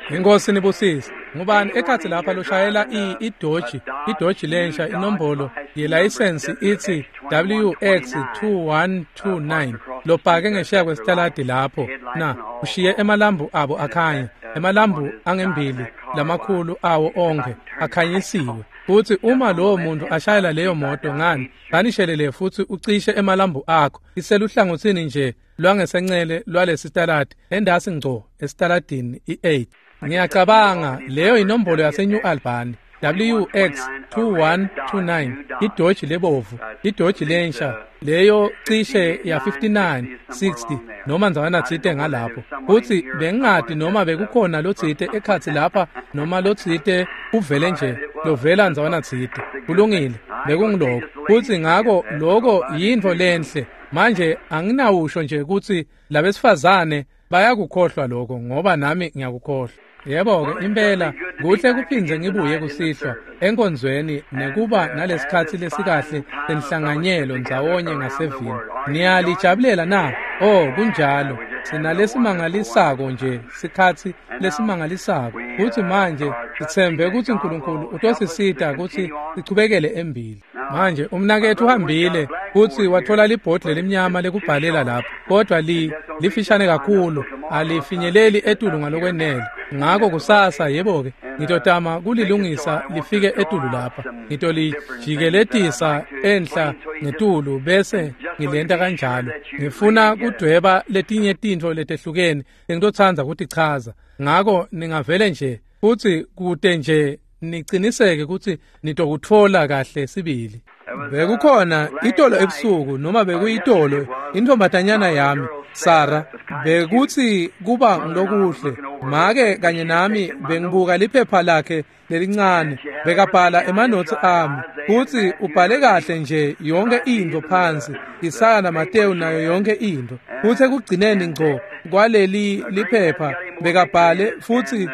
Inkosi nibusise. Ngubani ekhatsi lapha loshayela iDodge lensha inombolo yelayisensi ithi WX2129 lopake ngesheya kwesitaladi lapho na ushiye emalambu abo akhanya, emalambu angembili lamakhulu awo onke akhanyisiwe. Futhi uma lowo muntu ashayela leyo moto ngani kanishelele futhi ucishe emalambu akho iseluhlangothini nje lwangesencele lwalesitaladi endasi ngco esitaladini i-8. Ngiyacabanga leyo inombolo yaseNew Albany WX2129 iDodge lebovu, iDodge lensha leyo cishe ya 59 60 noma ndzawanatsite ngalapho. Futhi bengingadi noma bekukhona lotsite ekhatsi lapha noma lotsite uvele nje lovela ndzawanatsite. Kulungile, bekungiloko. Futhi ngako loko yintfo lenhle. Manje anginawusho nje ukuthi labesifazane bayakukhohlwa lokho ngoba nami ngiyakukhohlwa. Yebo-ke impela kuhle kuphindze ngibuye kusihlwa enkonzweni nekuba nalesikhatsi lesikahle senhlanganyelo ndzawonye ngasevini. Niyalijabulela na? Oh, kunjalo. Sinalesimangalisako nje, sikhatsi lesimangalisako. Futhi manje sitsembe ukuthi uNkulunkulu utosisita ukuthi sichubekele embili. Manje umnaketfu uhambile futhi wathola libhodi lelimnyama lekubhalela lapho, kodwa lifishane kakhulu, alifinyeleli etulu ngalokwenele. Ngako kusasa yebo-ke ngitotama kulilungisa lifike etulu lapha. Ngitolijikeletisa enhla ngetulu bese ngilenta kanjalo. Ngifuna kudweba letinye tintfo letehlukene lengitotsandza kutichaza. Ngako ningavele nje futhi kute nje niciniseke ukuthi nitokutfola kahle sibili. Bekukhona itolo ebusuku noma bekuyitolo intombatanyana yami Sara bekuthi kuba ngilokuhle make kanye nami bengibuka liphepha lakhe lelincane bekabhala emanothi ami futhi ubhale kahle nje yonke into phansi Isaya naMateyu nayo yonke into. Futhi ekugcineni ngco kwaleli liphepha bekabhale futhi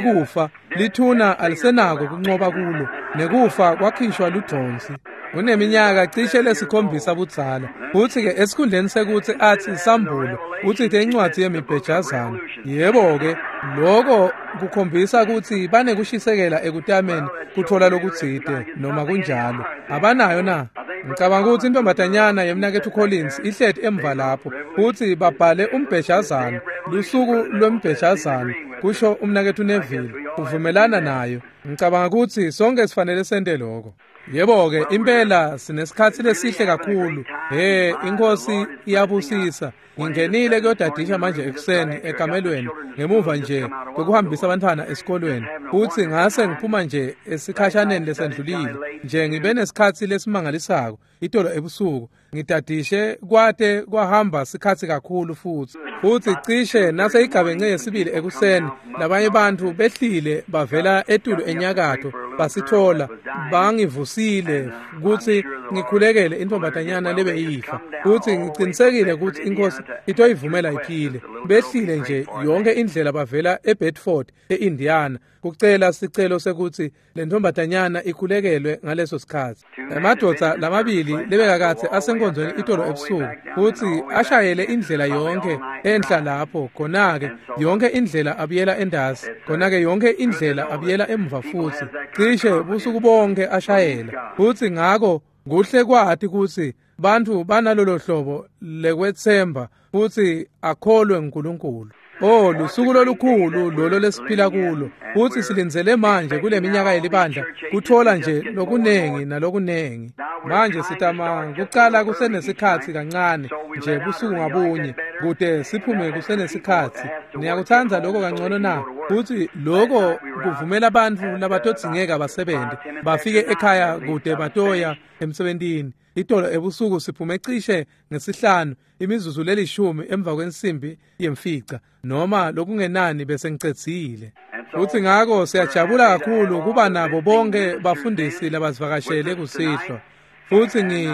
kufa lithuna alisenako kunqoba kulo nekufa kwakhishwa ludonsi. Uneminyaka cishe lesikhombisa budzala. Futhi-ke esikhundleni sekuthi athi sambulo utsite incwadi yemibhejazana. Yebo-ke loko kukhombisa ukuthi banekushisekela ekutameni kuthola lokutsite noma kunjalo. Abanayo na? Ngicabanga ukuthi intombatanyana yemnaketfu Collins ihleti emva lapho futhi babhale umbhejazana, lusuku lwembhejazana, kusho umnaketfu Neville, uvumelana nayo. Ngicabanga ukuthi sonke sifanele sente lokho. Yebo-ke impela sinesikhatsi lesihle kakhulu. He, inkosi iyabusisa. Ngingenile kuyodadisha manje ekuseni ekamelweni ngemuva nje kokuhambisa abantwana esikolweni. Futhi ngase ngiphuma nje esikhashaneni lesendlulile. Nje ngibe nesikhatsi lesimangalisako itolo ebusuku. Ngidadishe kwate kwahamba sikhatsi kakhulu futhi. Futhi cishe nase igabence yesibili ekuseni labanye bantu behlile bavela etulu enyakatho basithola bangivusile ukuthi ngikhulekele intombatanyana lebe ifa. Futhi ngicinisekile ukuthi inkosi itoyivumela iphile. Behlile nje yonke indlela bavela eBedford eIndiana kucela sicelo sekuthi le ntombatanyana ikhulekelwe ngaleso sikhathi. Emadoda lamabili lebekakathe asenkonzweni itolo ebusuku futhi ashayele indlela yonke enhla lapho khona-ke yonke indlela abuyela endasi khona-ke yonke indlela abuyela emuva futhi cishe busuku bonke ashayela. Futhi ngako kuhle kwati ukuthi bantu banalolo hlobo lekwetsemba futhi akholwe nguNkulunkulu. Oh, lusuku lolukhulu lolo lesiphila kulo. Futhi silindzele manje kule minyaka yelibandla kuthola nje lokunengi nalokunengi. Manje sitama kucala kusenesikhatsi kancane nje busuku ngabunye kude siphume kusenesikhatsi. Niyakutsandza lokho kangcono na? Futhi lokho kuvumela abantu labatodzingeka basebenze bafike ekhaya kude batoya emsebentini. Itolo ebusuku siphume cishe ngesihlanu imizuzu lelishumi emva kwensimbi yemfica noma lokungenani bese ngicedzile. Futhi ngako siyajabula kakhulu kuba nabo bonke bafundisi labasivakashele kusihlwa. Futhi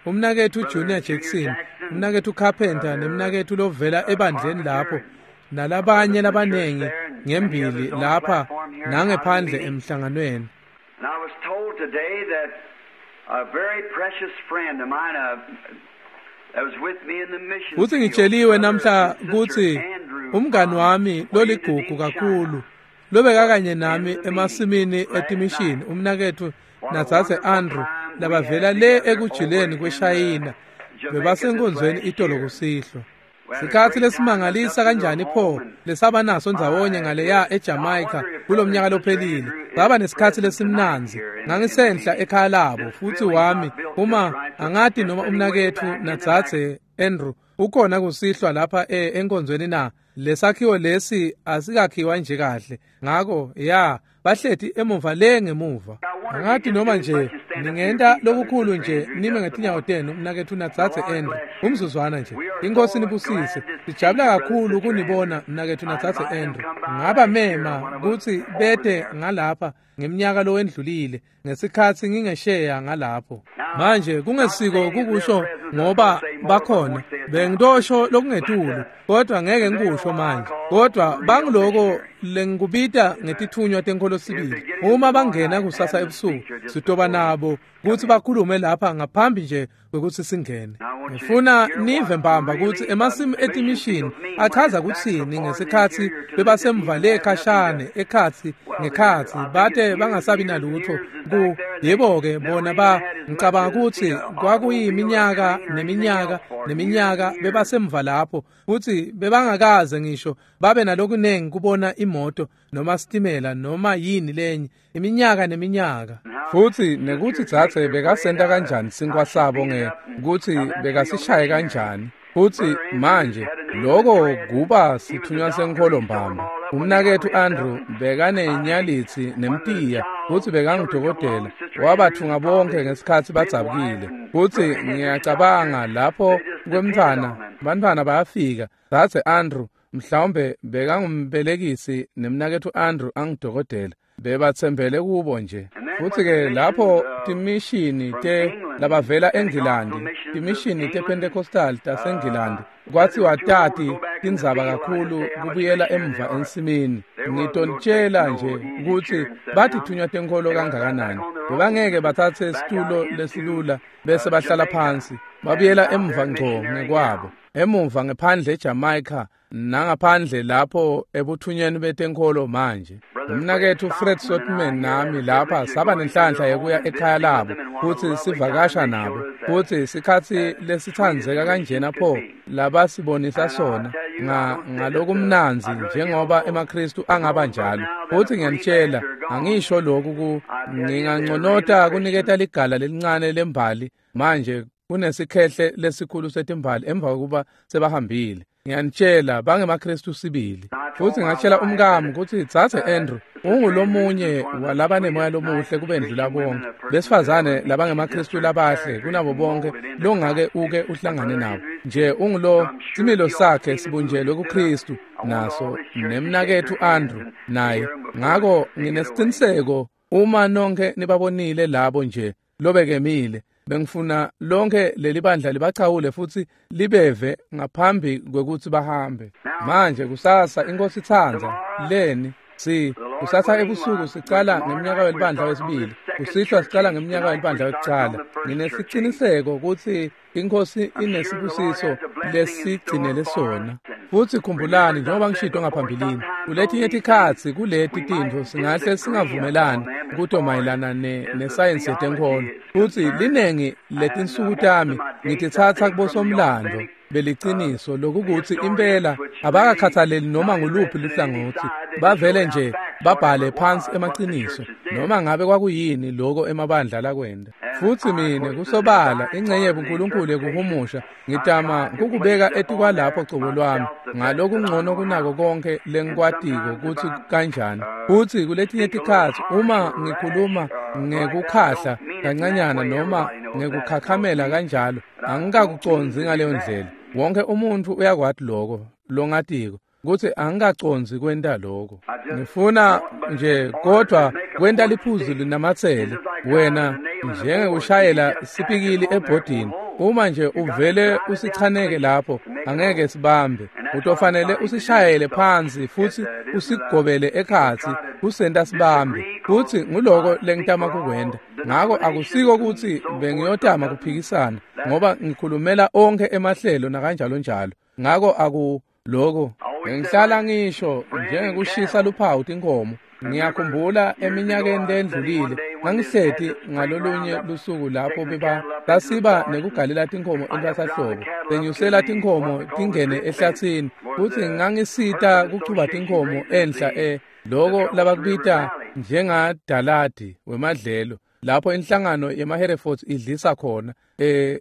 umnaketfu Junior Jackson, umnaketfu Carpenter nemnaketfu lovela ebandleni lapho nalabanye labanengi ngembili lapha nangephandle emhlanganweni. A very precious friend of mine, Futsi ngitsheliwe namhla kutsi umngani wami loligugu kakhulu lobekakanye nami emasimini etimishini, umnaketfu nadzadze Andrew, labavela le ekujuleni kweShayina, bebasenkonzweni itolo kusihlwa. Sikhatsi lesimangalisa kanjani pho lesaba naso ndzawonye ngaleya eJamaica kulomnyaka lophelile. Saba nesikhatsi lesimnandzi. Ngangisenhla ekhaya labo futsi wami uma angati noma umnaketfu nadzadze Andrew ukhona kusihlwa lapha enkonzweni na. Lesakhiwo lesi asikakhiwa nje kahle, ngako ya bahleti emuva le ngemuva. Angati noma nje ningenta lokukhulu nje nime ngetinyawo tenu mnaketfu nadzadze Andrew umzuzwana nje. Inkosi nibusise. Sijabula kakhulu kunibona mnaketfu nadzadze Andrew. Ngaba mema kutsi bete ngalapha ngeminyaka lowendlulile ngesikhatsi ngingesheya ngalapho. Manje kungesiko kukusho ngoba bakhona bengitosho lokungetulu, kodwa ngeke ngikusho manje. Kodwa bangiloko lengikubita ngetithunywa tenkholo sibili. Uma bangena kusasa ebusuku sitoba nabo kutsi bakhulume lapha ngaphambi nje kwekutsi singene. Ngifuna nive mbamba kutsi emasimu etimishini achaza kutsini ngesikhatsi bebasemva le khashane ekhatsi ngekhatsi bate bangasabi nalutho ku yebo-ke bona ba ngicabanga kutsi kwakuyiminyaka neminyaka neminyaka bebasemva lapho futsi bebangakaze ngisho babe nalokunengi kubona imoto noma sitimela noma yini lenye iminyaka neminyaka. Futsi nekutsi dzadze bekasenta kanjani sinkwa sabo ngekutsi bekasishaye kanjani. Futsi manje loko kuba sithunywa senkholo mbamba. Umnaketfu Andrew bekanenyalitsi nemtiya futsi bekangudokotela, wabathunga bonke ngesikhatsi badzabukile. Futsi ngiyacabanga lapho kwemntfwana, bantfwana bayafika. Dzadze Andrew mhlawumbe bekangumbelekisi nemnaketfu Andrew angudokotela, bebatsembele kubo nje. Futsi-ke lapho timishini te labavela eNgilandi, timishini tePentecostal taseNgilandi, kwatsiwa tati tindzaba kakhulu kubuyela emva ensimini. Ngitonitshela nje kutsi batithunywa tenkholo kangakanani. Bebangeke batsatse situlo lesilula bese bahlala phansi, babuyela emva ngco ngekwabo, emuva ngephandle eJamaica nangaphandle lapho ebuthunyeni betenkholo manje. Umnaketfu Fred Sotman nami lapha saba nenhlanhla yekuya ekhaya labo futsi sivakasha nabo, futsi sikhatsi lesitsandzeka kanjena pho labasibonisa sona ngalokumnandzi njengoba emaKhristu angaba njalo. Futsi ngiyanitshela, angisho lokhu nginganconota kuniketa ligala lelincane lembali manje kunesikhehle lesikhulu setimbali emva kokuba sebahambile. Ngiyanitshela bangemaKhristu sibili. Futsi ngatshela umkami kutsi dzadze Andrew ungulomunye walabanemoya lomuhle kubendlula bonke besifazane labangemaKhristu labahle kunabo bonke longake uke uhlangane nabo. Nje ungulo similo sakhe sibunjelwe kuKhristu naso nemnaketfu Andrew naye. Ngako nginesiciniseko uma nonke nibabonile labo nje lobekemile, bengifuna lonke leli bandla libachawule futsi libeve ngaphambi kwekutsi bahambe. Manje kusasa inkosi itsandza leni si kusasa ebusuku sicala ngeminyaka welibandla wesibili, kusihlwa sicala ngeminyaka welibandla wekucala. Nginesiciniseko kutsi inkosi inesibusiso lesigcinele sona. Futsi khumbulani njengoba ngishito ngaphambilini, kuletinye tikhatsi kuleti tintfo singahle singavumelani kuto mayelana nesayensi yetenkholo. Futsi linengi letinsuku tami ngititsatsa kubosomlando beliciniso lokukuthi impela abakakhathaleli noma nguluphi luhlangotsi, bavele nje babhale phansi emaciniso noma ngabe kwakuyini loko emabandla lakwenda. Futsi mine kusobala ingcenye yebuNkulunkulu yekuhumusha ngitama kukubeka etikwalapho cobo lwami ngalokungcono kunako konke lengikwatiko kutsi kanjani. Futsi kuletinye tikhatsi uma ngikhuluma ngekukhahla kancanyana noma ngekukhakhamela kanjalo, angikakucondzi ngaleyo ndlela. Wonke umuntfu uyakwati loko longatiko kutsi angikacondzi kwenta lokho. Ngifuna nje kodwa kwenta liphuzu linamatsele wena njengekushayela sipikili ebhodini. Uma nje uvele usichaneke lapho, angeke sibambe. Utofanele usishayele phansi futsi usigobele ekhatsi kusenta sibambe. Futsi nguloko lengitama kukwenta. Ngako akusiko kutsi bengiyotama kuphikisana, ngoba ngikhulumela onkhe emahlelo nakanjalo njalo. Ngako akuloko ngihlala ngisho njengekushisa luphawu tinkhomo. Ngiyakhumbula eminyakeni lendlulile ngangihleti ngalolunye lusuku lapho sasiba nekugalela tinkhomo entwasahlobo, senyusela tinkhomo tingene ehlathini, futsi ngangisita kuchuba tinkhomo enhla loko labakubita njengadaladi wemadlelo, lapho inhlangano yemaHerefords idlisa khona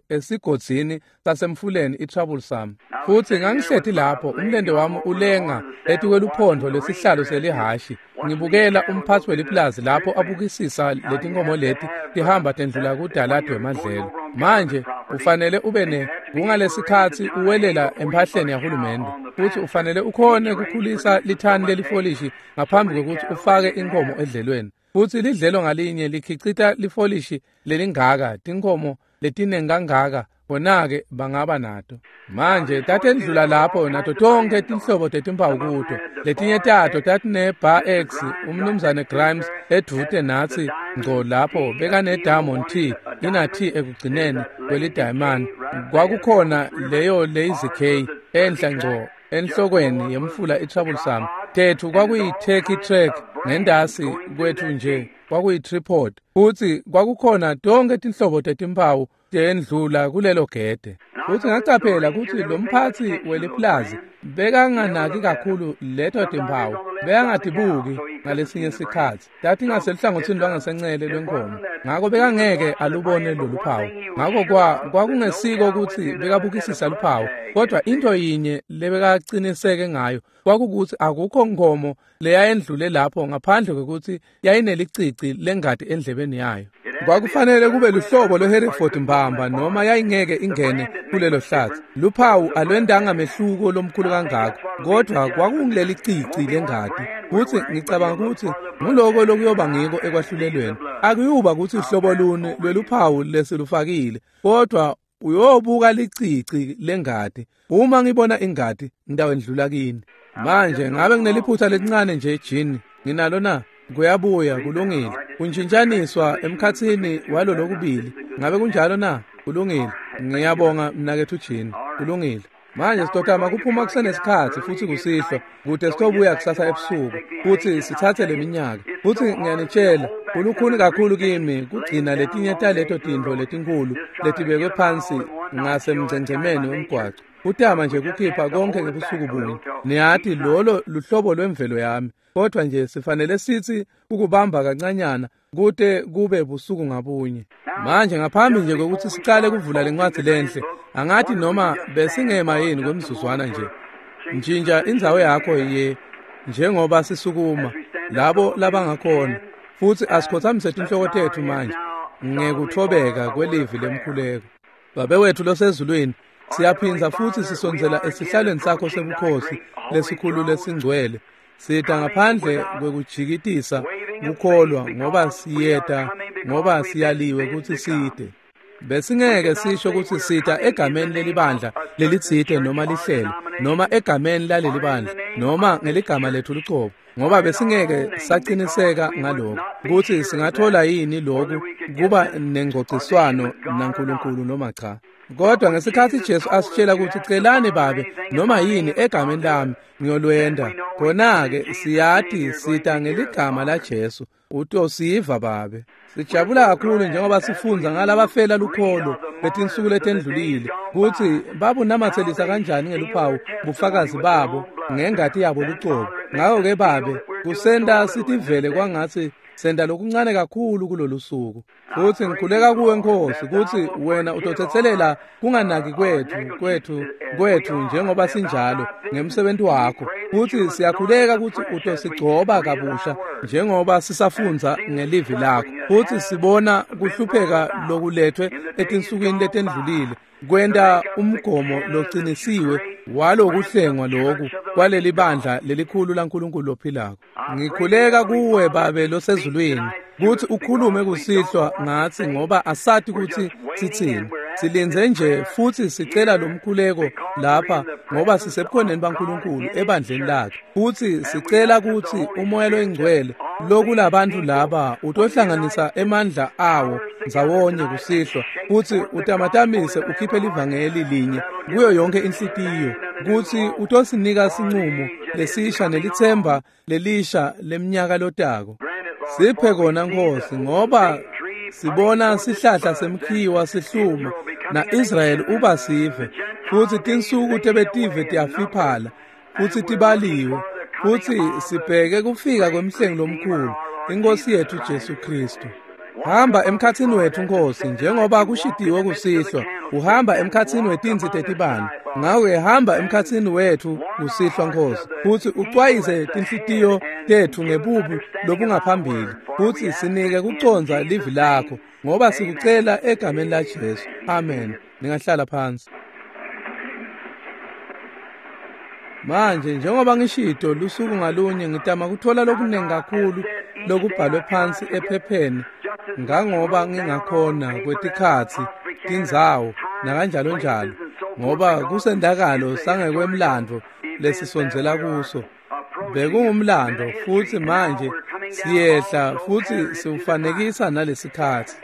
esigodzini sasemfuleni iTroublesome. Futsi ngangihleti lapho umlente wami ulenga etikweluphondvo lwesihlalo selihhashi, ngibukela umphatsi weliplazi lapho abukisisa letinkhomo leti tihamba tendlula kudaladi wemadlelo. Manje ufanele ube kungalesikhatsi uwelela emphahleni yahulumende, futsi ufanele ukhone kukhulisa lithani lelifolishi ngaphambi kwekutsi ufake inkhomo edlelweni. Futsi lidlelo ngalinye likhicita lifolishi lelingaka, tinkhomo letinengi kangaka, bona-ke bangaba nato. Manje tatendlula lapho nato tonkhe tinhlobo tetimpawu kuto. Letinye tato tatine-Bar X, umnumzane Grimes edvute natsi ngco lapho bekane-Diamond T, ina T ekugcineni kwelidayimani. Kwakukhona leyo Lazy K enhla ngco enhlokweni yemfula iTroublesome. Tethu kwakuyi-Turkey Track, ngendasi kwethu nje kwakuyi-tripod. Futsi kwakukhona tonkhe tinhlobo tetimpawu tendlula kulelo gede. Futsi ngacaphela kutsi lo mphatsi weliplazi bekanganaki kakhulu leto timpawu, bekangatibuki ngalesinye sikhatsi. Tatingaseluhlangotsini lwangasencele lwenkhomo, ngako bekangeke alubone lolu phawu. Ngako kwakungesiko kutsi bekabukisisa luphawu, kodwa into yinye lebekaciniseke ngayo kwakukutsi akukho nkhomo leyayendlule lapho ngaphandle kwekutsi yayinelicici lengati endlebeni yayo. Kwakufanele kube luhlobo lweHereford mbamba noma yayingeke ingene kulelo hlatsi. Luphawu alwendanga mehluko lomkhulu kangako, kodwa kwakunguleli cici lengati. Futsi ngicabanga kutsi nguloko lokuyoba ngiko ekwahlulelweni. Akuyuba kutsi uhlobo luni lweluphawu lesilufakile, kodwa uyobuka licici lengati. Uma ngibona ingati, ngitawendlula kini. Manje ngabe ngineliphutha lelincane nje Jean, nginalo na? Kuyabuya, kulungile. Kuntshintshaniswa emkhatsini walolokubili. Ngabe kunjalo na? Kulungile. Ngiyabonga mnaketfu Jean. Kulungile. Manje sitotama kuphuma kusenesikhatsi futsi kusihlwa kute sitobuya kusasa ebusuku futsi sitsatse leminyaka. Futsi ngiyanitshela, kulukhuni kakhulu kimi kugcina letinye taleto tintfo letinkhulu letibekwe phansi ngasemgcengcemeni wemgwaco. Kutama nje kukhipha konke ngebusuku bunye. Niyati lolo luhlobo lwemvelo yami, kodwa nje sifanele sitsi ukubamba kancanyana kute kube busuku ngabunye. Manje ngaphambi nje kwekutsi sicale kuvula lencwadzi lenhle, angathi noma besingema yini kwemzuzwana nje. Ntshintsha indzawo yakho ye njengoba sisukuma labo labangakhona, futsi asikhothamise tinhloko tetfu manje ngekuthobeka kwelivi lemkhuleko. Babe wethu losezulwini, siyaphindza futsi sisondzela esihlalweni sakho sebukhosi lesikhulu lesingcwele. Sita ngaphandle kwekujikitisa kukholwa, ngoba siyeta, ngoba siyaliwe kutsi site. Besingeke sisho kutsi sita egameni lelibandla lelitsite noma lihlelo, noma egameni lalelibandla, noma ngeligama lethu lucobo, ngoba besingeke saciniseka ngaloko kutsi singathola yini loku kuba nengcociswano naNkulunkulu noma cha. Kodwa ngesikhatsi Jesu asitshela kutsi celani Babe noma yini egameni lami ngiyolwenda, khona-ke siyati sita ngeligama laJesu. Utosiva Babe. Sijabula kakhulu njengoba sifundza ngalabafela lukholo letinsuku letendlulile kutsi babunamatselisa kanjani ngeluphawu bufakazi babo ngengati yabo lucobo. Ngako-ke Babe, kusenta sitivele kwangatsi senta lokuncane kakhulu kulolu suku. Futsi ngikhuleka kuwe Nkosi kutsi wena utotsetselela kunganaki kwethu njengoba sinjalo ngemsebenti wakho. Futsi siyakhuleka kutsi utosigcoba kabusha njengoba sisafundza ngelivi lakho. Futsi sibona kuhlupheka lokulethwe etinsukwini letendlulile kwenta umgomo locinisiwe walokuhlengwa loku kwaleli bandla lelikhulu laNkulunkulu lophilako. Ngikhuleka kuwe Babe losezulwini kutsi ukhulume kusihlwa ngatsi, ngoba asati kutsi sitsini. Silindze nje futsi sicela lomkhuleko lapha ngoba sisebukhoneni baNkulunkulu ebandleni lakhe. Futsi sicela kutsi uMoya loyiNgcwele lokulabantu laba utohlanganisa emandla awo ndzawonye kusihlwa futsi utamatamise ukhiphe livangeli linye kuyo yonke inhlitiyo kutsi utosinika sinqumo lesisha nelitsemba lelisha lemnyaka lotako. Siphe kona Nkosi, ngoba sibona sihlahla semkhiwa sihluma na-Israyeli uba sive, futsi tinsuku tebetive tiyafiphala futsi tibaliwe, futsi sibheke kufika kwemhlengi lomkhulu, iNkosi yethu Jesu Kristu. Hamba emkhatsini wethu Nkosi, njengoba kushitiwe kusihlwa, uhamba emkhatsini wetintsi tetibane. Ngako-ke hamba emkhatsini wethu kusihlwa Nkosi, futsi ucwayise tinhlitiyo tetfu ngebubi lobungaphambili, futsi sinike kucondza livi lakho, ngoba sikucela egameni laJesu. Amen. Ningahlala phansi. Manje njengoba ngishito lusuku ngalunye ngitama kuthola lokunengi kakhulu lokubhalwe phansi ephepheni ngangoba ngingakhona kwetikhatsi, tindzawo nakanjalo njalo, ngoba kusendakalo sangekwemlandvo lesisondzela kuso. Bekungumlando futsi manje siyehla futsi siwufanekisa nalesikhatsi.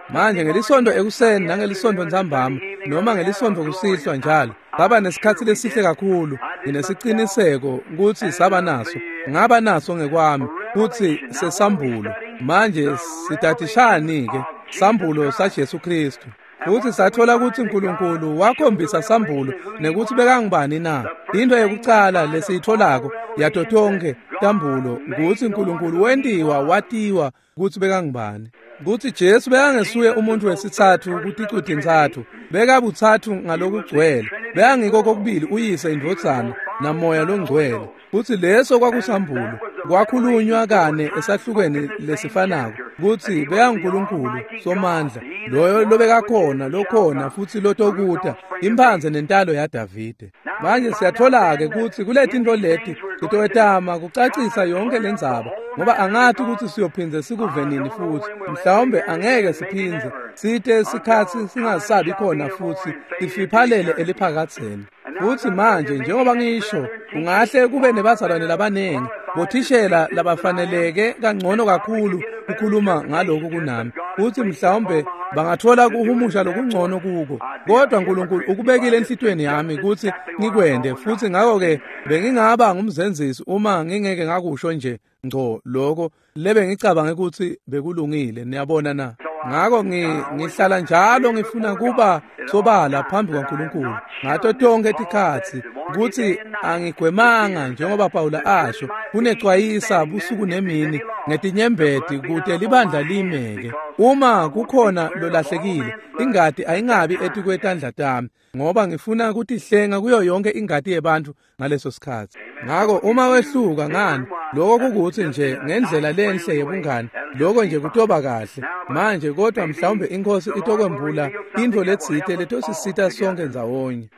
Manje ngelisonto ekuseni nangelisonto ntsambama noma ngelisonto kusihlwa njalo saba nesikhatsi lesihle kakhulu. Nginesiciniseko kutsi saba naso, ngaba naso ngekwami kutsi sesambulo. Manje sitatishani-ke sambulo saJesu Kristu. Futsi sathola kutsi uNkulunkulu wakhombisa sambulo nekutsi bekangubani na. Into yekucala lesiyitholako yato tonkhe tambulo kutsi uNkulunkulu wentiwa watiwa kutsi bekangubani. Kutsi Jesu bekangesuye umuntu wesitsatfu kuticu tintsatfu, bekabutsatfu ngalokugcwele, bekangiko kokubili uyise, indvodzana naMoya loNgcwele. Futsi leso kwakusambulo, kwakhulunywa kane esahlukweni lesifanako kutsi bekanguNkulunkulu Somandla, loyo lobekakhona, lokhona futsi lotokuta, imphandze nentalo yaDavide. Manje siyathola-ke kutsi kuletintfo leti sitowetama kucacisa yonke lendzaba, ngoba angati kutsi siyophindze sikuve nini futsi, mhlawumbe angeke siphindze site sikhatsi singasabi khona futsi sifiphalele eliphakadzeni. Futsi manje njengoba ngisho, ungahle kube nebazalwane labanengi, bothishela labafaneleke kangcono kakhulu kukhuluma ngaloku kunami, futsi mhlawumbe bangathola kuhumusha lokungcono kuko, kodwa uNkulunkulu ukubekile enhlitiyweni yami kutsi ngikwente, futsi ngako-ke bengingaba ngumzenzisi uma ngingeke ngakusho nje ngco lokho lebengicabange kutsi bekulungile. Niyabona na? Ngako ngihlala njalo ngifuna kuba sobala phambi kwaNkulunkulu ngato tonkhe tikhatsi kutsi angigwemanga, njengoba Pawula asho, kunecwayisa busuku nemini ngetinyembeti kute libandla limeke. Uma kukhona lolahlekile, ingati ayingabi etikwetandla tami, ngoba ngifuna kutihlenga kuyo yonke ingati yebantfu ngaleso sikhatsi. Ngako uma wehluka ngani, lokho kukutsi nje ngendlela lenhle yebungani, lokho nje kutoba kahle. Manje kodwa mhlawumbe iNkosi itokwembula intfo letsite letosisita sonke ndzawonye.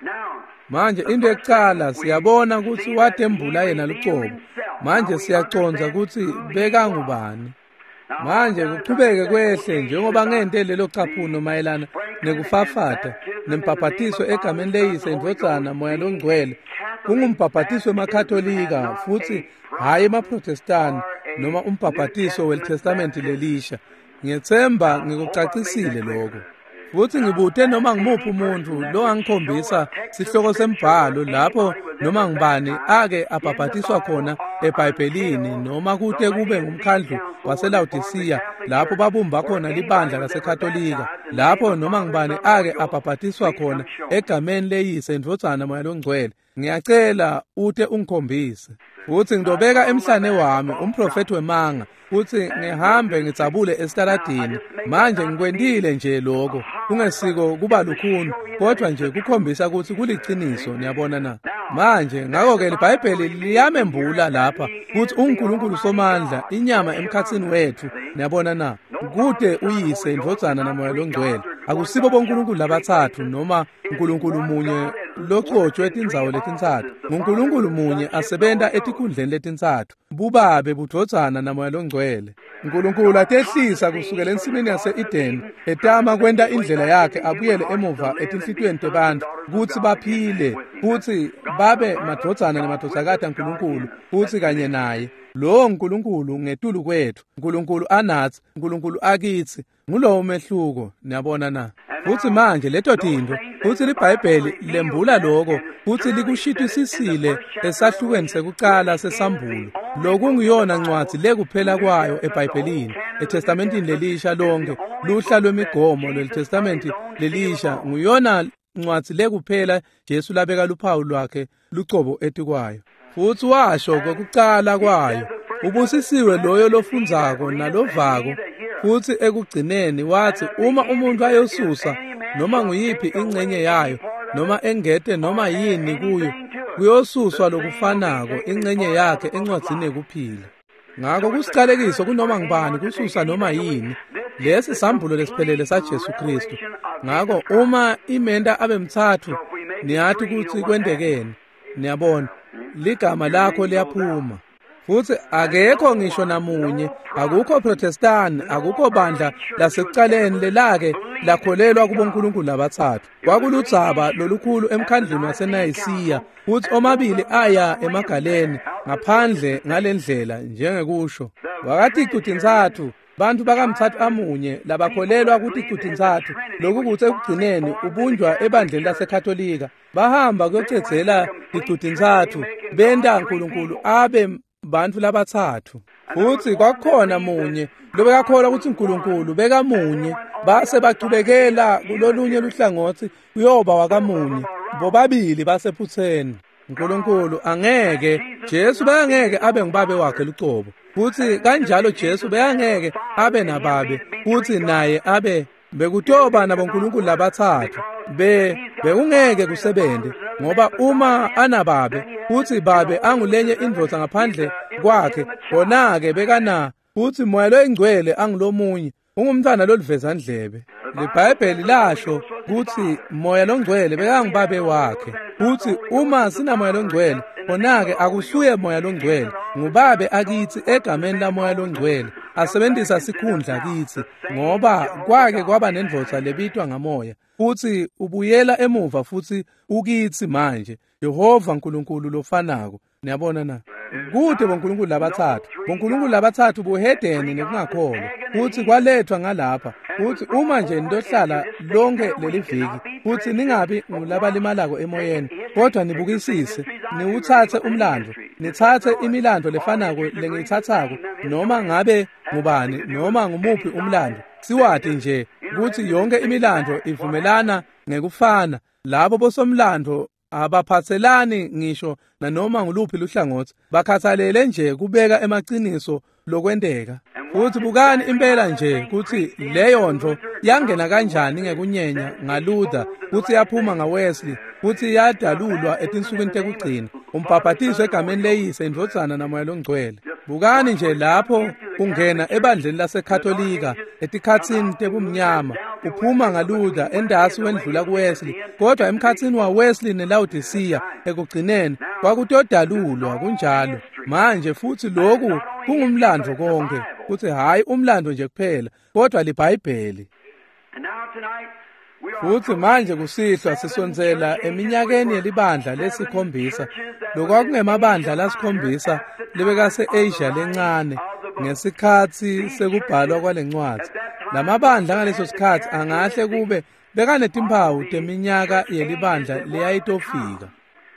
Manje into yekucala siyabona kutsi watembula yena lucobo. Manje siyacondza kutsi bekangubani. Manje kuchubeke kwehle njengoba ngente lelo caphuno mayelana nekufafata nembhabhatiso egameni leyise, indvodzana, Moya loNgcwele. Kungumbhabhatiso wemaKatolika futsi hhayi emaProtestani noma umbhabhatiso weliTestamenti lelisha. Ngiyetsemba ngikucacisile lokho. Futsi ngibute noma ngimuphi umuntu longangikhombisa sihloko sembhalo lapho noma ngubani ake abhabhatiswa khona eBhayibhelini, noma kute kube ngumkhandlu waseLawodisiya lapho babumba khona libandla laseKatolika, lapho noma ngubani ake abhabhatiswa khona egameni leyise, indvodzana, Moya loNgcwele. Ngiyacela ute ungikhombise. Futsi ngitobeka emhlane wami umprofethi wemanga, futsi ngihambe ngidzabule esitaladini. Manje ngikwentile nje lokho, kungesiko kuba lukhuni, kodwa nje kukhombisa kutsi kuliciniso. Niyabona na? Manje ngako-ke liBhayibheli liyamembula lapha kutsi unguNkulunkulu Somandla, inyama emkhatsini wetfu. Niyabona na? Kute uyise, indvodzana, naMoya loNgcwele. Akusibo boNkulunkulu labatsatfu noma uNkulunkulu munye locotshwe tindzawo letintsatfu. NguNkulunkulu munye asebenta etikhundleni letintsatfu. bubabe budvodzana namoya longcwele. Nkulunkulu atehlisa kusukela ensimini yase-Edeni, etama kwenta indlela yakhe abuyele emuva etinhlitiyweni tebantfu kutsi baphile, kutsi babe madvodzana nemadvodzakati aNkulunkulu futsi kanye naye. Lowo Nkulunkulu ngetulu kwetfu, Nkulunkulu anatsi, Nkulunkulu akitsi. Ngulowo umehluko, niyabona na? Futsi manje leto tintfo, futsi liBhayibheli lembula lokho, futsi likushitisisile esahlukweni sekucala sesambulo. Lokunguyona ncwadzi lekuphela kwayo eBhayibhelini, eTestamentini lelisha lonke, luhla lwemigomo lweliTestamenti lelisha, nguyona ncwadzi lekuphela Jesu labeka luphawu lwakhe lucobo etikwayo. Futsi washo kwekucala kwayo, ubusisiwe loyo lofundzako nalovako. Futsi ekugcineni wathi uma umuntu ayosusa noma nguyiphi ingcenye yayo noma engete noma yini kuyo, kuyosuswa lokufanako ingcenye yakhe encwadzini yekuphila. Ngakho kusicalekiso kunoma ngubani kususa noma yini. Lesi sambulo lesiphelele saJesu Kristu. Ngakho uma imenta abe mtsatfu, niyati kutsi kwentekeni. Niyabona, ligama lakho liyaphuma. Futsi akekho ngisho namunye, akukho Protestani, akukho bandla lasekucaleni lelake lakholelwa kubonkulunkulu labatsatfu. Kwakuludzaba lolukhulu emkhandlwini waseNayisiya, futsi omabili aya emagaleni ngaphandle ngalendlela njengekusho. Wakaticu tintsatfu, bantfu bakamtsatfu amunye labakholelwa kuticu tintsatfu, lokukutsi ekugcineni ubunjwa ebandleni laseKatolika. Bahamba kuyocedzela ticu tintsatfu, benta Nkulunkulu abe bantfu labatsatfu. Futsi kwakukhona munye lobekakholwa kutsi Nkulunkulu bekamunye, base bachubekela kulolunye luhlangotsi kuyoba wakamunye. Bobabili basephutseni. Nkulunkulu angeke, Jesu bekangeke abe ngubabe wakhe lucobo. Futsi kanjalo Jesu bekangeke abe nababe, futsi naye abe bekutoba nabonkulunkulu labatsatfu. Bekungeke kusebente, ngoba uma anababe futsi babe angulenye indvodza ngaphandle kwakhe, khona-ke bekana futsi Moya loyingcwele angulomunye, ungumntfwana loluveza ndlebe. LiBhayibheli lasho kutsi Moya longcwele bekangubabe wakhe. Futsi uma sinamoya longcwele, khona-ke akusuye Moya longcwele, ngubabe akitsi egameni laMoya longcwele, asebentisa sikhundla kitsi, ngoba kwake kwaba nendvodza lebitwa ngamoya. Futsi ubuyela emuva futsi ukitsi manje, Jehova Nkulunkulu lofanako. Niyabona na? Kude bonkulunkulu labatsatfu. Bonkulunkulu labatsatfu buhedeni nekungakholwa. Futsi kwalethwa ngalapha. Futsi uma nje nitohlala lonke leli viki, futsi ningabi ngulabalimalako emoyeni, kodwa nibukisise, niwutsatse umlando, nitsatse imilando lefanako lengiyitsatsako, noma ngabe ngubani, noma ngumuphi umlando. Siwati nje kutsi yonke imilando ivumelana ngekufana. Labo bosomlando abaphatselani ngisho nanoma nguluphi luhlangotsi, bakhathalele nje kubeka emaciniso lokwenteka. Futsi bukani impela nje kutsi leyo nto yangena kanjani ngekunyenya ngaLuther, futsi yaphuma ngaWesley, futsi yadalulwa etinsukwini tekugcina, umbhabhatiso egameni leyise, indvodzana namoya longcwele. Bukani nje lapho kungena ebandleni laseKatolika etikhatsini tebumnyama, uphuma ngaLuther endasi wendlula kuWesley, kodwa emkhatsini waWesley neLaodicea ekugcineni kwakutodalulwa kunjalo. Manje futsi lokhu kungumlando konke, futsi hhayi umlando nje kuphela, kodwa liBhayibheli. Futsi manje kusihlwa sisondzela eminyakeni yelibandla lesikhombisa, lokwakungemabandla lasikhombisa lebekase-Asia lencane ngesikhatsi sekubhalwa kwalencwadzi. Lamabandla ngaleso sikhatsi angahle kube bekanetimphawu teminyaka yelibandla leyayitofika,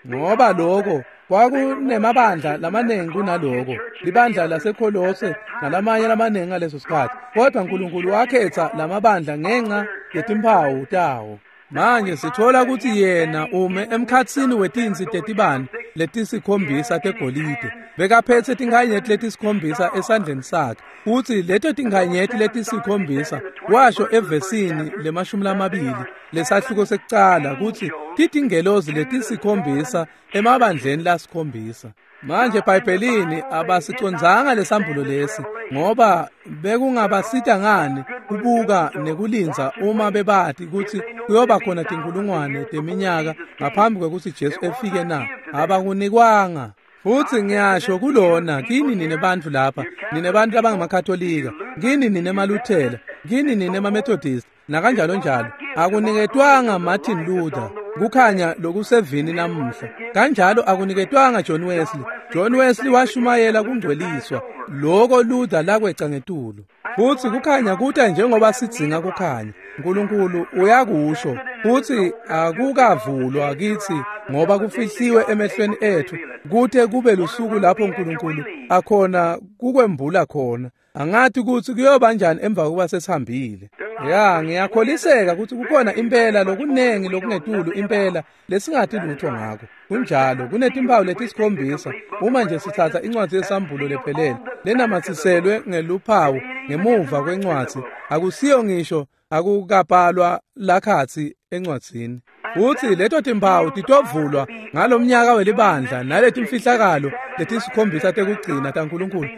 ngoba lokho kwakunemabandla lamanengi kunaloko, libandla laseKholose nalamanye lamanengi ngaleso sikhatsi. Kodwa Nkulunkulu wakhetsa lamabandla ngenxa yetimphawu tawo. Manje sithola kutsi yena ume emkhatsini wetinsi tetibane letisikhombisa tegolide, bekaphetse tinkhanyeti letisikhombisa esandleni sakhe. Futsi leto tinkhanyeti letisikhombisa washo evesini le-20 lesahluko sekucala kutsi titingelozi letisikhombisa emabandleni lasikhombisa. Manje eBhayibhelini abasicondzanga lesambulo lesi, ngoba bekungabasita ngani kubuka nekulindza uma bebati kutsi kuyoba khona tinkulungwane teminyaka ngaphambi kwekutsi Jesu efike na? Abakunikwanga. Futsi ngiyasho kulona kini nine bantfu lapha, nine bantfu labangamakatolika, kini nine maLuthela, kini nine maMethodist, nakanjalo njalo. Akuniketwanga Martin Luther kukhanya lokusevini namuhla. Kanjalo akuniketwanga John Wesley. John Wesley washumayela kungcweliswa, loko Luther lakweca ngetulu. Futsi kukhanya kuta njengoba sidzinga kukhanya. Nkulunkulu uyakusho futsi akukavulwa kitsi ngoba kufihliwe emehlweni ethu kute kube lusuku lapho Nkulunkulu akhona kukwembula khona. Angathi kutsi kuyoba njani emva kokuba sesihambile. Ya, ngiyakholiseka kutsi kukhona impela lokunengi lokungetulu impela lesingathi lutho ngako. Kunjalo, kunetimpawu letisikhombisa. Uma nje sithatha incwadzi yesambulo lephelele lenamatsiselwe ngeluphawu ngemuva kwencwadzi, akusiyo ngisho akukabhalwa lakhatsi encwadzini. Futsi leto timpawu titovulwa ngalomnyaka welibandla naletimfihlakalo letisikhombisa tekugcina taNkulunkulu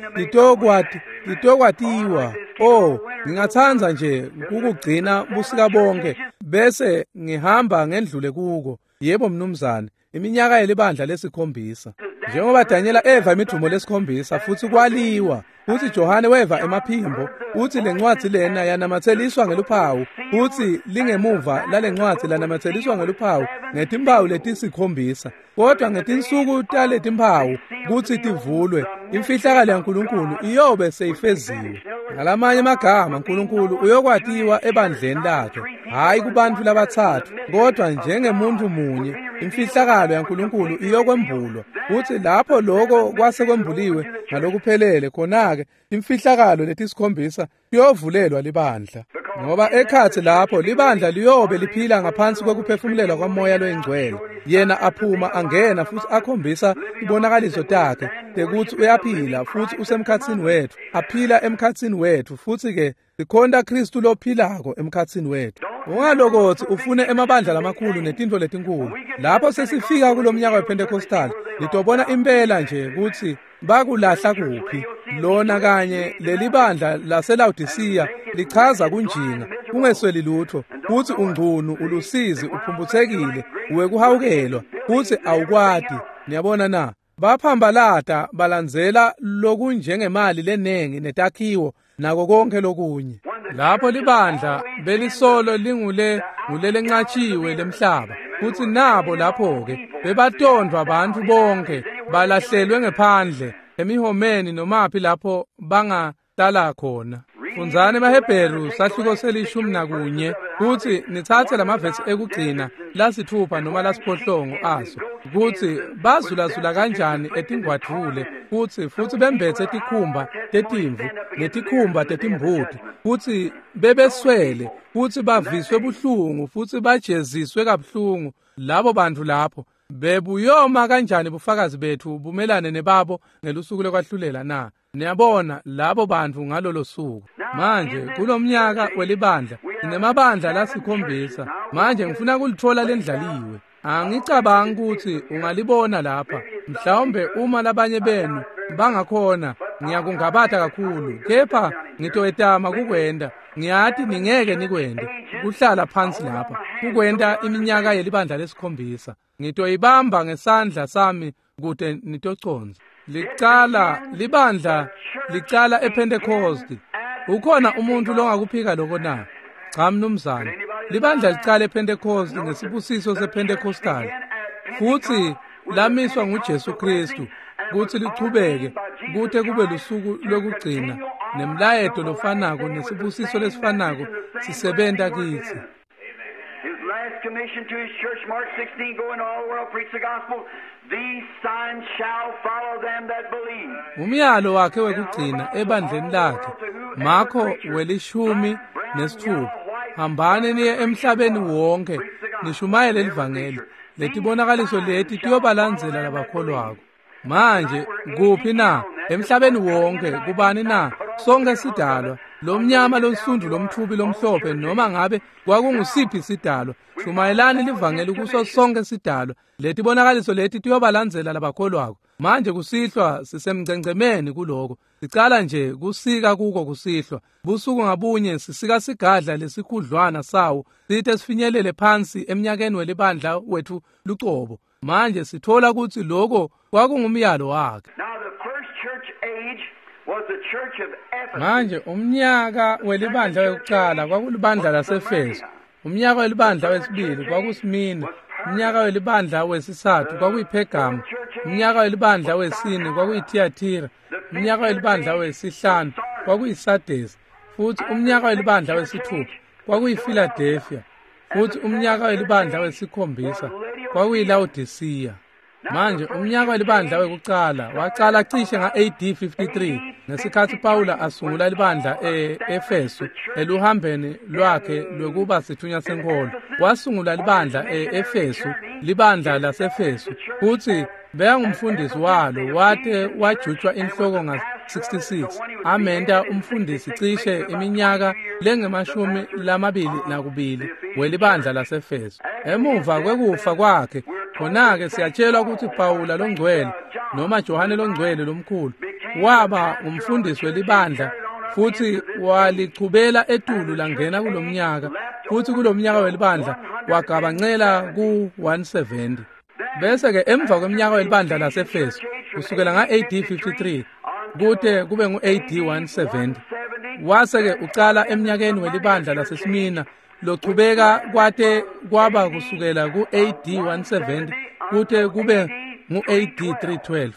titokwatiwa. Oh, ngingatsandza nje kukugcina busika bonke bese ngihamba ngendlule kuko. Yebo mnumzane, iminyaka yelibandla lesikhombisa. Njengoba Daniela eva imidumo lesikhombisa futsi kwaliwa, futsi Johane weva emaphimbo, futsi lencwadzi lena yanamatseliswa ngeluphawu, futsi lingemuva lalencwadzi lanamatseliswa ngeluphawu ngetimpawu letisikhombisa. Kodwa ngetinsuku taletimpawu kutsi tivulwe, imfihlakalo yaNkulunkulu iyobe seyifeziwe. Ngalamanye amagama, Nkulunkulu uyokwatiwa ebandleni lakhe, hhayi kubantfu labatsatfu, kodwa njengemuntu munye. Imfihlakalo yaNkulunkulu iyokwembulwa, futsi lapho loko kwase kwembuliwe ngalokuphelele, khona-ke imfihlakalo letisikhombisa iyovulelwa libandla. Ngoba ekhatsi lapho libandla liyobe liphila ngaphansi kwekuphefumulelwa kwaMoya loyiNgcwele. Yena aphuma angena futsi akhombisa ibonakaliso takhe tekutsi uyaphila futsi usemkhatsini wetfu, aphila emkhatsini wetfu, futsi-ke sikhonta Khristu lophilako emkhatsini wetfu. Ungalokotsi ufune emabandla lamakhulu netintfo letinkulu. Lapho sesifika kulomnyaka wePentecostal, nitobona impela nje kutsi bakulahla kuphi. Lona kanye lelibandla laseLaodicea lichaza kunjinga, kungesweli lutho, kutsi ungcunu, ulusizi, uphumphutsekile, wekuhawukelwa, kutsi awukwati. Niyabona na? Baphambalata balandzela lokunjengemali lenengi netakhiwo nako konke lokunye. Lapho libandla belisolo lingule ngulelenqatshiwe lemhlaba, futsi nabo lapho-ke bebatondvwa bantfu bonke, balahlelwe ngephandle emihomeni nomaphi lapho bangahlala khona. Fundzani emaHebheru sahluko se-11 kutsi nitsatse lamavesi ekugcina lasithupha noma lasiphohlongo aso, kutsi bazulazula kanjani etingwadvule futsi bembetse tikhumba tetimvu netikhumba tetimbuti, futsi bebeswele, futsi baviswe buhlungu, futsi bajeziswe kabuhlungu. Labo bantfu lapho bebuyoma kanjani bufakazi bethu bumelane nebabo ngelusuku lokwahlulela na? Niyabona labo bantfu ngalolo suku. Manje kulomnyaka welibandla sinemabandla lasikhombisa. Manje ngifuna kulitfola lendlaliwe. Angicabangi kutsi ungalibona lapha. Mhlawumbe uma labanye benu bangakhona, ngiyakungabata kakhulu, kepha ngitoyetama kukwenta. Ngiyati ningeke nikwente kuhlala phansi lapha kukwenta iminyaka yelibandla lesikhombisa. Ngitoyibamba ngesandla sami kute nitocondza. Licala libandla licala ePentecost. Ukhona umuntu longakuphika lokho na? Cha mnumzane. Libandla licala ePentecost ngesibusiso sePentecostal, futsi lamiswa nguJesu Kristu kutsi lichubeke kute kube lusuku lwekugcina, nemlayeto lofanako nesibusiso lesifanako sisebenta kitsi. His last commission to his church, Mark 16, go into all the world, preach the gospel. These signs shall follow them that believe. Umyalo wakhe wekugcina ebandleni lakhe, Marko 16, hambani niye emhlabeni wonke nishumayele livangeli. Letibonakaliso leti tiyobalandzela labakholwako. Manje kuphi na? Emhlabeni wonke. Kubani na? Sonke sidalwa, lomnyama, lonsundu, lomthubi, lomhlophe, noma ngabe kwakungusiphi sidalwa. Shumayelani livangeli kuso sonke sidalwa. Letibonakaliso leti tiyobalandzela labakholwako. Manje kusihlwa sisemgcengcemeni kuloko. Sicala nje kusika kuko kusihlwa. Busuku ngabunye sisika sigadla lesikhudlwana sawo site sifinyelele phansi emnyakeni welibandla wethu lucobo. Manje sithola kutsi lokho kwakungumyalo wakhe. Manje umnyaka welibandla wekucala kwakulibandla laseEfeso, umnyaka welibandla wesibili kwakuSmina, umnyaka welibandla wesitsatfu kwakuyiPhergamu, umnyaka welibandla wesine kwakuyiThiyathira, umnyaka welibandla wesihlanu kwakuyiSardesi, futhi umnyaka welibandla wesithupha kwakuyiFiladelfiya, futhi umnyaka welibandla wesikhombisa kwakuyiLawodisiya. Manje umnyaka welibandla wekucala wacala cishe nga-AD 53 ngesikhatsi Pawula asungula libandla e-Efesu eluhambeni lwakhe lwekuba sithunywa senkholo. Wasungula libandla e-Efesu, libandla laseEfesu, futsi bekangumfundisi walo wate wajutjwa inhloko nga-66, amenta umfundisi cishe iminyaka lengu-22 welibandla laseEfesu. Emuva kwekufa kwakhe, khona-ke siyatshelwa ukuthi Pawula longcwele noma Johane longcwele lomkhulu waba umfundisi welibandla futhi walichubela etulu langena kulomnyaka, futhi kulomnyaka welibandla wagabancela ku-170. Bese-ke emva kweminyaka welibandla laseEfesu kusukela nga-AD 53 kute kube ngu-AD 170, wase-ke ucala eminyakeni welibandla laseSmina lochubeka kwate kwaba kusukela ku-AD 170 kute kube ngu-AD 312.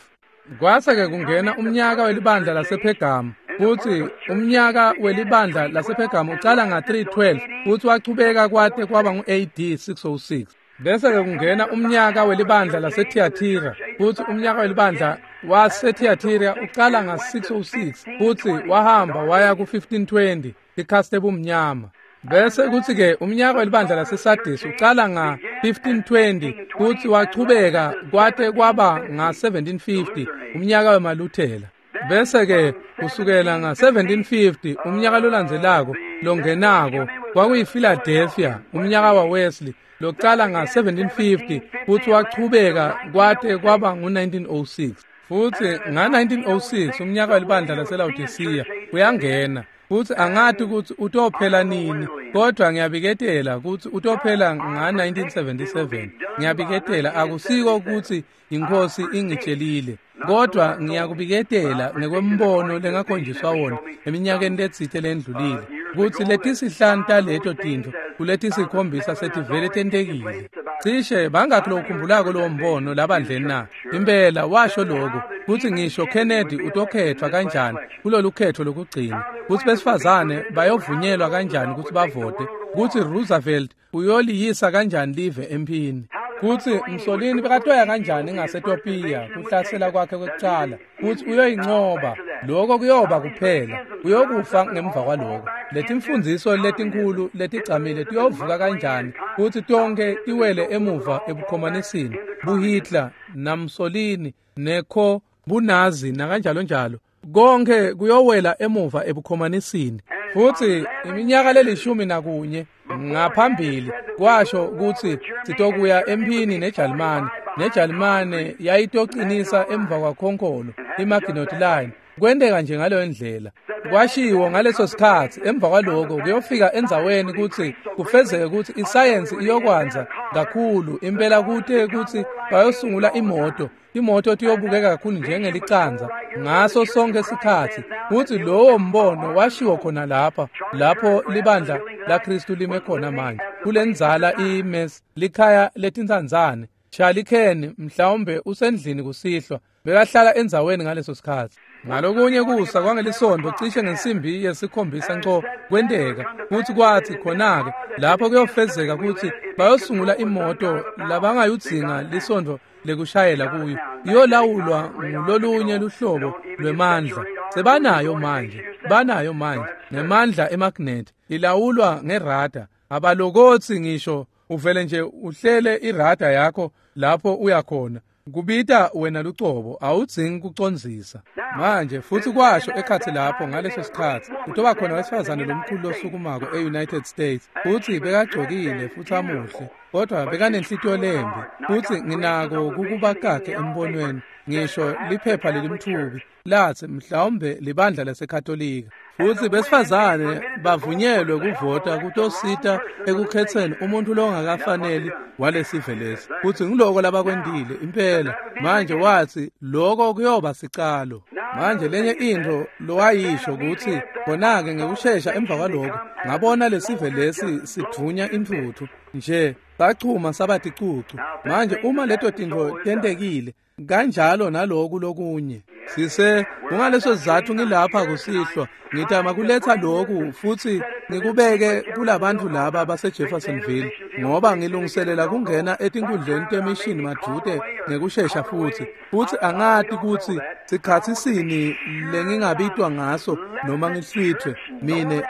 Kwase-ke kungena umnyaka welibandla lasePhergamu, futhi umnyaka welibandla lasePhergamu ucala nga-312 futhi wachubeka kwate kwaba ngu-AD 606. Bese-ke kungena umnyaka welibandla laseThiyathira, futhi umnyaka welibandla waseThiyathira ucala nga-606 futhi wahamba waya ku-1520, ikhaste bumnyama. Bese kuthi-ke umnyaka welibandla laseSardis ucala nga-1520 futhi wachubeka kwate kwaba nga-1750, umnyaka wemaLuthela. Bese-ke kusukela nga-1750 umnyaka lolandzelako longenako kwakuyiFiladelfiya, umnyaka waWesley locala nga-1750 futhi wachubeka kwate kwaba ngu-1906. Futhi nga-1906 umnyaka welibandla laseLawodisiya uyangena, futhi angati ukuthi utophela nini, kodwa ngiyabiketela ukuthi utophela nga-1977. Ngiyabiketela, akusiko ukuthi inkosi ingitshelile, kodwa ngiyakubiketela ngekwembono lengakhonjiswa wona eminyakeni letsite lendlulile kutsi letisihlanu taleto tintfo kuletisikhombisa setivele tentekile. Cishe bangakhi lokukhumbulako lowo mbono labandleni na? Impela washo lokho kutsi ngisho Kennedy utokhetfwa kanjani kulolu khetfo lokugcina, kutsi besifazane bayovunyelwa kanjani kutsi bavote, kutsi Roosevelt uyoliyisa kanjani live emphini, kutsi Mussolini bekatoya kanjani ngaseTopiya kuhlasela kwakhe kwekucala, kutsi uyoyincoba. Lokho kuyoba kuphela, uyokufa ngemva kwaloko. Letimfundziso letinkhulu letigcamile tiyovuka kanjani kutsi tonke tiwele emuva ebukhomanisini, buHitler naMussolini nekho buNazi nakanjalo njalo, konke kuyowela emuva ebukhomanisini. Futhi iminyaka le-11 ngaphambili kwasho kutsi sitokuya emphini neJalimane, neJalimane yayitoqinisa emva kwakhonkolo iMaginot Line. Kwenteka nje ngaleyo ndlela. Kwashiwo ngaleso sikhatsi emva kwaloko kuyofika endzaweni kutsi kufezeke kutsi isayensi iyokwanza kakhulu impela kute kutsi bayosungula imoto. Imoto tiyobukeka kakhulu njengelicanza ngaso sonke sikhatsi. Kutsi lowo mbono washiwo khona lapha, lapho libandla laKristu lime khona manje kulendzala iMes likhaya letintsandzane. Charlie Ken mhlawumbe usendlini kusihlwa, bekahlala endzaweni ngaleso sikhatsi. Ngalokunye kusa kwangelisonto cishe ngensimbi yesikhombisa nco kwenteka kutsi kwathi khona-ke lapho kuyofezeka kutsi bayosungula imoto labangayudzinga lisondo lekushayela kuyo, iyolawulwa ngulolunye luhlobo lwemandla. Sebanayo manje, banayo manje ngemandla emagnet, ilawulwa ngerada. Abalokotsi ngisho uvele nje uhlele irada yakho lapho uyakhona, kubita wena lucobo, awudzingi kucondzisa. Manje futhi kwasho ekhatsi lapho ngaleso sikhatsi kutoba khona wesifazane lomkhulu losukumako e-United States, futhi bekagcokile futhi amuhle, kodwa bekanenhlitiyo lembi. Futsi nginako kukubakakhe embonweni, ngisho liphepha lelimthubi latsi mhlawumbe libandla laseKatolika. Futsi besifazane bavunyelwe kuvota kutosita ekukhetseni umuntu longakafaneli walesive lesi. Futsi ngiloko labakwentile impela. Manje watsi loko kuyoba sicalo. Manje lenye intfo lowayisho kutsi khona-ke ngekushesha emva kwaloko ngabona lesive lesi sidvunya intfutfu nje sachuma saba ticucu. Manje uma leto tintfo tentekile kanjalo naloku lokunye sise kungaleso sizatfu ngilapha kusihlwa ngitama kuletha lokhu futsi ngikubeke kulabantu laba baseJeffersonville, ngoba ngilungiselela kungena etinkundleni temishini madvute ngekushesha futsi angati kutsi sikhatsi sini lengingabitwa ngaso noma ngihlwithwe. Mine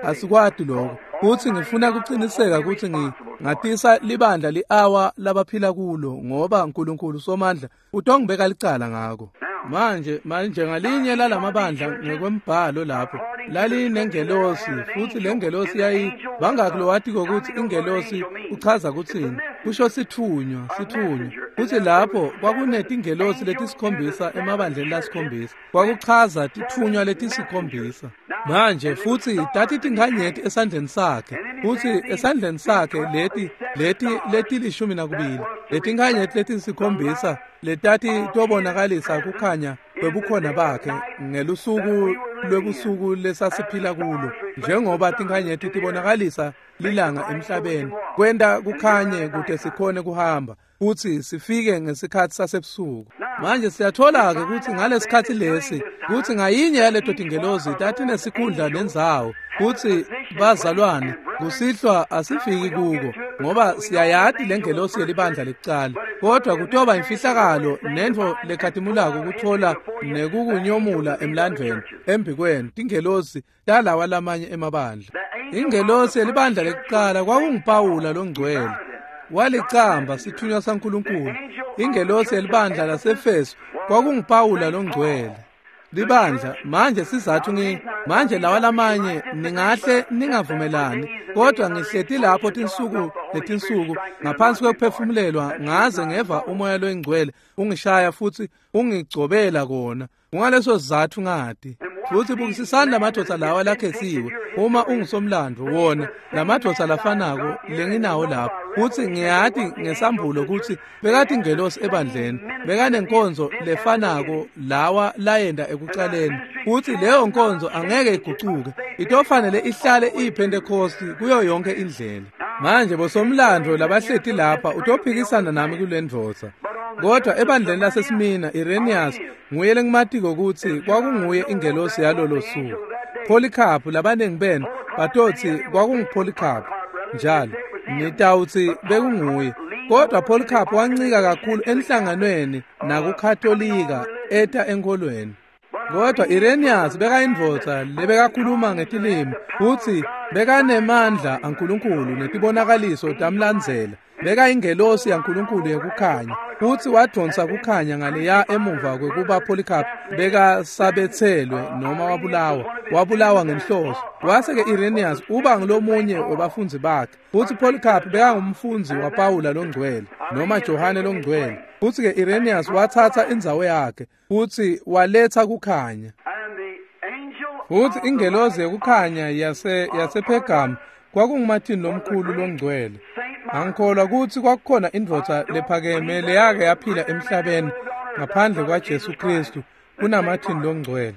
asikwati lokho, futsi ngifuna kuciniseka kutsi ngatisa libandla li-awa labaphila kulo, ngoba uNkulunkulu Somandla utongibeka licala ngako. Manje ngalinye lalamabandla ngekwembhalo lapho lalinengelosi, futsi lengelosi yayi bangaki lowatiko kutsi ingelosi uchaza kutsini? Kusho sithunywa. Futsi lapho kwakunetingelosi letisikhombisa emabandleni lasikhombisa, kwakuchaza tithunywa letisikhombisa. Manje futsi tati tinkhanyeti esandleni sakhe, futsi esandleni sakhe leti leti 12 letinkhanyeti letisikhombisa letati tobonakalisa kukhanya kwebukhona bakhe ngelusuku lwebusuku lesasiphila kulo, njengoba tinkhanyeti tibonakalisa lilanga emhlabeni kwenta kukhanye kute sikhone kuhamba futsi sifike ngesikhatsi sasebusuku. Manje siyathola-ke kutsi ngalesikhatsi lesi kutsi ngayinye yaleto tingelosi tatinesikhundla nendzawo, kutsi bazalwane kusihlwa asifiki kuko ngoba siyayati lengelosi yelibandla lekucala, kodwa kutoba imfihlakalo nentfo lekhatimulako kuthola nekukunyomula emlandvweni embikwenu tingelosi talawa lamanye emabandla. Ingelosi yelibandla lekucala kwakunguPawula longcwele, walicamba sithunywa saNkulunkulu. Ingelosi yelibandla laseEfeso kwakunguPawula longcwele. Libandla manje sizathu manje lawa lamanye ningahle ningavumelani, kodwa ngihleti lapho tinsuku netinsuku ngaphansi kwekuphefumulelwa ngaze ngeva umoya loyingcwele ungishaya futsi ungigcobela kona. Kungaleso sizatfu ngati. Futsi bukisisani lamadvodza lawa lakhetsiwe, uma ungusomlandvo wona lamadvodza lafanako lenginawo lapho, futsi ngiyati ngesambulo kutsi bekatingelosi ebandleni, bekanenkonzo lefanako lawa layenda ekucaleni, futsi leyo nkonzo angeke igucuke, itofanele ihlale iyiPhentekosti kuyo yonke indlela. Manje bosomlandvo labahleti lapha utophikisana nami kule ndvodza, kodwa ebandleni laseSmina Irenaeus nguye lengimatiko kutsi kwakunguye ingelosi yalolo suku. Polycarp labanengi benu batotsi kwakunguPolycarp njalo nitawutsi bekunguye, kodwa Polycarp wancika kakhulu enhlanganweni nakuKatolika eta enkholweni. Kodwa Irenaeus bekayindvodza lebekakhuluma ngetilimi futsi bekanemandla aNkulunkulu netibonakaliso tamlandzela. Bekayingelosi yaNkulunkulu yekukhanya, futsi wadonsa kukhanya ngaleya emuva kwekuba Polycarp bekasabetselwe noma wabulawa ngenhloso. Wase-ke Irenaeus uba ngulomunye webafundzi bakhe, futsi Polycarp bekangumfundzi waPawula longcwele noma Johane longcwele. Futsi-ke Irenaeus watsatsa indzawo yakhe futsi waletsa kukhanya. Futsi ingelosi yekukhanya yasePhergamu kwakunguMartin lomkhulu longcwele. Angikholwa kutsi kwakukhona indvodza lephakeme leyake yaphila emhlabeni ngaphandle kwaJesu Kristu kunaMartin longcwele.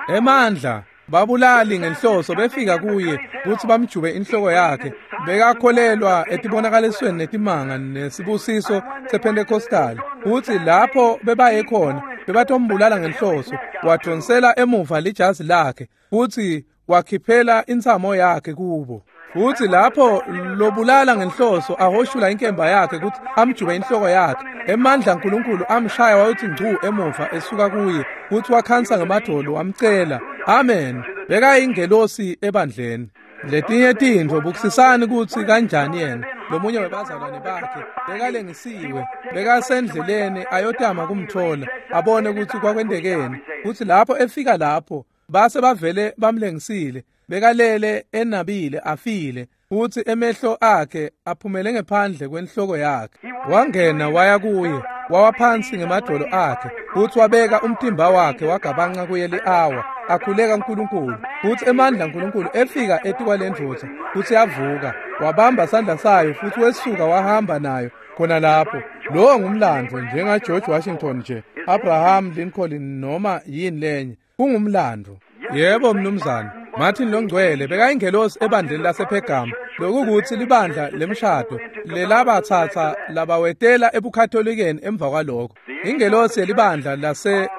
Emandla babulali ngenhloso befika kuye kutsi bamjube inhloko yakhe. Bekakholelwa etibonakalisweni netimanga nesibusiso sePentecostal, futsi lapho bebaye khona bebatombulala ngenhloso. Wadonsela emuva lijazi lakhe futsi wakhiphela intsamo yakhe kubo. Futsi lapho lobulala ngenhloso ahoshula inkemba yakhe kutsi amjube inhloko yakhe, emandla aNkulunkulu amshaya wayotsi ngcu emuva esuka kuye, futsi wakhansa ngemadolo wamcela. Amen. Bekayingelosi ebandleni. Letinye tintfo bukisisani kutsi kanjani yena lomunye webazalwane bakhe bekalengisiwe, bekasendleleni ayotama kumthola abone kutsi kwakwentekeni. Futsi lapho efika lapho base bavele bamlengisile, bekalele enabile afile. Futsi emehlo akhe aphumele ngephandle kwenhloko yakhe. Wangena waya kuye, wawa phansi ngemadvolo akhe, futsi wabeka umtimba wakhe wagabanca kuye li-awa, akhuleka uNkulunkulu. Futsi emandla aNkulunkulu efika etikwalendvodza, futsi yavuka, wabamba sandla sayo futsi wesuka wahamba nayo khona lapho. Lowo ngumlandvo njenga George Washington nje, Abraham Lincoln noma yini lenye, kungumlandvo. Yebo mnumzane, Martin Longcwele bekayingelosi ebandleni lasePhergamu, lokukutsi libandla lemshado lelabatsatsa labawetela ebuKatholikeni emva kwalokho. Ingelosi yelibandla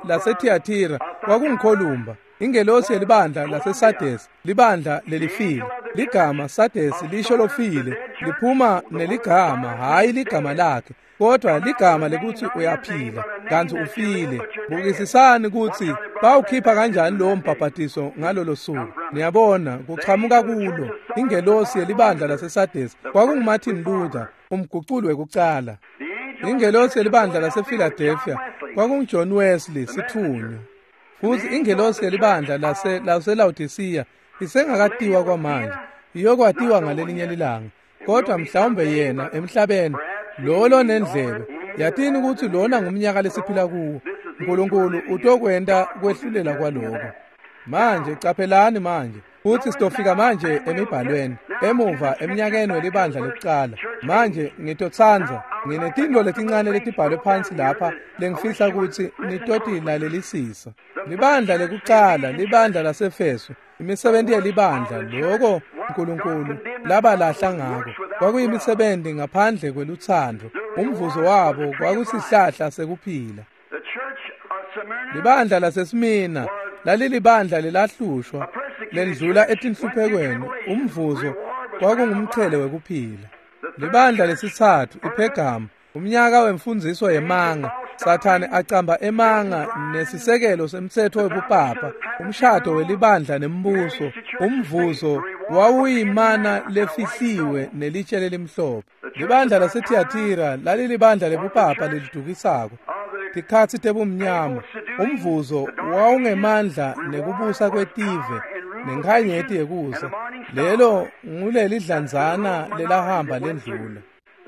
laseThiatira kwakunguKholumba. Ingelosi yelibandla laseSardesi, libandla lelifile. Ligama Sardesi lisho lofile, liphuma neligama, hhayi ligama lakhe, kodwa ligama lekutsi uyaphila kantsi ufile. Bukisisani kutsi bawukhipha kanjani lowo mbhabhatiso ngalolo suku. Niyabona, kuchamuka kulo. Ingelosi yelibandla laseSardesi kwakunguMartin Luther, umguculi wekucala. Ingelosi yelibandla lasePhiladelphia kwakunguJohn Wesley, sitfunywa. Futsi ingelosi yelibandla laseLaodicea isengakatiwa kwamanje, iyokwatiwa ngalelinye lilanga, kodwa mhlawumbe yena emhlabeni lo lonendlebe. Yatini kutsi lona ngumnyaka lesiphila kuwo. uNkulunkulu utokwenta kwehlulela kwaloko. Manje caphelani manje, futsi sitofika manje emibhalweni emuva eminyakeni welibandla lekucala. Manje ngitotsandza, nginetintfo letincane letibhalwe phansi lapha lengifisa kutsi nitotilalelisisa. Libandla lekucala, libandla laseEfeso, imisebenti yelibandla, loko uNkulunkulu labalahla ngako kwakuyimisebenti ngaphandle kwelutsandvo. Umvuzo wabo kwakusihlahla sekuphila. Libandla laseSmina lalilibandla lelahlushwa, lendlula etinhluphekweni. Umvuzo kwakungumchele wekuphila. Libandla lesitsatfu, iPhergamu, umnyaka wemfundziso yemanga, Sathane acamba emanga nesisekelo semtsetfo webupapa, umshado welibandla nembuso. Umvuzo wawuyimana lefihliwe nelitshe lelimhlophe. Libandla laseThiatira lalilibandla lebupapa lelidukisako, tikhatsi tebumnyama. Umvuzo wawungemandla nekubusa kwetive nenkhanyeti yekusa. Lelo ngulelidlanzana lelahamba lendlula.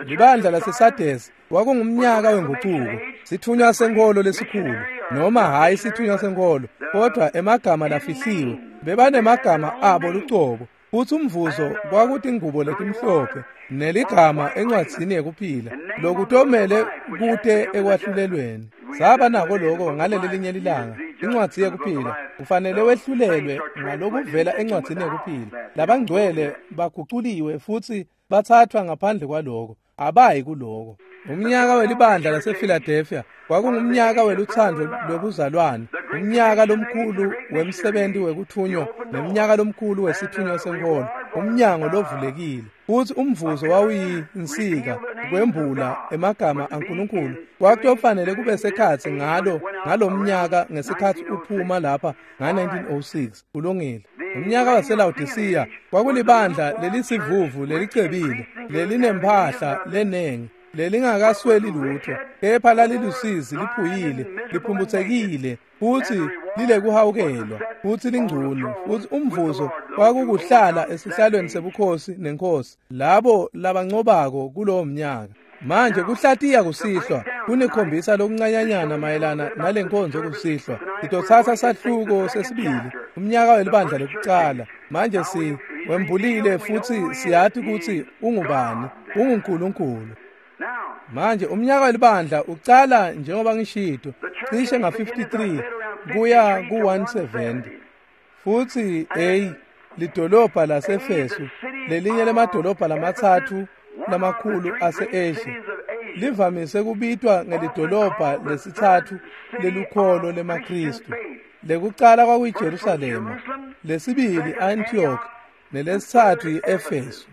Libandla laseSardesi kwakungumnyaka wengucuko, sitfunywa senkholo lesikhulu, noma hhayi sitfunywa senkholo, kodwa emagama lafihliwe. Bebanemagama abo lucobo, futsi umvuzo kwakutingubo letimhlophe neligama encwadzini yekuphila, lokutomele kute ekwahlulelweni. Saba nako loko ngaleli linye lilanga, incwadzi yekuphila. Kufanele wehlulelwe ngalokuvela encwadzini yekuphila. Labangcwele baguculiwe futsi bathathwa ngaphandle kwaloko, abayi kuloko. Umnyaka welibandla lasePhiladelphia kwakungumnyaka welutsandvo lwebuzalwane, umnyaka lomkhulu wemsebenti wekuthunywa, nemnyaka lomkhulu wesithunywa senkholo, umnyango lovulekile. Futsi umvuzo wawuyinsika kwembula emagama aNkulunkulu. Kwakutofanele kube sekhatsi ngalomnyaka ngesikhatsi uphuma lapha nga-1906. Kulungile. Umnyaka waseLaodicea kwakulibandla lelisivuvu lelicebile, lelinemphahla lenengi, lelingakasweli lutho, kepha lalilusizi, liphuyile, liphumphutsekile, futsi lilekuhawukelwa, futsi lingcunu. Futsi umvuzo kwakukuhlala esihlalweni sebukhosi nenkosi, labo labancobako kulowo mnyaka. Manje kuhlatiya kusihlwa kunikhombisa lokuncanyanyana mayelana nalenkonzo kusihlwa. Sitotsatsa sahluko sesibili, umnyaka welibandla lekucala. Manje siwembulile futsi siyati kutsi ungubani, unguNkulunkulu. Manje umnyaka welibandla ucala njengoba ngishito, cishe nga-53 kuya ku-170. Futsi A lidolobha laseEfesu, lelinye lemadolobha lamatsatfu lamakhulu ase-Asia, livamise kubitwa ngelidolobha lesitsatfu lelukholo lemaKhristu. Lekucala kwakuyiJerusalema, lesibili Antioch, nelesitsatfu i-Efesu.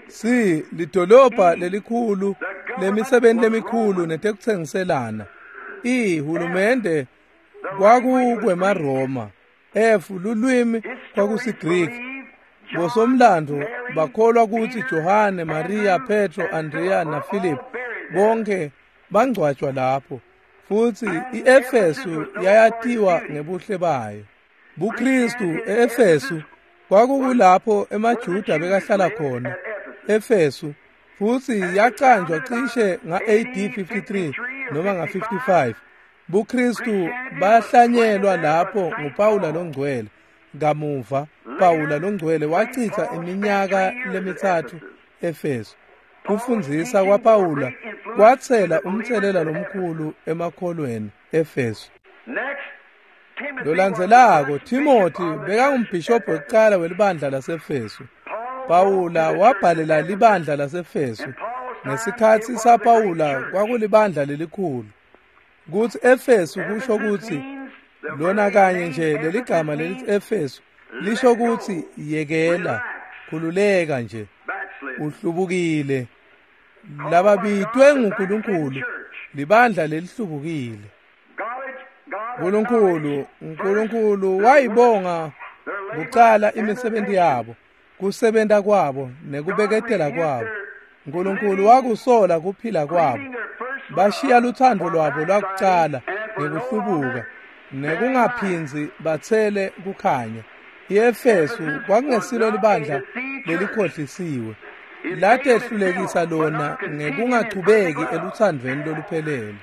C lidolobha lelikhulu lemisebenti lemikhulu netekutsengiselana. E hulumende kwakukwemaRoma. F lulwimi kwakusiGriki. Bosomlandvo bakholwa kutsi Johane, Maria, Petro, Andrea naPhilip bonke bangcwatjwa lapho. Futsi iEfesu yayatiwa ngebuhle bayo. BuKristu eEfesu kwakukulapho emaJuda bekahlala khona Efesu, futsi yacanjwa cishe nga-AD 53 noma nga-55. BuKristu bahlanyelwa lapho nguPawula longcwele. Kamuva Pawula longcwele wachitha iminyaka lemithathu Efesu. Kufundzisa kwaPawula kwatsela umtselela lomkhulu emakholweni Efesu. Lolandzelako Timothy bekangumbhishobhi wekucala welibandla laseEfesu. Pawula wabhalela libandla laseEfesu. Ngesikhatsi saPawula kwakulibandla lelikhulu. Kutsi Efesu kusho kutsi lona kanye nje leligama lelithi Efesu lisho kutsi yekela, khululeka nje, uhlubukile. Lababitwe nguNkulunkulu libandla lelihlubukile. Nkulunkulu wayibonga kucala imisebenti yabo, kusebenta kwabo nekubeketela kwabo. Nkulunkulu wakusola kuphila kwabo. Bashiya luthando lwabo lwakucala ngekuhlubuka nekungaphindzi batsele kukhanya. IEfesu kwakungesilo libandla lelikhohlisiwe, latehlulekisa lona ngekungachubeki eluthandweni loluphelele.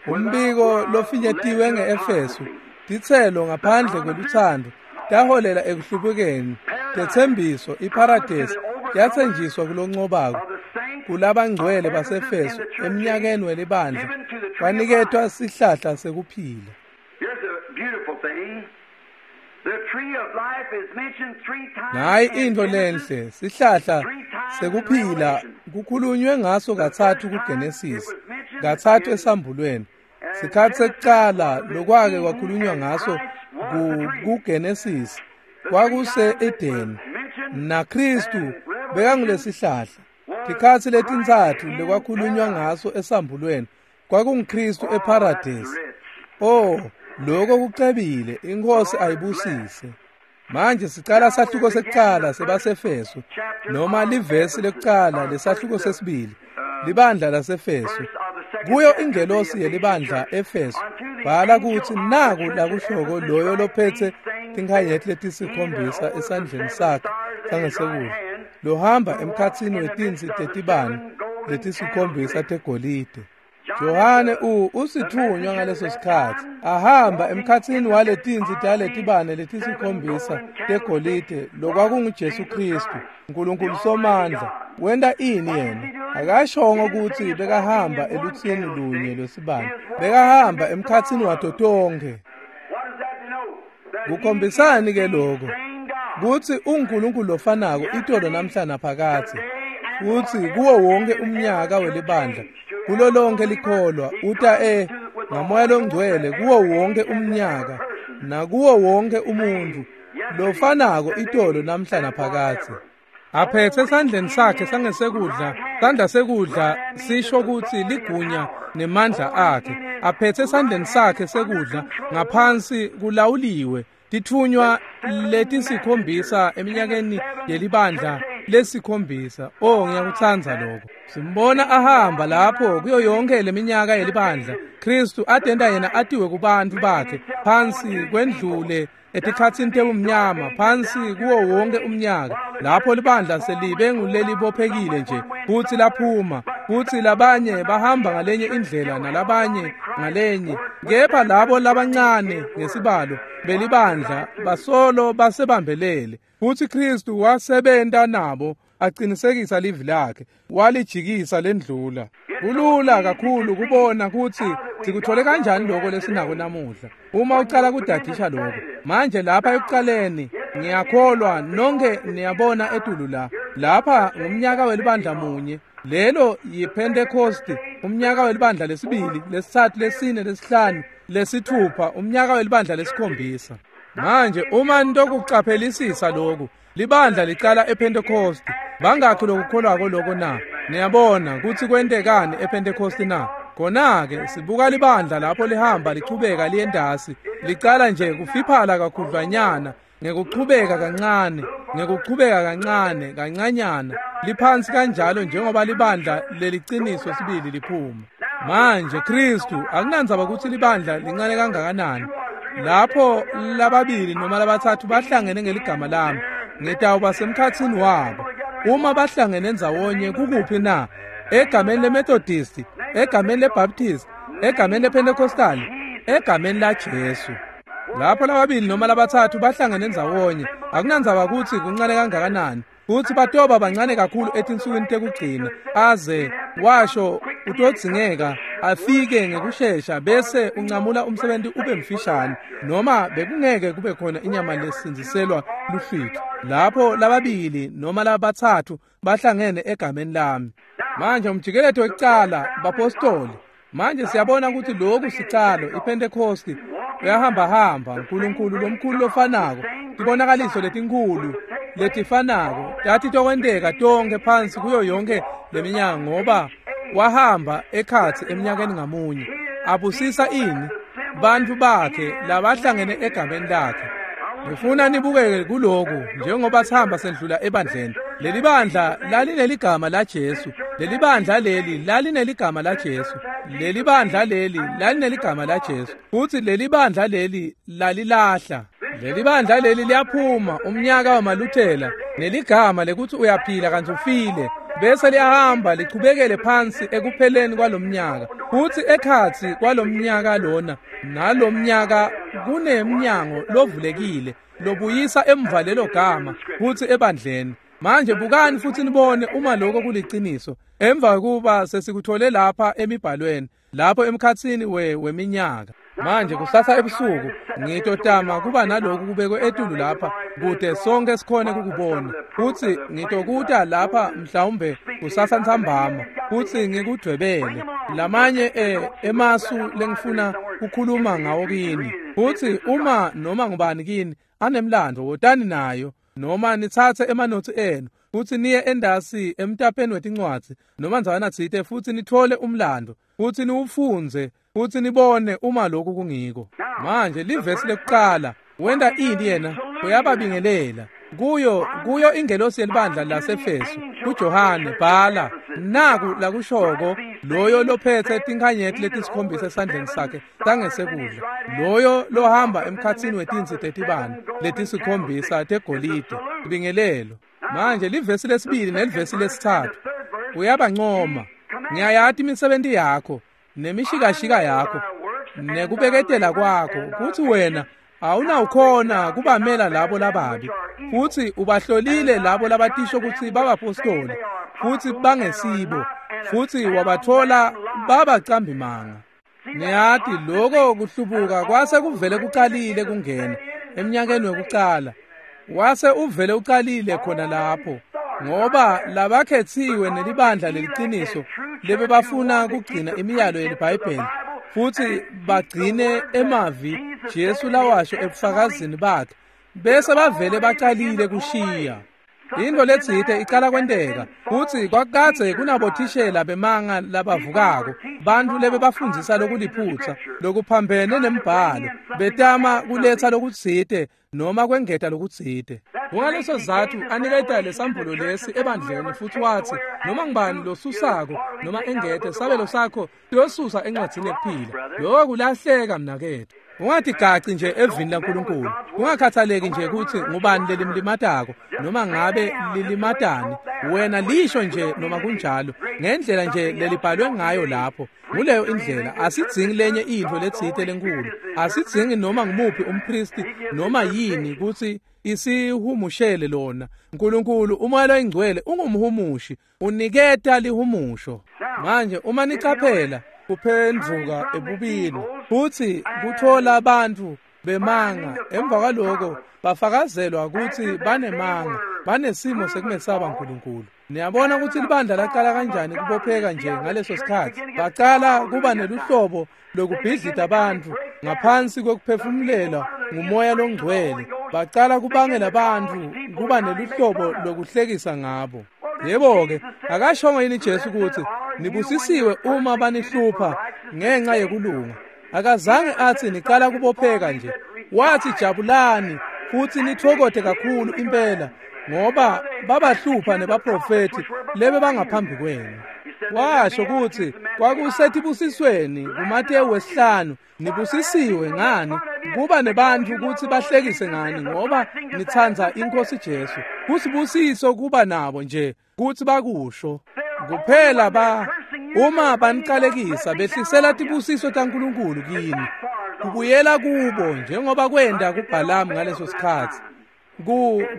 Umbiko lofinyetiwe ngeEfesu, titselo ngaphandle kweluthando taholela ekuhlubukeni. Tetsembiso iparadesi yatsenjiswa kuloncobako kulabangcwele baseEfesu eminyakeni welibandla kwaniketwa sihlahla sekuphila. Nayi intfo lenhle, sihlahla sekuphila kukhulunywe ngaso katsatfu kuGenesis, katsatfu esambulweni. Sikhatsi sekucala lokwake kwakhulunywa ngaso kuGenesis kwakuse-Edeni, naKhristu bekangulesihlahla. Tikhatsi letintsatfu lekwakhulunywa ngaso esambulweni kwakunguKhristu eParadesi. Oh, lokho kucebile, iNkosi ayibusise. Manje sicala sahluko sekucala sebaseEfesu, noma livesi lekucala lesahluko sesibili, libandla laseEfesu. Kuyo ingelosi yelibandla Efesu bhala kutsi naku lakushoko loyo lophetse tinkhanyeti letisikhombisa esandleni sakhe sangesekudla, lohamba emkhatsini wetintsi tetibane letisikhombisa tegolide. Johane usithunywa ngaleso sikhatsi ahamba emkhatsini waletintsi taletibane letisikhombisa tegolide lokwakunguJesu Kristu, Nkulunkulu Somandla. Wenta ini yena? Akashongo kutsi bekahamba elutsini lunye lwesibane, bekahamba emkhatsini wato tonkhe. Kukhombisani ke lokho? Kutsi uNkulunkulu lofanako itolo namhla naphakadze, futsi kuwo wonke umnyaka welibandla, kulo lonke likholwa uta ngamoya longcwele kuwo wonke umnyaka nakuwo wonke umuntu lofanako itolo namhla naphakadze. Aphethe esandleni sakhe sangesekudla, sandla sekudla sisho kutsi ligunya nemandla akhe. Aphethe esandleni sakhe sekudla ngaphansi kulawuliwe titfunywa letisikhombisa eminyakeni yelibandla lesikhombisa. Oh, ngiyakutsandza lokho. Simbona ahamba lapho kuyo yonke leminyaka yelibandla. Kristu atenta yena atiwe kubantfu bakhe phansi kwendlule etikhatsini tebumnyama, phansi kuwo wonke umnyaka lapho libandla selibe ngulelibophekile nje futsi laphuma, futsi labanye bahamba ngalenye indlela nalabanye ngalenye, kepha labo labancane ngesibalo belibandla basolo basebambelele. Futsi Kristu wasebenta nabo aqinisekisa livi lakhe, walijikisa lendlula. Kulula kakhulu kubona kutsi sikuthole kanjani lokho lesinako namuhla uma ucala kudadisha lokho. Manje lapha ekucaleni ngiyakholwa nonke niyabona etulu la. Lapha ngumnyaka welibandla munye, lelo yiPentecost, umnyaka welibandla lesibili, lesitsatfu, lesine, lesihlanu, lesithupha, umnyaka welibandla lesikhombisa. Manje uma nitokucaphelisisa lokhu, libandla licala ePentecost. Bangakhi lokukholwako lokho na? Niyabona kutsi kwentekani ePentecost na? Khona-ke sibuka libandla lapho lihamba lichubeka liyendasi, licala nje kufiphala kakhudlwanyana, ngekuchubeka kancane, ngekuchubeka kancane, kancanyana, liphansi kanjalo njengoba libandla leliciniso sibili liphuma. Manje Kristu akunandzaba kutsi libandla lincane kangakanani, lapho lababili noma labatsatfu bahlangene ngeligama lami, ngitawuba semkhatsini wabo. Uma bahlangene ndzawonye kukuphi na? Egameni leMethodist, egameni leBaptist, egameni lePentecostal, egameni laJesu. Lapho lababili noma labatsatfu bahlangene ndzawonye, akunandzaba kutsi kuncane kangakanani, kutsi batoba bancane kakhulu etinsukwini tekugcina, aze washo utodzingeka afike ngekushesha bese uncamula umsebenzi ube mfishane, noma bekungeke kube khona inyama lesindziselwa luhlwitho. Lapho lababili noma labatsatfu bahlangene egameni lami. Manje umjikeleto wekucala bapostoli. Manje siyabona ukuthi lokhu sicalo iPentecost uyahamba hamba uNkulunkulu lomkhulu lofanako, tibonakaliso letinkhulu letifanako tati tokwenteka tonke phansi kuyo yonke leminyaka, ngoba wahamba ekhatsi eminyakeni ngamunye abusisa ini bantfu bakhe labahlangene egameni lakhe. Ngifuna nibukeke kuloku njengoba sihamba sendlula ebandleni. Leli bandla lalineligama la Jesu, leli bandla leli lalineligama la Jesu, leli bandla leli lalineligama la Jesu, futhi leli bandla leli lalilahla. Leli bandla leli liyaphuma umnyaka wamaLuthela neligama lekuthi uyaphila kantsi ufile, bese liyahamba lichubekele phansi ekupheleni kwalomnyaka. Futhi ekhatsi kwalomnyaka lona nalomnyaka kunemnyango lovulekile lobuyisa emva lelo gama futhi ebandleni. Manje bukani futhi nibone uma lokho kuliciniso emva kuba sesikuthole lapha emibhalweni lapho emkhatsini weminyaka. Manje kusasa ebusuku ngitotama kuba naloku kubekwe etulu lapha kude sonke sikhone kukubona, futhi ngitokuta lapha mhlawumbe kusasa ntsambama futhi ngikudwebele lamanye emasu lengifuna kukhuluma ngawo kini. Futhi uma noma ngubani kini anemlando, wotani nayo, noma nitsatse emanotsi enu futhi niye endasi emtapeni wetincwadzi noma ndzawana tsite futhi nithole umlando futhi niwufundze futhi nibone uma lokhu kungiko. Manje livesi lekuqala wenda ini yena uyababingelela kuyo ingelosi yelibandla laseFesu kuJohane, bhala naku lakushoko loyo lophethe tinkhanyeti letisikhombisa esandleni sakhe tangesekudla, loyo lohamba emkhatsini wetinsi tetibane letisikhombisa tegolide. Ibingelelo. Manje livesi lesibili nelivesi lesithathu uyabancoma. Ngiyayati imisebenti yakho nemishikashika yakho nekubeketela kwakho, kuthi wena awunawukhona kubamela labo lababi, futhi ubahlolile labo labatisho ukuthi babapostoli futhi bangesibo, futhi wabathola babacambimanga. Niyati lokho kuhlubuka kwase kuvele kuqalile kungena eminyakeni wekucala, wase uvele uqalile khona lapho, ngoba labakhethiwe nelibandla leliciniso lebebafuna kugcina imiyalo yeliBhayibheli futhi bagcine emavi Jesu lawasho ebufakazini bakhe, bese bavele baqalile kushiya. Into letsite icala kwenteka futhi kwakadze kunabothishela bemanga labavukako, bantfu lebebafundzisa lokuliphutsa lokuphambene nembhalo, betama kuletsa lokutsite noma kwengeta lokutsite. Kungaleso sizatfu aniketa lesambulo lesi ebandleni futhi watsi noma ngubani losusako noma engete sabelo sakho siyosusa encwadzini yekuphila. Lokho kulahleka mnaketfu. Ungatigaci nje evini laNkulunkulu, ungakhathaleki nje ukuthi ngubani lelimlimatako noma ngabe lilimatani, wena lisho nje noma kunjalo ngendlela nje lelibhalwe ngayo lapho. Nguleyo indlela. Asidzingi lenye intfo letsite lenkulu, asidzingi noma ngumuphi umpristi noma yini kutsi isihumushele lona. Nkulunkulu umoya loyingcwele ungumhumushi, uniketa lihumusho. Manje uma nicaphela kuphendvuka ebubini futhi kuthola abantu bemanga, emva kwaloko bafakazelwa ukuthi banemanga, banesimo sekumesaba uNkulunkulu. Niyabona ukuthi libandla laqala kanjani kubopheka nje ngaleso sikhathi. Baqala kuba neluhlobo lokubhidlita abantu ngaphansi kokuphefumulela ngumoya longcwele. Baqala kubangela abantu kuba neluhlobo lokuhlekisa ngabo. Yebo-ke, akashongo yini Jesu ukuthi nibusisiwe uma banihlupha ngenxa yekulunga? Akazange athi niqala kubopheka nje. Wathi jabulani futhi nithokote kakhulu impela, ngoba babahlupha nebaprofeti lebe bangaphambi kwenu. Washo kutsi kwakusetibusisweni kuMatewu 5, nibusisiwe ngani kuba nebantfu kutsi bahlekise ngani ngoba nitsandza iNkhosi Jesu. Kusibusiso kuba nabo nje kutsi bakusho. Kuphela uma banicalekisa behlisela tibusiso taNkulunkulu kini. Kubuyela kubo njengoba kwenta kuBhalamu ngaleso sikhatsi.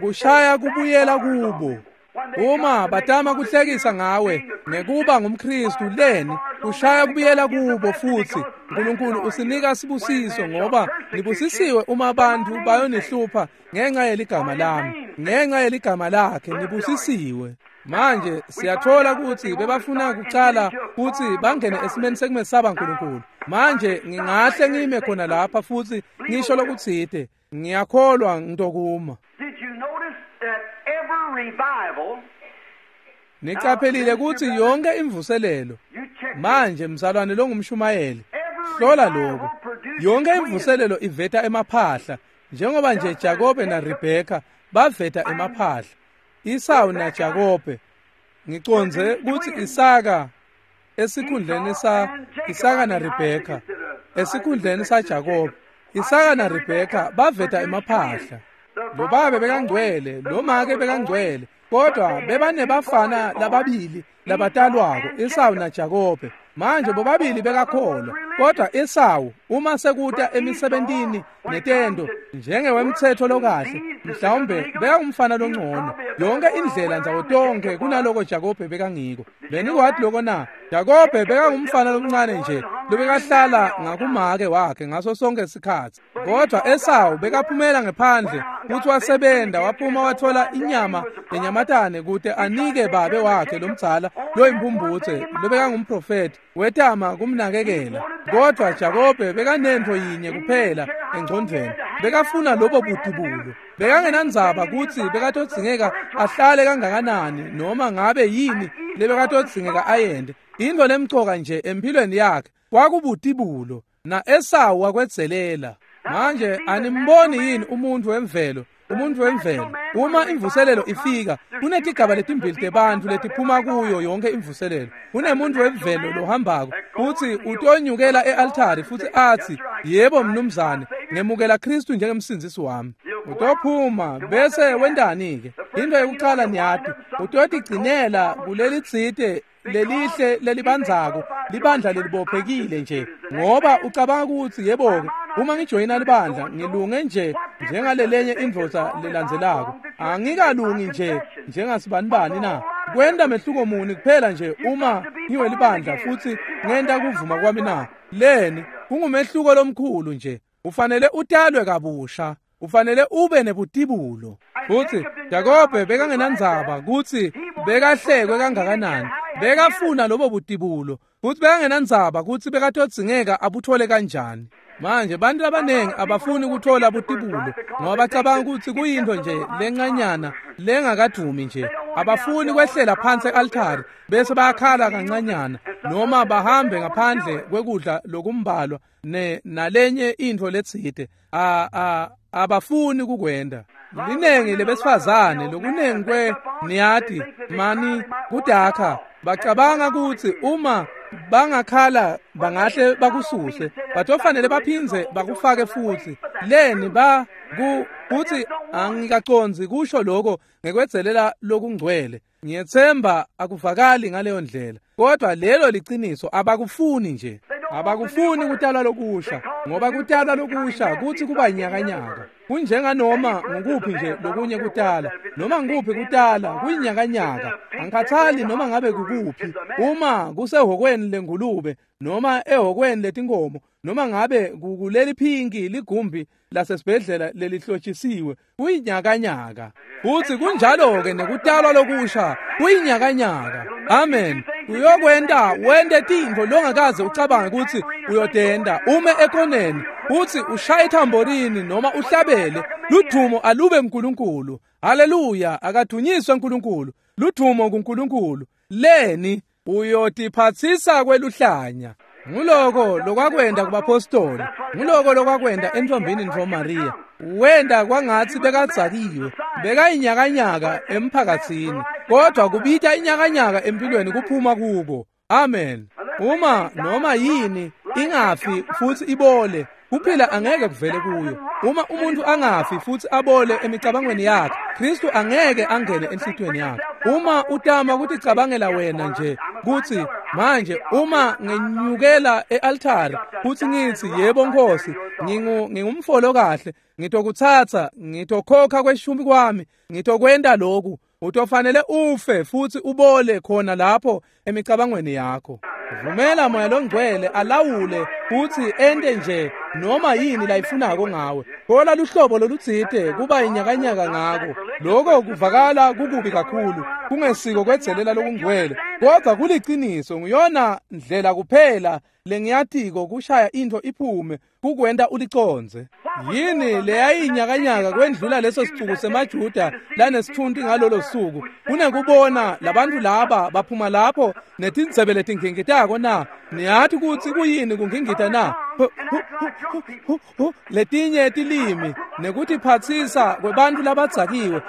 Kushaya kubuyela kubo. Uma batama kuhlekisa ngawe ngekuba ngumKristu leni kushaya kubuyela kubo futsi uNkulunkulu usinika sibusiso ngoba nibusisiwe uma abantu bayonihlupha ngenxa yeligama lami, ngenxa yeligama lakhe nibusisiwe. Manje siyathola kutsi bebafuna kucala kutsi bangene esimeni sekumesaba uNkulunkulu. Manje ngingahle ngime khona lapha futsi ngisho lokutsite, ngiyakholwa ngitokuma. Niqaphelile kutsi yonke imvuselelo. Manje mzalwane longumshumayeli, hlola lokho. Yonke imvuselelo iveta emaphahla, njengoba nje Jakobe na Rebeka baveta emaphahla. Isawu na Jakobe, ngicondze kutsi Isaka esikhundleni sa Isaka na Rebeka, esikhundleni sa Jakobe, Isaka na Rebeka baveta emaphahla. Lo babe bekangcwele, lo make bekangcwele, kodwa bebanebafana lababili labatalwako, Esawu na Jakobe. Manje bobabili bekakholwa, kodwa Esawu uma sekuta emisebentini netento njengewemthetho lokahle, mhlawumbe bekangumfana longcono yonke indlela ndzawo tonke kunaloko Jakobe bekangiko. Benikwati loko na? Jakobe bekangumfana lomncane nje lobekahlala ngakumake wakhe ngaso sonke isikhatsi, kodwa Esawu bekaphumela ngephandle futhi wasebenta, waphuma wathola inyama yenyamatane kute anike babe wakhe lomdzala loyimphumbutse lobekangumprofeti, wetama kumnakekela. Kodwa Jakobe bekanentfo yinye kuphela engcondvweni, bekafuna lobo butibulo. Bekangenandzaba kutsi bekatodzingeka ahlale kangakanani noma ngabe yini lebekatodzingeka ayente. Intfo lemcoka nje empilweni yakhe kwakubutibulo, na Esawu wakwedzelela. Manje animboni yini umuntu wemvelo? Umuntu wemvelo uma imvuselelo ifika, kunetigaba letimbili tebantfu letiphuma kuyo yonke imvuselelo. Kunemuntu wemvelo lohambako futsi utonyukela e-altari futsi atsi, yebo mnumzane, ngemukela Kristu njengemsindzisi wami. Utophuma bese wentani-ke? Into yekucala niyati, utotigcinela kulelitsite lelihle lelibandzako, libandla lelibophekile nje, ngoba ucabanga kutsi yebo-ke uma ngijoyina libandla ngilunge nje njengalelenye indvodza lelandzelako, angikalungi nje njengasibanibani na? Kwenta mehluko muni kuphela nje uma ngiwelibandla futsi ngenta kuvuma kwami na? Leni kungumehluko lomkhulu nje. Ufanele utalwe kabusha, ufanele ube nebutibulo. Futsi Jakobe bekangenandzaba kutsi bekahlekwe kangakanani, bekafuna lobo butibulo, futsi bekangenandzaba kutsi bekatodzingeka abuthole kanjani. Manje bantu labanengi abafuni kuthola butibulo ngoba bacabanga kutsi kuyintfo nje lencanyana lengakadumi nje. Abafuni kwehlela phansi e-altari bese bayakhala kancanyana noma bahambe ngaphandle kwekudla lokumbalwa nalenye intfo letsite. Abafuni kukwenda. Linengi lebesifazane lokunengi kwe niyati mani kudakha, bacabanga kutsi uma bangakhala bangahle bakususe, batofanele baphindze bakufake futsi. Leni kutsi angikacondzi kusho lokho ngekwedzelela lokungcwele. Ngiyetsemba akuvakali ngaleyo ndlela, kodwa lelo liciniso. Abakufuni nje, abakufuni kutalwa lokusha, ngoba kutalwa lokusha kutsi kuba nyakanyaka. Kunjenganoma ngukuphi nje lokunye kutala, noma ngukuphi kutala kuyinyakanyaka. Angikhathali noma ngabe kukuphi, uma kusehhokweni lengulube noma ehhokweni letinkomo, noma ngabe kukuleli phinki ligumbi lasesibhedlela lelihlotshisiwe, kuyinyakanyaka. Futsi kunjalo-ke nekutalwa lokusha kuyinyakanyaka. Amen. Uyokwenta wente tintfo longakaze ucabange kutsi uyotenta. Ume ekoneni futsi ushaye ithamborini noma uhlabele, ludvumo alube kuNkulunkulu. Haleluya, akadunyiswe uNkulunkulu. Ludvumo kuNkulunkulu. Leni uyotiphatsisa kweluhlanya. Nguloko lokwakwenta kubapostoli, nguloko lokwakwenta entfombini ntfo Maria. Wenda kwangatsi bekadzakiwe, bekayinyakanyaka emphakatsini, kodwa kubita inyakanyaka empilweni kuphuma kuko. Amen. Uma noma yini ingafi futhi ibole, kuphila angeke kuvele kuyo. Uma umuntu angafi futhi abole emicabangweni yakhe, Kristu angeke angene enhlitiyweni yakhe. Uma utama kuticabangela wena nje kutsi manje uma ngenyukela e-altari futhi ngitsi yebo Nkosi, ngingumfolo kahle, ngitokutsatsa, ngitokhokha kweshumi kwami, ngitokwenta lokhu, utofanele ufe futhi ubole khona lapho emicabangweni yakho. Vumela Moya Longcwele alawule futhi ente nje noma yini layifunako ngawe. Thola luhlobo lolutsite kuba inyakanyaka ngako. Lokho kuvakala kukubi kakhulu, kungesiko kwedzelela lokungcwele, kodwa kuliciniso. Nguyona ndlela kuphela lengiyatiko kushaya intfo iphume, kukwenta ulicondze. Yini leyayinyakanyaka kwendlula leso sicuku semaJuda lanesithunti ngalolo suku, kunekubona labantu laba baphuma lapho netindzebe letingingitako na? Niyati kutsi kuyini kungingita na? Letinye tilimi nekutiphatsisa kwebantfu labadzakiwe.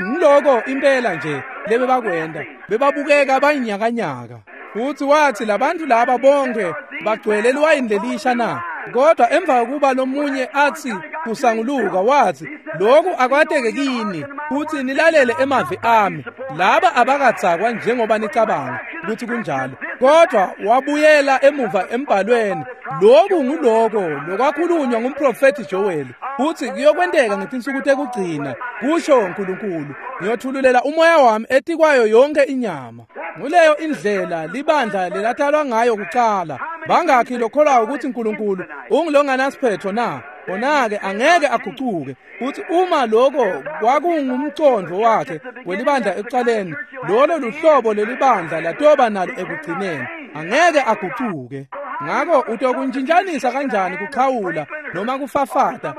Ngiloko impela nje lebebakwenta, bebabukeka bayinyakanyaka. Futhi wathi labantu laba bonke bagcwele liwayini lelisha na? Kodwa emva kokuba lomunye athi kusanguluka, wathi lokhu akwateke kini futhi nilalele emavi ami. Laba abakadzakwa njengoba nicabanga ukuthi kunjalo, kodwa wabuyela emuva embhalweni. Lokhu nguloko lokwakhulunywa ngumprofethi Joel, futhi kuyokwenteka ngetinsuku tekugcina, kusho uNkulunkulu, ngiyothululela umoya wami etikwayo yonke inyama. Nguleyo indlela libandla lelatalwa ngayo kucala. Bangakhi lokholwayo ukuthi uNkulunkulu ungilonganasiphetho na? Khona-ke angeke agucuke. Futhi uma lokho kwakungumcondvo wakhe welibandla ekucaleni, lolo luhlobo lelibandla latoba nalo ekugcineni. Angeke agucuke. Ngakho utokuntshintshanisa kanjani kuxhawula noma kufafata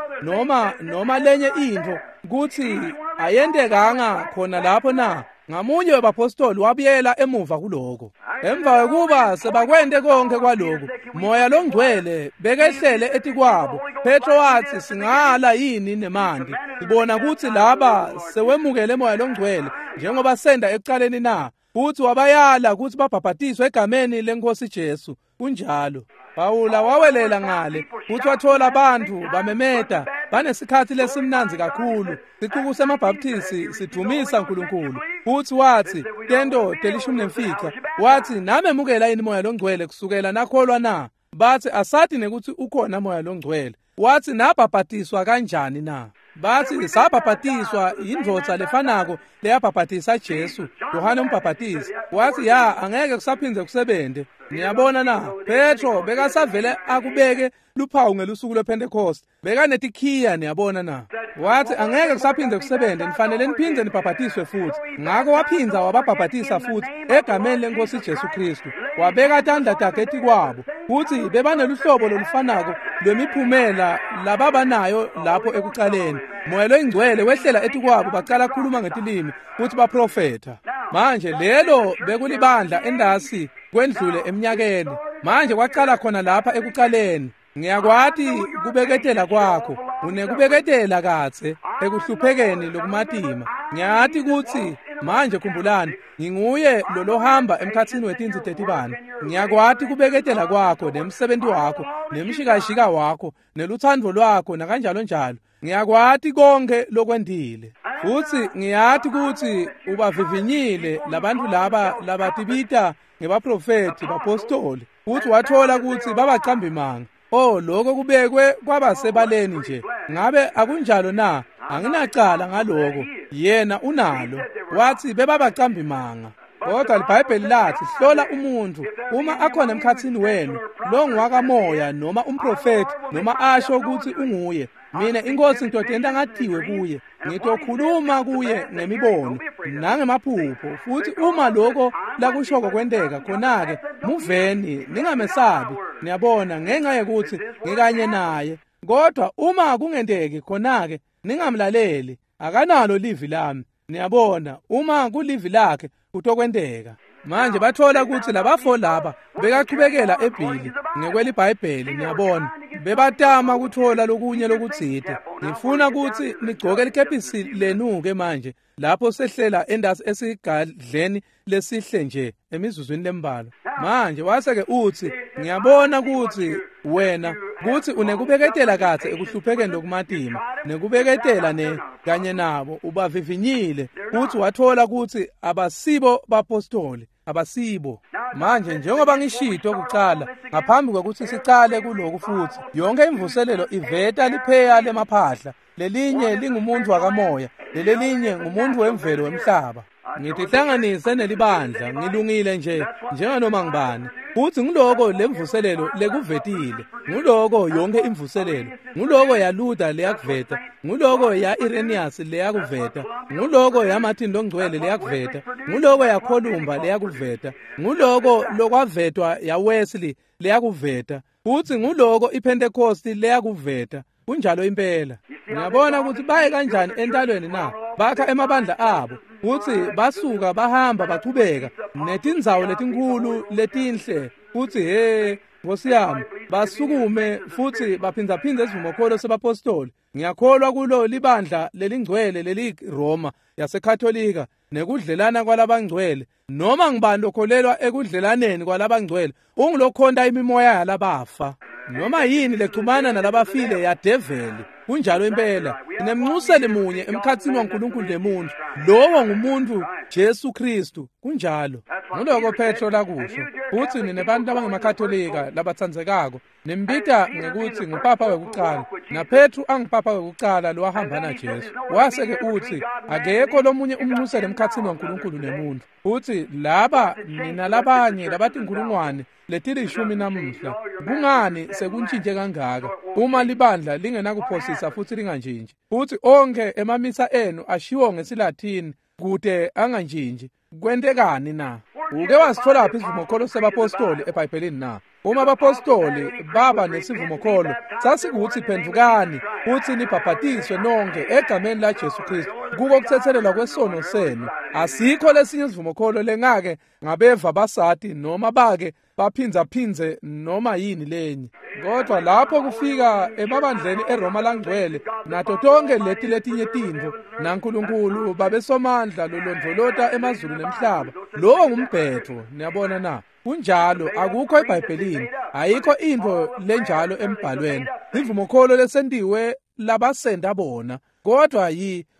noma lenye intfo kutsi ayentekanga khona lapho na? Ngamunye webapostoli wabuyela emuva kuloko. Emva kokuba sebakwente konke kwaloku, Moya Longcwele bekehlele etikwabo. Petro wathi singala yini nemanti? Sibona kutsi laba sewemukele Moya Longcwele njengoba senda ekucaleni na? Futhi wabayala kutsi babhabhatiswe egameni leNkosi Jesu. Kunjalo. Pawula wawelela ngale futhi wathola abantu bamemeta banesikhathi lesimnandzi kakhulu. Sicuku semaBaptisti sidumisa uNkulunkulu. Futhi wathi tento 15, wathi namemukela yini Moya Longcwele kusukela nakholwa na? Bathi asathi nekuthi ukhona Moya Longcwele. Wathi nabhabhatiswa kanjani na? Bathi sabhabhatiswa indvodza lefanako leyabhabhatisa Jesu, Yohane umbhabhatisi. Wathi ya, angeke kusaphindze kusebente. Niyabona na? Petro bekasavele akubeke luphawu ngelusuku lwePentecost. Bekanetikhiya, niyabona na? Wathi angeke kusaphindze kusebente, nifanele niphindze nibhabhatiswe futhi. Ngakho waphindza wababhabhatisa futhi egameni leNkosi Jesu Kristu. Wabeka tandla takhe etikwabo. Futhi bebaneluhlobo lolufanako lwemiphumela lababanayo lapho ekucaleni. Moya Longcwele wehlela etikwabo, bacala kukhuluma ngetilimi futhi baprofetha. Manje lelo bekulibandla endasi kwendlule eminyakeni. Manje kwacala khona lapha ekucaleni. Ngiyakwati kubeketela kwakho, unekubeketela katse ekuhluphekeni lokumatima. Ngiyati kutsi manje khumbulani, nginguye lolohamba emkhatsini wetintsi tetibane. Ngiyakwati kubeketela kwakho nemsebenzi wakho nemshikashika wakho nelutsandvo lwakho nakanjalo njalo. Ngiyakwati konke lokwendile. Futhi ngiyati kutsi ubavivinyile labantu laba labatibita ngebaprofethi bapostoli. Futhi wathola kutsi babacambi manga. Oh, lokho kubekwe kwabasebaleni nje. Ngabe akunjalo na? Anginacala ngaloko. Yena unalo. Wathi bebabacambi manga. Kodwa iBhayibheli lathi hlola umuntu uma akhona emkhatsini wenu lo ngwakamoya noma umprofeti noma asho ukuthi unguye. Mina inkosi ngitotenta ngatiwe kuye, ngitokhuluma kuye ngemibono nangemaphupho. Futhi uma lokho lakushoko kwenteka, khona-ke muveni, ningamesabi. Niyabona, ngenxa yekuthi ngikanye naye. Kodwa uma kungenteki, khona-ke ningamlaleli, akanalo livi lami. Niyabona, uma kulivi lakhe kutokwenteka. Manje bathola ukuthi labafo laba bekachubekela ebhili ngekweliBhayibheli. Niyabona, Bebatama kuthola lokunye lokutsite. Ngifuna kutsi nigcoke likepisi lenu-ke manje lapho sehlela endasi esigadleni lesihle nje emizuzwini lembalwa. Manje wase-ke utsi, ngiyabona kutsi wena kutsi unekubeketela kahle ekuhluphekeni lokumatima, nekubeketela ne kanye nabo ubavivinyile, futsi wathola kutsi abasibo bapostoli, abasibo. Manje njengoba ngishito kucala, ngaphambi kwekutsi sicale kuloku futsi, yonke imvuselelo iveta lipheya lemaphahla, lelinye lingumuntu wakamoya, lelelinye ngumuntu wemvelo wemhlaba. Ngitihlanganise nelibandla, ngilungile nje njenganoma ngibani. Futsi ngiloko lemvuselelo lekuvetile, nguloko yonke imvuselelo, nguloko yaLuther leyakuveta, nguloko ya-Irenaeus leyakuveta, nguloko yaMartin Longcwele leyakuveta, nguloko yaColumba leyakuveta, nguloko lokwavetwa yaWesley leyakuveta, futsi nguloko iPentecost leyakuveta. Kunjalo impela. Ngiyabona ukuthi baye kanjani entalweni na? Bakha emabandla abo, futsi basuka bahamba bachubeka netindzawo letinkhulu letinhle, futsi he Nkosi yami, basukume futsi baphindzaphindze isivumokholo sebapostoli. Ngiyakholwa kulo libandla lelingcwele leliRoma yaseKatolika nekudlelana kwalabangcwele. Noma ngibani lokholelwa ekudlelaneni kwalabangcwele ungulokhonta imimoya yalabafa. Noma yini lechumana nalabafile yadeveli. Kunjalo impela. Sinemnxuseli munye emkhatsini waNkulunkulu nemuntu, lowo ngumuntu Jesu Kristu. Kunjalo. Nguloko Petro lakusho. Futsi ninebantu abangemakatolika labatsandzekako nimbita ngekutsi ngupapa wekucala, naPetru angupapa wekucala lowahamba naJesu. Wase-ke utsi akekho lomunye umnxuseli emkhatsini waNkulunkulu nemuntu. Futsi laba ninalabanye labatinkhulungwane letilishumi namuhla. Kungani sekuntshintje kangaka uma libandla lingenakuphosisa futsi lingantshintshi? Futsi onkhe emamisa enu ashiwo ngesiLathini kute angantshintshi. Kwentekani na? Uke wasitholaphi isivumokholo sebapostoli eBhayibhelini na? Uma abapostoli baba nesivumokholo, sasikuthi phendvukani futsi nibhabhatiswe nonke egameni laJesu Kristu kuko kuthethelelwa kwesono senu. Asikho lesinye isivumokholo lengake ngabeva basati noma bake baphindzaphindze noma yini lenye. Kodwa lapho kufika emabandleni eRoma langcwele nato tonke leti letinye tintfo, naNkulunkulu babesomandla lolondvolota emazulu nemhlaba, lowo ngumbhetho. Niyabona na? Kunjalo, akukho eBhayibhelini, ayikho intfo lenjalo embhalweni. Sivumokholo lesentiwe labasenta bona, kodwa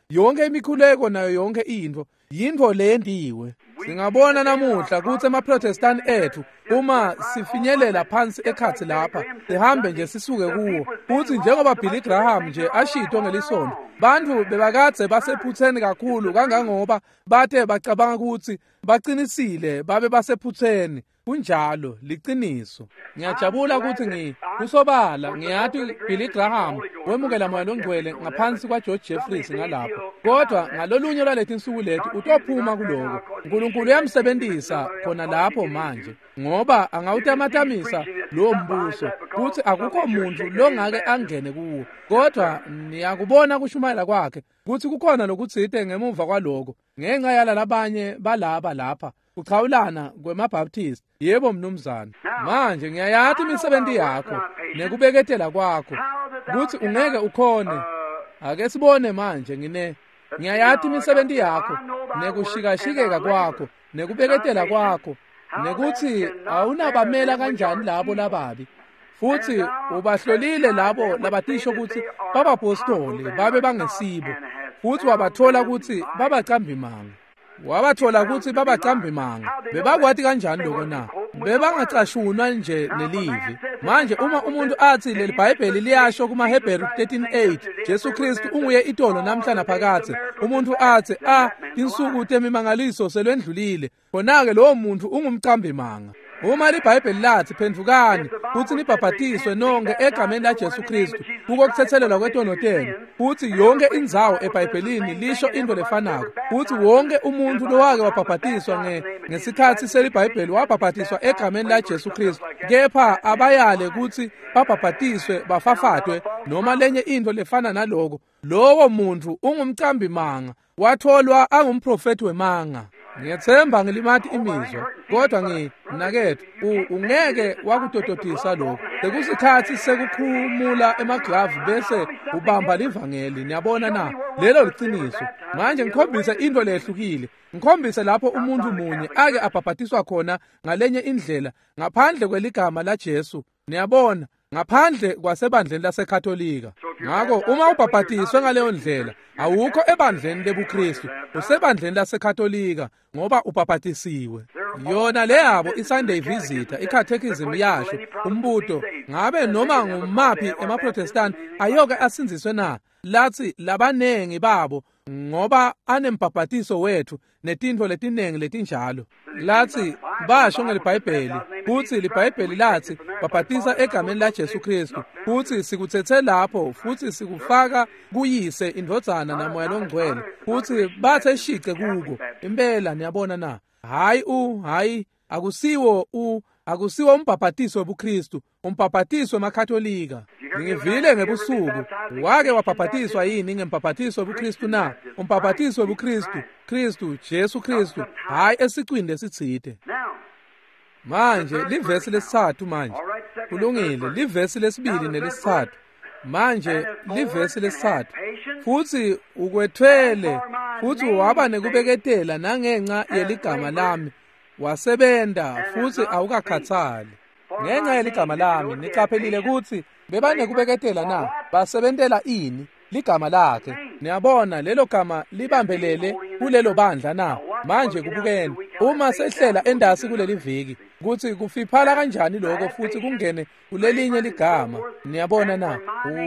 yonke imikhuleko nayo yonke intfo yintfo leyentiwe. Singabona namuhla kutsi emaProtestant ethu uma sifinyelela phansi ekhatsi lapha sihambe nje sisuke kuwo, futsi njengoba Billy Graham nje ashito ngelisonto, bantfu bebakadze basephutseni kakhulu kangangoba bate bacabanga kutsi baqinisile babe basephutseni. Kunjalo, liciniso. Ngiyajabula kutsi kusobala ngiyati Billy Graham wemukela Moya Longcwele ngaphansi kwaGeorge Jeffries ngalapho, kodwa ngalolunye lwaletinsuku leti utophuma kuloko. uNkulunkulu uyamsebentisa khona lapho manje, ngoba angawutamatamisa lowo mbuso kutsi akukho muntu longake angene kuwo. Kodwa niyakubona kushumayela kwakhe kutsi kukhona lokutsite ngemuva kwaloko ngenxa yalalabanye balaba lapha kuchawulana kwemaBaptist. Yebo mnumzane. Manje ngiyayati imisebenti yakho nekubeketela kwakho kutsi ungeke ukhone. Ake sibone manje. Ngiyayati imisebenti yakho nekushikashikeka kwakho nekubeketela kwakho nekutsi awunabamela kanjani labo lababi, futsi ubahlolile labo labatisho kutsi babapostoli babe bangesibo, futsi wabathola kutsi babacambimanga. Wabathola kutsi babacambimanga. Bebakwati kanjani lokho na? Bebangacashunwa nje nelivi. Manje uma umuntu atsi leli Bhayibheli liyasho kumaHebheru 13:8 Jesu Kristu unguye itolo namhla naphakadze, umuntu atsi tinsuku temimangaliso selwendlulile, khona-ke lowo muntu ungumcambimanga. Uma liBhayibheli lathi phendvukani futsi nibhabhatiswe nonke egameni laJesu Kristu kuko kuthethelelwa kwetono tenu, futsi yonke indzawo eBhayibhelini lisho into lefanako, futsi wonke umuntu lowake wabhabhatiswa ngesikhatsi seliBhayibheli wabhabhatiswa egameni laJesu Kristu, kepha abayale kutsi babhabhatiswe bafafatwe noma lenye into lefana naloko, lowo muntu ungumcambimanga, watholwa angumprofeti wemanga. Ngiyethemba ngilimati imizwa, kodwa mnaketfu, ungeke wakutototisa lokho. Sekusikhatsi sekukhumula emaglavu bese ubamba livangeli. Niyabona na? Lelo liciniso. Manje ngikhombise into lehlukile. Ngikhombise lapho umuntu munye ake abhabhatiswa khona ngalenye indlela ngaphandle kweligama la Jesu. Niyabona, ngaphandle kwasebandleni laseKatolika. Ngakho uma ubhabhatiswe ngaleyo ndlela, awukho ebandleni lebuKristu, usebandleni laseKatolika ngoba ubhabhatisiwe. Yona leyabo iSunday Visitor, iCatechism yasho umbuto, ngabe noma ngumaphi emaProtestant ayoke asindziswe na? Lathi labanengi babo ngoba anembhabhatiso wethu netintfo letinengi letinjalo. Lathi basho ngeliBhayibheli kutsi liBhayibheli lathi babhatisa egameni la Jesu Kristu, kutsi sikutsetse lapho futhi sikufaka kuyise indvodzana naMoya loNgcwele, kutsi bathe shice kuko. Impela niyabona na? Hayi akusiwo akusiwo umbhabhatiso webuKristu, umbhabhatiso wemaKatolika. Ngivile ngebusuku, wake wabhabhatiswa yini ngembhabhatiso webuKristu na? Umbhabhatiso webuKristu, Kristu, Jesu Kristu, hayi esicwini lesitsite. Manje livesi lesithathu manje. Kulungile, livesi lesibili nelesithathu. Manje livesi lesithathu. Futhi ukwethwele, futhi waba nekubeketela nangenxa yeligama lami. Wasebenta futhi awukakhathali. Ngenxa yeligama lami, niqaphelile kutsi bebanekubeketela na? Basebentela ini? Ligama lakhe. Niyabona lelo gama libambelele kulelo bandla na? Manje kubukeni, uma sehlela endasi kuleli viki, kutsi kufiphala kanjani lokho futhi kungene kulelinye ligama. Niyabona na?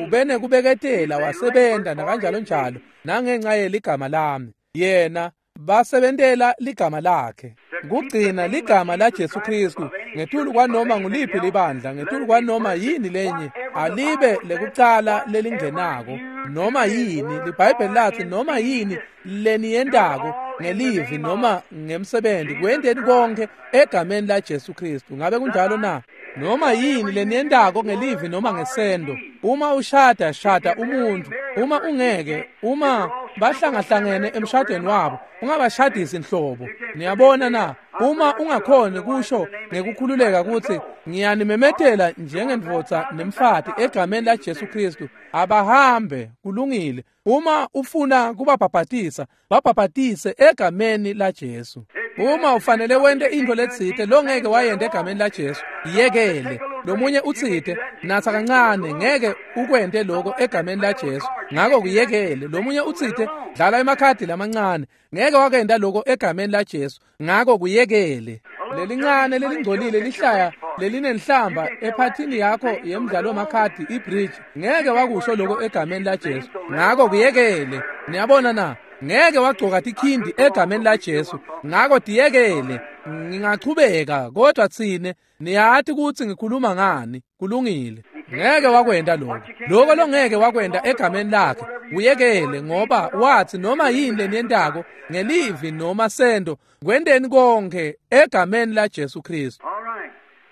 Ubenekubeketela wasebenta nakanjalo njalo nangenxa yeligama lami. Yena basebentela ligama lakhe. Kugcina ligama la Jesu Kristu ngetulu kwanoma nguliphi libandla, ngetulu kwanoma yini lenye, alibe lekucala lelingenako noma yini. LiBhayibheli lathi noma yini leniyentako ngelivi noma ngemsebenzi, kwenteni konke egameni la Jesu Kristu. Ngabe kunjalo na? Noma yini leniyentako ngelivi noma ngesendo, uma ushada, shada umuntu. Uma ungeke, uma bahlangahlangene emshadweni wabo, ungabashadisi inhlobo. Niyabona na? Uma ungakhoni kusho ngekukhululeka kutsi ngiyanimemetela njengendvodza nemfati egameni la Jesu Kristu, abahambe, kulungile. Uma ufuna kubabhabhatisa, babhabhatise egameni la Jesu. Uma ufanele wente into letsite longeke wayente egameni la Jesu, yekele. Lomunye utsite natsa kancane, ngeke ukwente lokho egameni la Jesu, ngako kuyekele. Lomunye utsite dlala emakhadi lamancane, ngeke wakenda lokho egameni la Jesu, ngako kuyekele. Lelincane lelingcolile lihlaya lelinenhlamba ephathini yakho yemidlalo wamakhadi ibridge, ngeke wakusho lokho egameni la Jesu, ngako kuyekele. Niyabona na? Ngeke wagcoka tikhindi egameni la Jesu, ngako tiyekele. Ngingachubeka, kodwa tsine niyathi kutsi ngikhuluma ngani. Kulungile. Ngeke wakwenta lokho. Lokho longeke wakwenta egameni lakhe, uyekele, ngoba wathi noma yini leniyentako ngelivi noma sendo, kwenteni konke egameni la Jesu Kristu.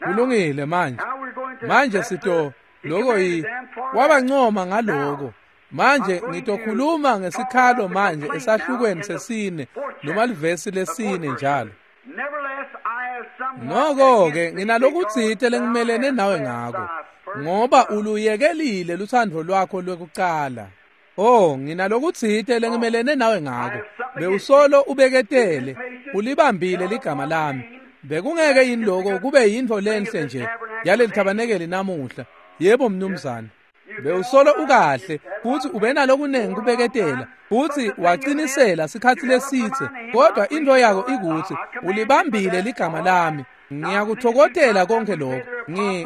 Kulungile manje. Manje sito lokho wabancoma ngaloko. Manje ngitokhuluma ngesikhalo manje esahlukweni sesine noma livesi lesine njalo. Noko-ke nginalokutsite lengimelene nawe ngako, ngoba uluyekelile lutsandvo lwakho lwekucala. Oh, nginalokutsite lengimelene nawe ngako. Bewusolo ubeketele, ulibambile ligama lami. Bekungeke yini lokho kube yintfo lenhle nje yaleli thabanekeli namuhla? Yebo mnumzane. Bewusolo ukahle futhi ubenalokunengi kubeketela, futhi waqinisela sikhatsi lesitse, kodwa into yako ikuthi ulibambile ligama lami. Ngiyakuthokotela konke lokho,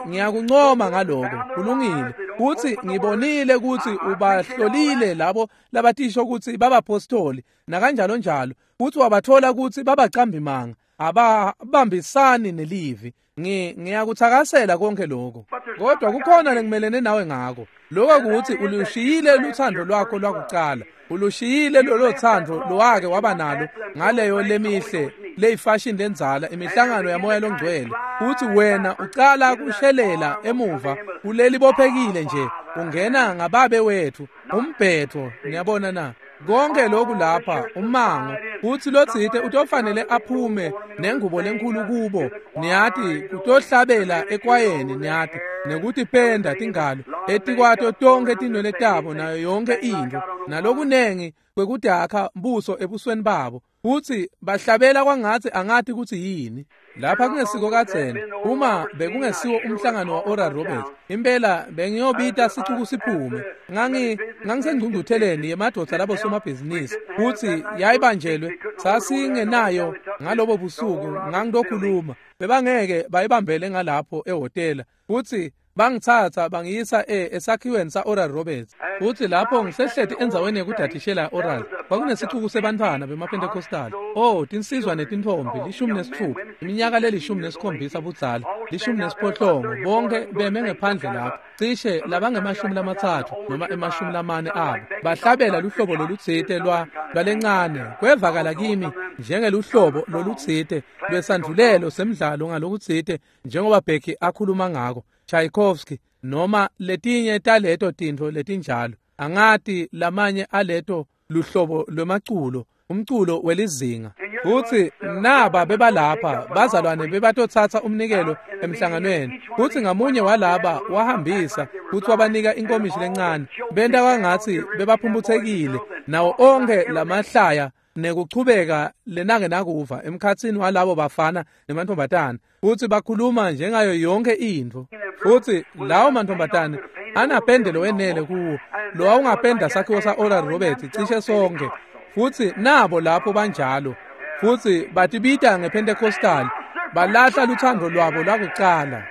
ngiyakuncoma ngaloko. Kulungile. Futhi ngibonile ukuthi ubahlolile labo labatisho ukuthi babapostoli nakanjalo njalo, futhi wabathola ukuthi babacambi manga, ababambisani nelivi. Ngiyakuthakasela konke lokho, kodwa kukhona lengimelene nawe ngako. Lokho kuthi ulushiyile luthando lwakho lwakucala, ulushiyile lolo thando lowake waba nalo ngaleyo lemihle leyifashion lenzala imihlangano yamoya longcwele, futhi wena ucala kushelela emuva kuleli bophekile nje, ungena ngababe wethu umbhetho. Niyabona na? Konke lokhu lapha umango kutsi lotsite utofanele aphume nengubo lenkhulu kubo, niyati, kutohlabela ekwayeni, niyati, nekutipenda tingalo etikwato tonkhe tinwele tabo nayo yonke intfo, nalokunengi kwekudakha buso ebusweni babo, futsi bahlabela kwangatsi angati kutsi yini. Lapha kungesiko kadzeni, uma bekungesiwo umhlangano wa Oral Roberts, impela bengiyobita sicuku siphume. Ngangisengcungcutheleni yemadvodza labosomabhizinisi, futsi yayibanjelwe, sasingenayo ngalobo busuku. Ngangilokhuluma, bebangeke bayibambele ngalapho ehhotela, futsi bangitsatsa bangiyisa esakhiweni sa-Oral Roberts. Futsi lapho ngisehleti endzaweni yekudadishela Oral, kwakunesicuku sebantfwana bemaPentecostal. Oh, tinsizwa netintfombi, 16, iminyaka le-17 budzala, 18, bonke beme ngephandle lapho, cishe labangema-30 noma 40 abo, bahlabela luhlobo lolutsite lwalencane. Kwevakala kimi njengeluhlobo lolutsite lwesandvulelo semdlalo ngalokutsite, njengoba Becky akhuluma ngako, Tchaikovsky noma letinye taleto tintfo letinjalo. Angati lamanye aleto luhlobo lwemaculo, umculo welizinga. Futsi naba bebalapha bazalwane bebatotsatsa umnikelo emhlanganweni, futsi ngamunye walaba wahambisa futsi wabanika inkomishi lencane. Benta kwangatsi bebaphumphutsekile nawo onkhe lamahlaya nekuchubeka lenake nakuva emkhatsini walabo bafana nemantfombatana, futsi bakhuluma njengayo yonke intfo. Futsi lawo mantfombatane anapende lowenele kuwo, lowawungapenda sakhiwo sa-Oral Roberts cishe sonke. Futsi nabo lapho banjalo, futsi batibita ngePentecostal, balahla luthando lwabo lwakucala.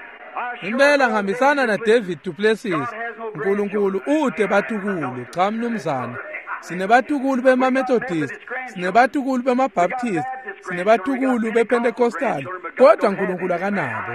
Impela ngihambisana na David Duplessis. Nkulunkulu ute batukulu, cha mnumzane. Sinebatukulu bema-Methodist, sinebatukulu bema-Baptist, sinebatukulu bePentecostal, kodwa Nkulunkulu akanabo.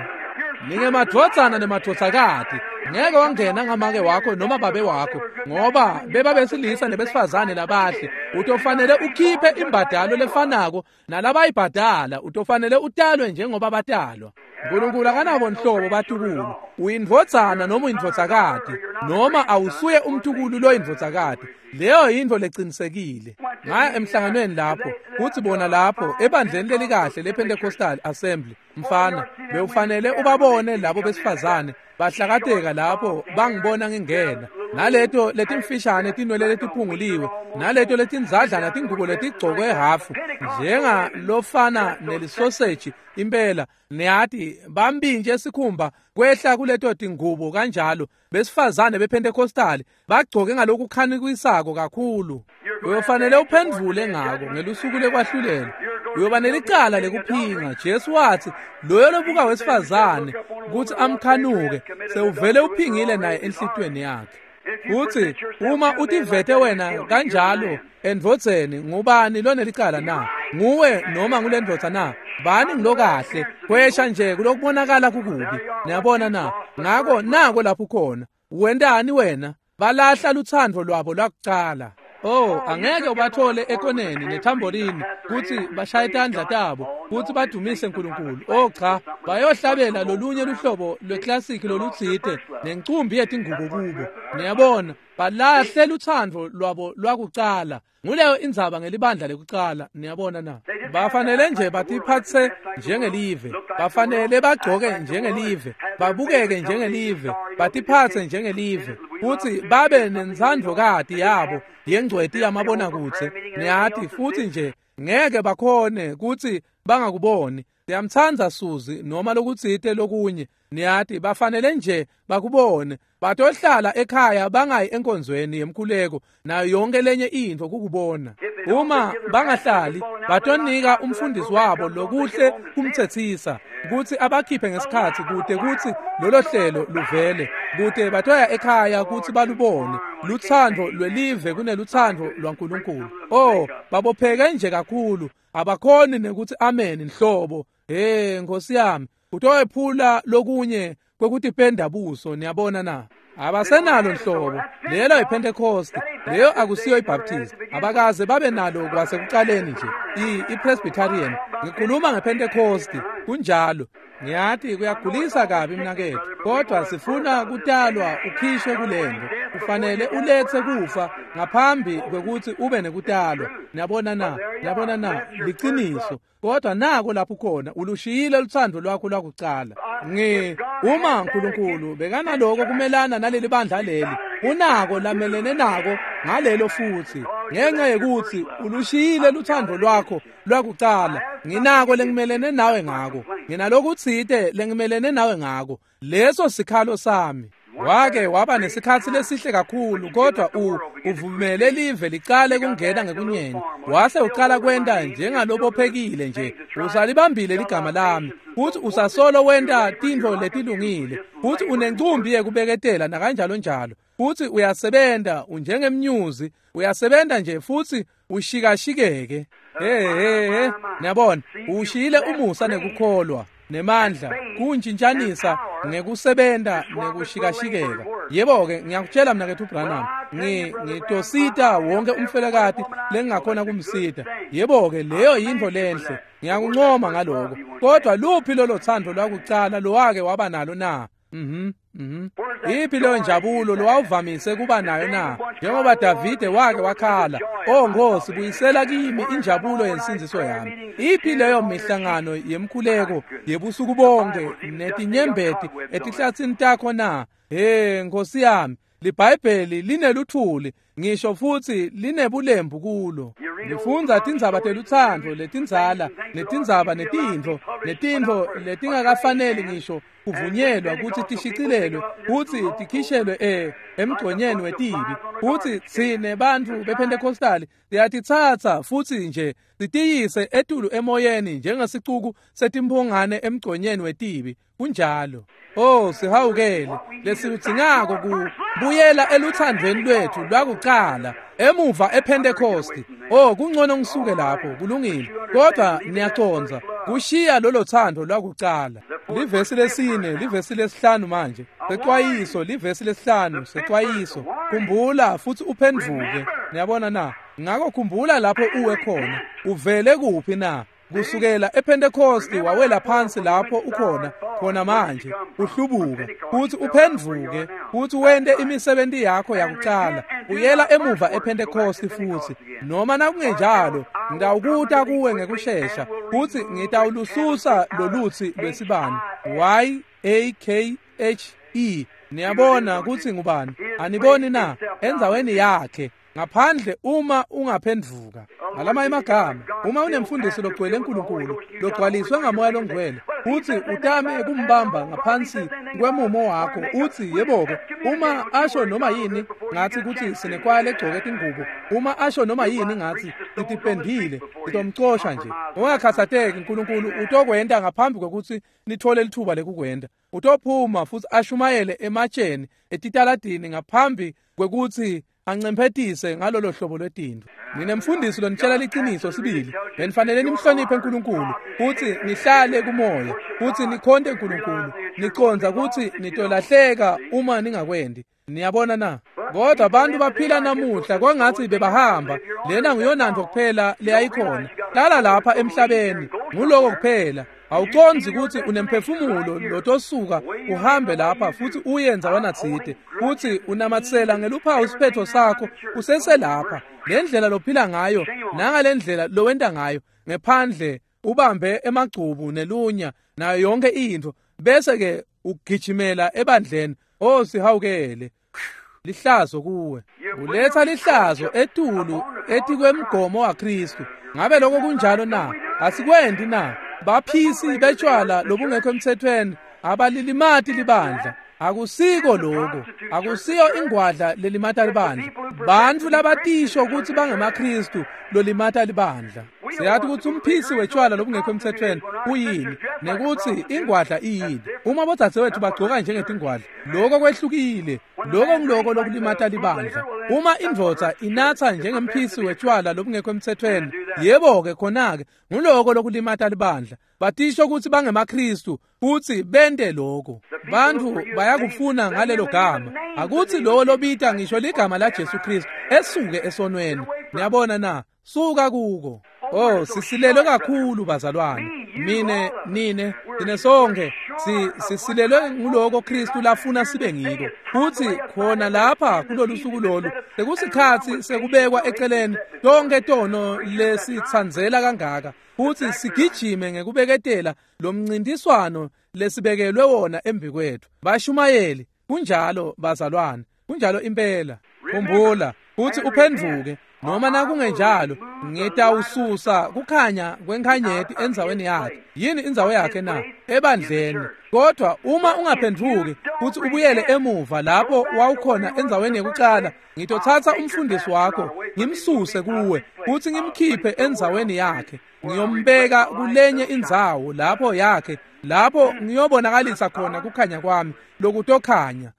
Ningemadvodzana nemadvodzakati, ngeke wangena ngamake wakho noma babe wakho, ngoba bebabesilisa nebesifazane labahle. Utofanele ukhiphe imbadalo lefanako nalabayibhadala, utofanele utalwe njengoba batalwa. Nkulunkulu akanabo nhlobo batukulu. Uyindvodzana noma uyindvodzakati, noma awusuye umtukulu loyindvodzakati. Leyo yintfo lecinisekile. Ngaya emhlanganweni lapho, kutsi bona lapho ebandleni lelikahle lePentecostal Assembly, mfana, bewufanele ubabone labo besifazane bahlakateka lapho bangibona ngingena, naleto letimfishane tinwele letiphunguliwe, naleto letinzadlana tingubo letigcokwe hafu njenga lofana nelisoseji impela, niyati, bambinje sikhumba kwehla kuleto tingubo kanjalo. Besifazane bePentecostal bagcoke ngalokukhanikisako kakhulu. Uyofanele uphendvule ngako ngelusuku lekwahlulela. Uyoba nelicala lekuphinga. Jesu wathi loyo lobuka wesifazane kutsi amkhanuke sewuvele uphingile naye enhlitiyweni yakhe. Kutsi uma utivete wena kanjalo endvodzeni, ngubani lonelicala na? Nguwe noma ngulendvodza na? Bani ngilokahle, kwesha nje kulokubonakala kukubi. Niyabona na? Ngako nako lapho khona. Wentani wena? Balahla luthando lwabo lwakucala. Oh, angeke ubathole ekoneni nethamborini kutsi bashaye tandla tabo kutsi badumise Nkulunkulu. Oh cha, bayohlabela lolunye luhlobo lweclassic lolutsite nencumbi yetingubo kubo. Niyabona, balahle luthando lwabo lwakucala. Nguleyo indzaba ngelibandla lekucala, niyabona na? Bafanele nje batiphatse njengelive, bafanele bagcoke njengelive, babukeke njengelive, batiphatse njengelive, futsi babe nentsandvokati yabo yengcweti yamabonakudze, niyati, futsi nje ngeke bakhone kutsi bangakuboni. Siyamtsandza Suzi noma lokutsite lokunye, niyati, bafanele nje bakubone. Batohlala ekhaya bangayi enkonzweni yemkhuleko nayo yonke lenye intfo kukubona. Uma bangahlali, batonika umfundisi wabo lokuhle kumtsetsisa kutsi abakhiphe ngesikhatsi kute kutsi lolo hlelo luvele, kute batoya ekhaya kutsi balubone lutsandvo lwelive kunelutsandvo lwaNkulunkulu. Oh, babopheke nje kakhulu, abakhoni nekuthi amen nhlobo. Hey, Nkosi yami, utowephula lokunye kwekutipenda buso, niyabona na? Abasenalo nhlobo. Lelo yiPentecost, leyo akusiyo iBaptist. Abakaze babe nalo kwasekuqaleni nje. IPresbyterian. Ngikhuluma ngePentecost, kunjalo. Ngiyathi kuyagulisa kabi mnaketfu, kodwa sifuna kutalwa ukhishwe kulento. Kufanele ulethe kufa ngaphambi kwekuthi ube nekutalwa. Niyabona na? Niyabona na? Liciniso. Kodwa nako lapho khona ulushiyile luthando lwakho lwakucala. Uma uNkulunkulu bekanaloko kumelana naleli bandla leli, unako lamelene nako ngalelo futhi. Ngenxa yekuthi ulushiyile luthando lwakho lwakucala, nginako lengimelene nawe ngako. Nginalokutsite lengimelene nawe ngako. Leso sikhalo sami. Wake waba nesikhatsi lesihle kakhulu, kodwa uvumele live licale kungena ngekunyeni. Wase ucala kwenta njengalobophekile nje. Usalibambile ligama lami. Futhi usasolo wenta tintfo letilungile. Futhi unencumbi yekubeketela nakanjalo njalo. Futhi uyasebenza unjengemnyuzi, uyasebenza nje futhi ushikashikeke. Hey, niyabona, ushiyile umusa nekukholwa nemandla kuntshintshanisa ngekusebenta nekushikashikeka. Yebo-ke, ngiyakutshela mnaketfu Branham, ngitosita wonke umfelokati lengingakhona kumsita. Yebo-ke, leyo yintfo lenhle, ngiyakuncoma ngaloko. Kodwa luphi lolo thando lwakucala lowake waba nalo na? Iphi leyo njabulo lowawuvamise kuba nayo na? Njengoba Davide wake wakhala, "Oh Nkosi, buyisela kimi injabulo yensindziso yami." Iphi leyo mihlangano yemkhuleko yebusuku bonke netinyembeti etihlatsini takho na? Hey Nkosi yami, liBhayibheli lineluthuli ngisho futhi linebulembu kulo. Nifundza tindzaba telutsandvo letindzala netindzaba netintfo netintfo letingakafaneli ngisho kuvunyelwa kutsi tishicilelwe kutsi tikhishelwe emgconyeni wetibi. Kutsi tsine bantfu bePentecostali siyatitsatsa futsi nje sitiyise etulu emoyeni njengesicuku setimphungane emgconyeni wetibi. Kunjalo. Oh, sihawukele. Lesikudzingako kubuyela eluthandweni lwethu lwakucala emuva ePentecost. Oh, kungcono ngisuke lapho, kulungile. Kodwa niyacondza, kushiya lolo thando lwakucala. Livesi lesine, livesi lesihlanu manje. Sexwayiso, livesi lesihlanu, sexwayiso. Khumbula futhi uphendvuke. Niyabona na? Ngakho khumbula lapho uwe khona. Uvele kuphi na? Kusukela ePentecost wawela phansi lapho ukhona khona manje uhlubuka futhi uphendvuke futhi wente imisebenzi yakho yakucala. Uyela emuva ePentecost futhi, noma nakungenjalo ngitawukuta kuwe ngekushesha futhi ngitawulususa lolutsi lwesibani. Y-A-K-H-E. Niyabona kutsi ngubani? Aniboni na? Endzaweni yakhe ngaphandle uma ungaphendvuka. Ngalama emagama, uma unemfundisi logcwele uNkulunkulu, logcwaliswe ngamoya longcwele, uthi utame kumbamba ngaphansi kwemumo wakho, uthi yebo-ke, uma asho noma yini ngathi kuthi sinekwaya legcoke tingubo, uma asho noma yini ngathi titipendile, ngitomcosha nje. Ungakhathateki, uNkulunkulu utokwenta ngaphambi kwekuthi nithole lithuba lekukwenta. Utophuma futhi ashumayele ematsheni etitaladini ngaphambi kwekuthi ancemphetise ngalolo hlobo lwetintfo. Ninemfundisi lonitshela liciniso sibili. Benifanele nimhloniphe uNkulunkulu futhi nihlale kumoya futhi nikhonte uNkulunkulu. Nicondza kutsi nitolahleka uma ningakwendi. Niyabona na? Kodwa abantu baphila namuhla kwangathi bebahamba. Lena nguyonantfo kuphela leyayikhona. Hlala lapha emhlabeni, nguloko kuphela. Awucondzi kutsi unemphefumulo lotosuka uhambe lapha futhi uye ndzawana tsite, futhi unamatsela ngeluphawu isiphetho sakho useselapha. Le ndlela lophila ngayo nangale ndlela lowenta ngayo ngephandle ubambe emagcubu nelunya nayo yonke intfo, bese ke ugijimela ebandleni. Oh, sihawukele. Lihlazo kuwe. Uletha lihlazo etulu etikwemgomo waKristu. Ngabe lokho kunjalo na? Asikwendi na? Baphisi betshwala lobungekho emthethweni abalilimati libandla. Akusiko lokho. Akusiyo ingwadla lelimata libandla. Bantfu labatisho ukuthi bangemaKristu lolimata libandla. Siyathi ukuthi umphisi wetshwala lobungekho emthethweni uyini. Nekutsi ingwadla iyini. Uma bodzadzewethu bagcoka njengetingwadla, lokho kwehlukile. Lokho ngiloko lokulimata libandla. Uma indvodza inatsa njengemphisi wetshwala lobungekho emthethweni, yebo-ke khona-ke nguloko lokulimata libandla. Batisho kutsi bangemaKristu futsi bente lokho. Bantfu bayakufuna ngalelo gama. Akutsi lowo lobita ngisho ligama la Jesu Kristu esuke esonweni. Niyabona na? Suka kuko. Oh, sisilelwe kakhulu bazalwane. Mine, nine, thina sonke sisilelwe nguloko Kristu lafuna sibe ngiko. Futsi khona lapha kulolu suku lolu sekusikhatsi sekubekwa eceleni tonke tono lesitsandzela kangaka. Futsi sigijime ngekubeketela lo mncintiswano lesibekelwe wona embi kwethu. Bashumayeli, kunjalo bazalwane, kunjalo impela. Khumbula futsi uphendvuke. Noma nakungenjalo ngitawususa kukhanya kwenkhanyeti endzaweni yakhe. Yini indzawo yakhe na? Ebandleni. Kodwa uma ungaphendvuki futhi ubuyele emuva lapho wawukhona endzaweni yekucala, ngitothatha umfundisi wakho ngimsuse kuwe futhi ngimkhiphe endzaweni yakhe, ngiyombeka kulenye indzawo lapho yakhe, lapho ngiyobonakalisa khona kukhanya kwami lokutokhanya.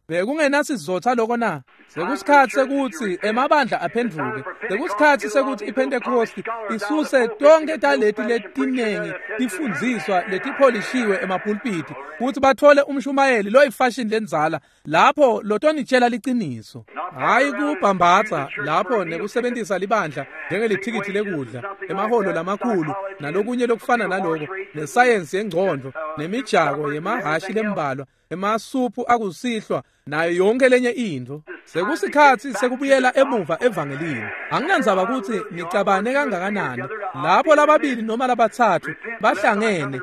Bekungenasizotha lokho na? Sekusikhatsi sekutsi emabandla aphendvuke. Sekusikhatsi sekutsi iPentecost isuse tonke taleti letinengi tifundziswa letipholishiwe emapulpiti kutsi bathole umshumayeli loyifashion lendzala lapho lotonitshela liciniso. Hayi kubhambatsa lapho nekusebentisa libandla njengelithikithi lekudla, emahholo lamakhulu nalokunye lokufana naloko, nesayensi yengcondvo nemijako yemahhashi lembalwa, emasuphu akusihlwa nayo yonke lenye intfo. Sekusikhatsi sekubuyela emuva evangelini. Anginandzaba kutsi nicabane kangakanani, lapho lababili noma labatsatfu bahlangene,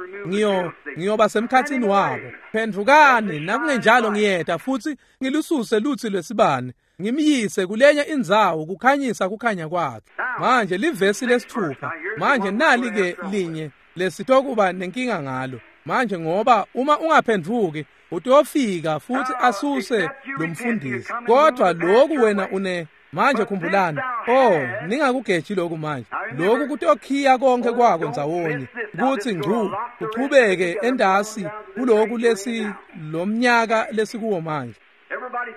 ngiyoba semkhatsini wabo. Phendvukani, nakungenjalo ngiyeta futsi ngilususe lutsi lwesibane, ngimyise kulenye indzawo kukhanyisa kukhanya kwakhe. Manje livesi lesithupha. Manje nali ke linye lesitokuba nenkinga ngalo. Manje ngoba uma ungaphendvuki utofika futhi asuse lo mfundisi. Kodwa lokhu wena une manje khumbulani, oh, ningakugeji lokhu manje. Lokhu kutokhiya konke kwako ndzawonye kutsi ngcu kuchubeke endasi kuloku lesi lomnyaka lesikuwo manje.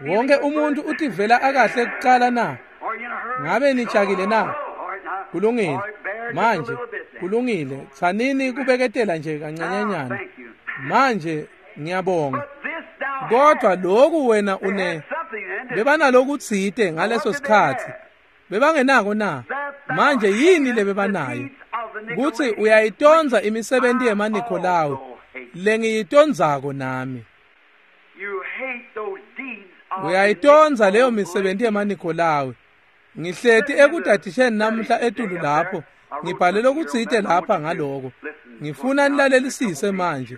Wonke umuntu utivela akahle kucala na? Ngabe nijakile na? Kulungile. Manje kulungile, tsanini kubeketela nje kancanyanyana. Manje ngiyabonga. Kodwa lokhu wena une bebanalokutsite ngaleso sikhatsi. Bebangenako na? Manje yini lebebanayo? Kutsi uyayitonza imisebenti yemaNikolawu lengiyitonzako nami. Uyayitonza leyo misebenti yemaNikolawu. Ngihleti ekudadisheni namuhla etulu lapho, ngibhale lokutsite lapha ngaloko. Ngifuna nilalelisise manje.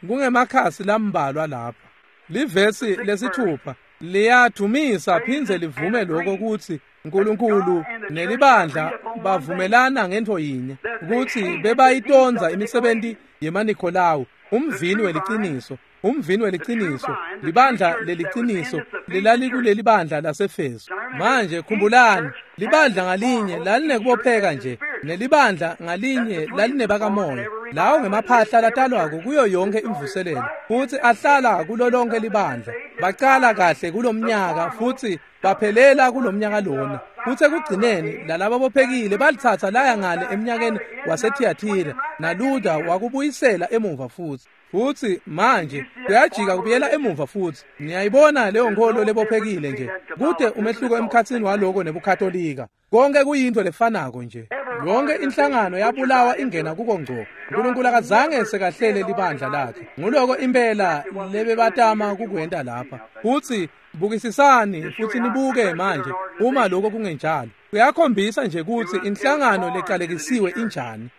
Kungemakhasi lambalwa lapha. Livesi lesithupha liyadumisa phindze livume lokho kutsi uNkulunkulu nelibandla bavumelana ngentfo yinye, kutsi bebayitonza imisebenti yemaNikolawu, umvini weliciniso, umvini weliciniso, libandla leliciniso lelalikuleli bandla laseFeso. Manje khumbulani, libandla ngalinye lalinekubopheka nje, nelibandla ngalinye lalinebakamoya. Lawo ngemaphahla latalwako kuyo yonke imvuselelo, futsi ahlala kulo lonke libandla. Bacala kahle kulomnyaka futsi baphelela kulomnyaka lona. Futsi ekugcineni lalaba bophekile balitsatsa laya ngale eminyakeni waseThiatira, naLuther wakubuyisela emuva futsi. Futsi manje kuyajika kubuyela emuva futsi. Niyayibona leyo nkholo lebophekile nje. Kute umehluko emkhatsini waloko nebuKatolika. Konke kuyintfo lefanako nje. Yonke inhlangano yabulawa ingena kuko ngco. uNkulunkulu akazange sekahlele libandla lakhe. Nguloko impela lebebatama kukwenta lapha. Futsi bukisisani futsi nibuke manje uma lokho kungenjalo. Kuyakhombisa nje kutsi inhlangano lecalekisiwe injani.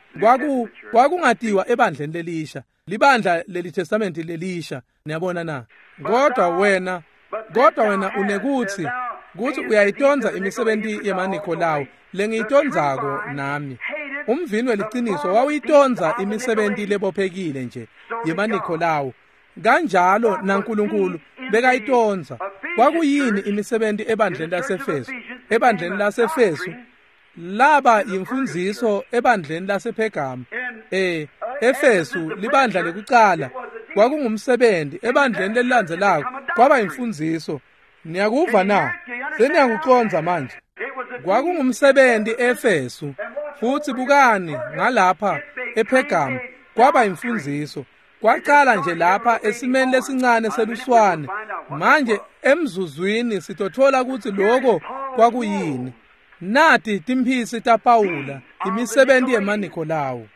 Kwakungatiwa ebandleni lelisha. Libandla leli Testament lelisha, niyabona na? Kodwa wena unekuthi kutsi uyayitonza imisebenti yemaNikolawu lengiyitonzako nami. Umvini weliciniso wawuyitonza imisebenti lebophekile nje yemaNikolawu. Kanjalo naNkulunkulu bekayitonza. Kwakuyini imisebenti ebandleni laseFeso? Ebandleni laseFeso laba yimfundziso ebandleni lasePhergama. Efesu libandla lekucala kwakungumsebenzi, ebandleni lelilandzelako kwaba imfundziso. Niyakuva na? Seniyakucondza manje. Kwakungumsebenzi eEfesu, futhi bukani ngalapha ePhergamu kwaba imfundziso. Kwaqala nje lapha esimeni lesincane seluswane. Manje emzuzwini sitothola ukuthi lokho kwakuyini. Nati timphisi taPawula, imisebenzi yemaNikolawu.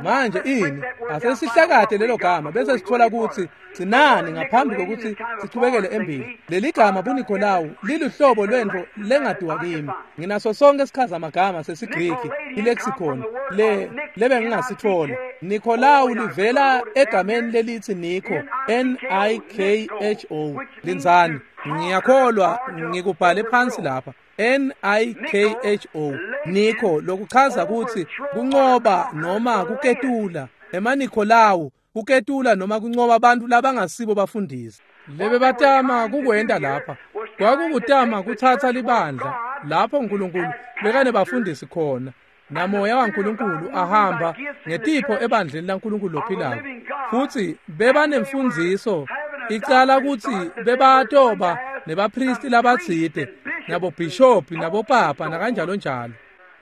Manje ini asesihlakade lelo gama bese sithola ukuthi sinani ngaphambi kokuthi sichubekele embili. Leli gama buNikolawu liluhlobo lwento lengadiwa kimi. Nginaso sonke isichazamagama sesiGriki, ilexicon le lebe ngingasithola. Nikolawu livela egameni lelithi Nikho, N I K H O. Linzani, ngiyakholwa ngikubhale phansi lapha. N I K H O, Nikho, lokuchaza ukuthi kunqoba noma kuketula. EmaNikolawu kuketula noma kunqoba abantu labangasibo bafundisi. Lebe batama kukwenda lapha kwakukutama kuthatha libandla lapho uNkulunkulu bekane bafundisi khona namoya waNkulunkulu ahamba ngetipho ebandleni laNkulunkulu lophilako, futhi bebanemfundziso icala ukuthi bebatoba nebapristi labatsite nabobhishophi nabopapa nakanjalo njalo.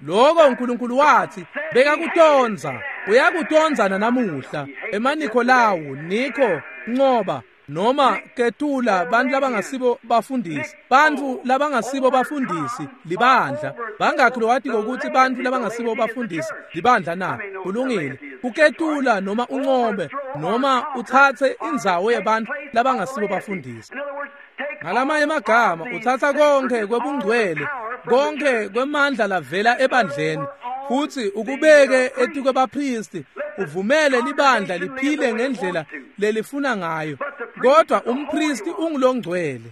Lokho uNkulunkulu wathi bekakutonza, uyakutonza nanamuhla. EmaNikolawu, Nikho, nqoba noma ketula bantu labangasibo bafundisi, bantu labangasibo bafundisi libandla. Bangakhi lowati ukuthi bantu labangasibo bafundisi libandla na? Kulungile. Uketula noma unqobe noma uthathe indzawo yebantu labangasibo bafundisi. Ngalamanye amagama uthatha konke kwebungcwele, konke kwemandla lavela ebandleni, futhi ukubeke etikwebapristi, uvumele libandla liphile ngendlela lelifuna ngayo. Kodwa umpristi ungulongcwele.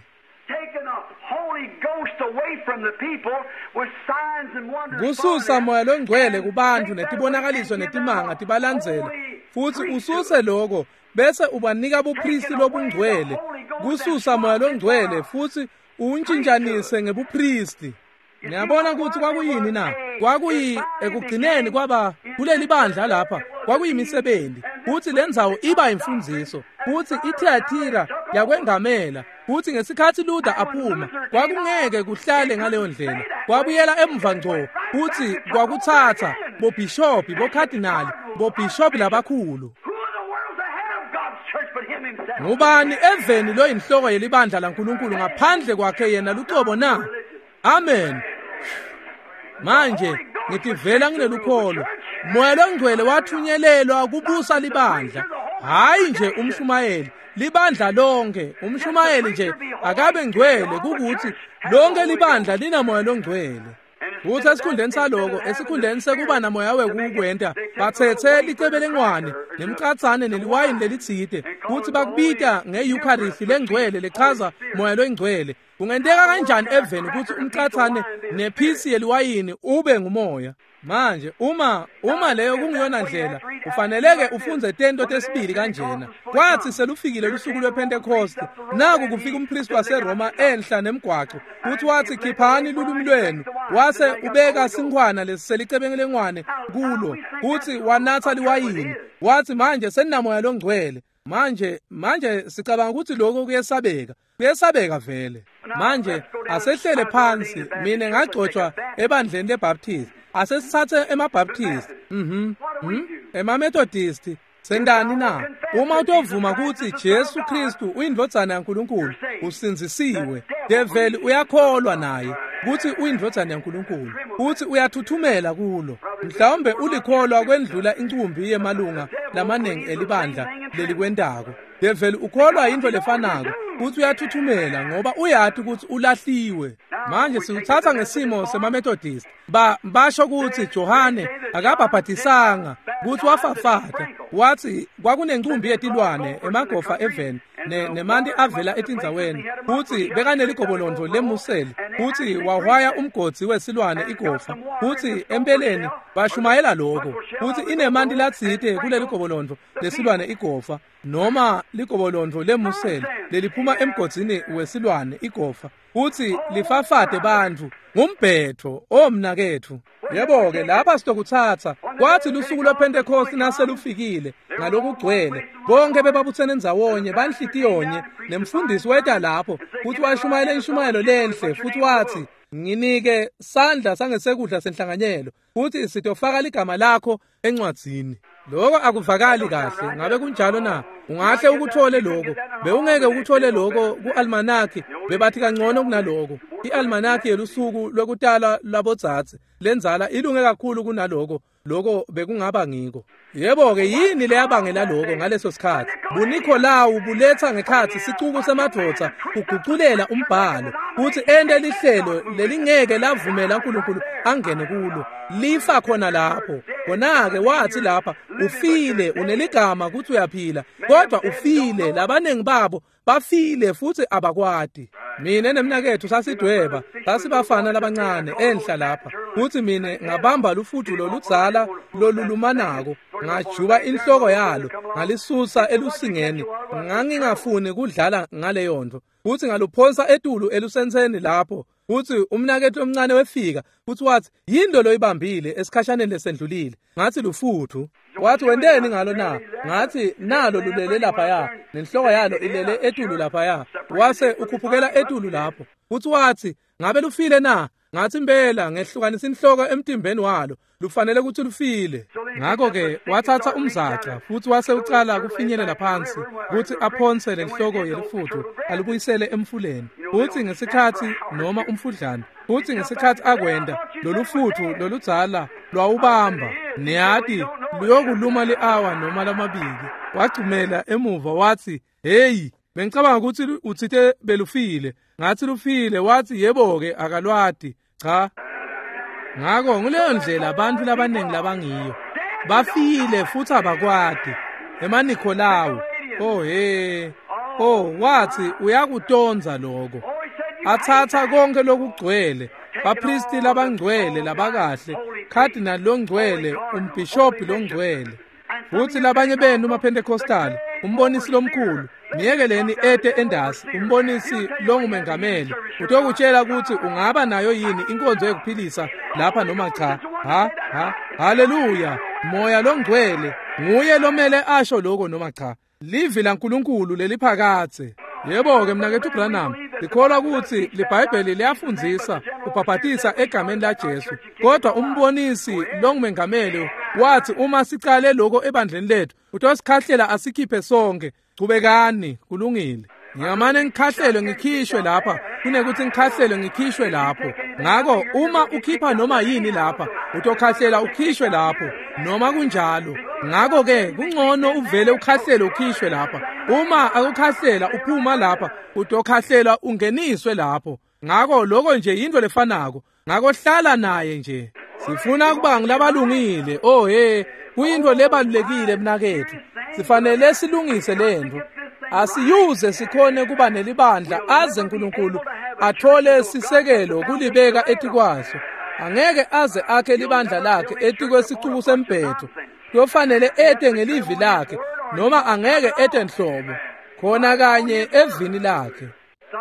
Kususa moya longcwele kubantu netibonakaliso netimanga tibalandzela, futhi ususe lokho bese ubanika bupristi lobungcwele. Kususa moya longcwele futhi uwuntshintshanise ngebupristi. Niyabona ukuthi kwakuyini na? Kwakuyi ekugcineni kwaba kuleli bandla lapha kwakuyimisebenzi, futhi lendzawo iba imfundziso, futhi iThiatira yakwengamela. Futhi ngesikhathi Luther aphuma kwakungeke kuhlale ngaleyo ndlela, kwabuyela emva ngco, futhi kwakuthatha bobhishophi, bokhadinali, bobhishophi labakhulu. Ngubani eveni loyinhloko yelibandla laNkulunkulu ngaphandle kwakhe yena lucobo na? Amen. Manje ngitivela nginelukholo. Moya longcwele wathunyelelwa kubusa libandla, hayi nje umshumayeli, libandla lonke. Umshumayeli nje akabe ngcwele kukuthi lonke libandla linamoya longcwele. Futhi esikhundleni saloko, esikhundleni sekuba namoya wekukwenta, bathethe licebelengwane nemcatsane neliwayini lelitsite, futhi bakubita nge-Eucharist lengcwele lechaza moya longcwele. Kungenteka kanjani eveni ukuthi umcatsane nephisi yeliwayini ube ngumoya? Manje uma leyo kungiyona ndlela, ufaneleke ufunze tento tesibili kanjena. Kwathi selufikile lusuku lwePentecost, naku kufika umpristi waseRoma enhla nemgwaco, futhi wathi khiphani lulwimi lwenu, wase ubeka sinkhwana lesiselicebelengwane kulo, futhi wanatha liwayini. Wathi manje seninamoya longcwele. Manje sicabanga ukuthi lokho kuyesabeka. Kuyesabeka vele. Manje asehlele phansi, mina ngagcotshwa ebandleni leBaptist. Asesithathe emaBaptist, emaMethodist, sendani na? Uma utovuma ukuthi Jesu Kristu uyindvodzana yaNkulunkulu, usindzisiwe. Develi uyakholwa naye ukuthi uyindvodzana yaNkulunkulu, futhi uyathuthumela kulo. Mhlawumbe ulikholwa kwendlula incumbi yemalunga lamaningi elibandla lelikwentako. Develi ukholwa into lefanako, futhi uyathuthumela ngoba uyati ukuthi ulahliwe. Manje sikuthatha ngesimo semaMethodist. Basho ukuthi Johane akabhabhadisanga, ukuthi wafafata. Wathi kwakunencumbi yetilwane emagofa eveni nemanti avela etindzaweni, futhi bekaneligobolondo lemuseli, futhi wahwaya umgodzi wesilwane igofa, futhi empeleni bashumayela lokho, futhi inemanti latsite kuleli gobolondo lesilwane igofa. noma ligobolondvo lemusele leliphuma emgodzini wesilwane igofa, futsi lifafate bantfu ngumbhetho omnaketfu. Yebo-ke, lapha sitokutsatsa. Kwathi lusuku lwePhentekhosti naselufikile ngalokugcwele, bonke bebabutsene ndzawonye banhlitiyonye, nemfundisi weta lapho futsi washumayela inshumayelo lenhle, futsi watsi, nginike sandla sangesekudla senhlanganyelo, futsi sitofaka ligama lakho encwadzini. Lokho akuvakali kahle, ngabe kunjalo na? Ungahle ukuthole lokho, bewungeke ukuthole lokho ku-almanaki, bebathi kangcono kunaloko. I-almanaki yelusuku lwekutalwa lwabodzadze lenzala ilunge kakhulu kunaloko, lokho bekungaba ngiko. Yebo-ke, yini leyabangela lokho ngaleso sikhathi? BuNikholawu buletha ngekhatsi sicuku semadvodza kuguculela umbhalo kutsi ente lihlelo lelingeke lavumela uNkulunkulu angene kulo. Lifa khona lapho. Kona-ke wathi lapha, ufile, uneligama kutsi uyaphila, kodwa ufile. Labaningi babo bafile futsi abakwati. Mine nemnaketfu sasidweba, sasibafana labancane enhla lapha, futsi mine ngabamba lufutfu loludzala lolulumanako, ngajuba inhloko yalo, ngalisusa elusingeni. Ngangingafuni kudlala ngaleyo nto, futsi ngaluphonsa etulu elusentseni lapho. Futsi umnaketfu omncane wefika futsi watsi, yinto loyibambile esikhashaneni lesendlulile. Ngathi lufutfu. Wathi, wenteni ngalo na? Ngathi, nalo lulele laphaya, nenhloko yalo ilele etulu laphaya. Wase ukhuphukela etulu lapho. Futsi wathi, ngabe lufile na? Ngathi, impela ngehlukanisa inhloko emtimbeni walo, lufanele kutsi lufile. Ngakho-ke wathatha umzaca futsi wase ucala kufinyelela phansi kutsi aphonse lenhloko yelifuthu alubuyisele emfuleni. Futsi ngesikhatsi noma umfudlana, futsi ngesikhatsi akwenta, lolufutfu loludzala lwawubamba, niyati, luyokuluma li-awa noma lamabili. Wagcumela emuva wathi, hey, bengicabanga kutsi utsite belufile. Ngathi lufile. Wathi, yebo-ke, akalwati. Cha. Ngako nguleyo ndlela abantu labaningi labangiyo. Bafile futsi abakwati. EmaNikholawu. Oh he. Oh, wathi uyakutonza lokho. Athatha konke lokugcwele, bapristi labangcwele labakahle, cardinal longcwele, umbhishobhi longcwele. Futsi labanye benu maPentecostal, umbonisi lomkhulu, niyekeleni ete endasi, umbonisi longumengameli, utokutshela kutsi ungaba nayo yini inkonzo yekuphilisa lapha noma cha. Ha ha, haleluya, Moya longcwele nguye lomele asho lokho noma cha. Livi laNkulunkulu leliphakadze. Yebo-ke, mnaketfu Branham, likholwa kutsi liBhayibheli liyafundzisa ubhabhatisa egameni laJesu, kodwa umbonisi longumengameli wathi uma sicale lokho ebandleni lethu utosikhahlela asikhiphe sonke. Chubekani, kulungile. Ngingamane ngikhahlelwe ngikhishwe lapha kunekuthi ngikhahlelwe ngikhishwe lapho. Ngako uma ukhipha noma yini lapha, utokhahlela ukhishwe lapho noma kunjalo. Ngako-ke kungcono uvele ukhahlele ukhishwe lapha. Uma akukhahlela uphuma lapha, utokhahlela ungeniswe lapho. Ngako lokho nje yinto lefanako. Ngako hlala naye nje. Sifuna kuba ngulabalungile. Oh he, kuyinto lebalulekile mnaketfu. Sifanele silungise lento. Asiyuze sikhone kuba nelibandla aze uNkulunkulu athole sisekelo kulibeka etikwaso. Angeke aze akhe libandla lakhe etikwesicuku sembhetho. Kuyofanele ete ngelivi lakhe noma angeke ete nhlobo, khona kanye evini lakhe.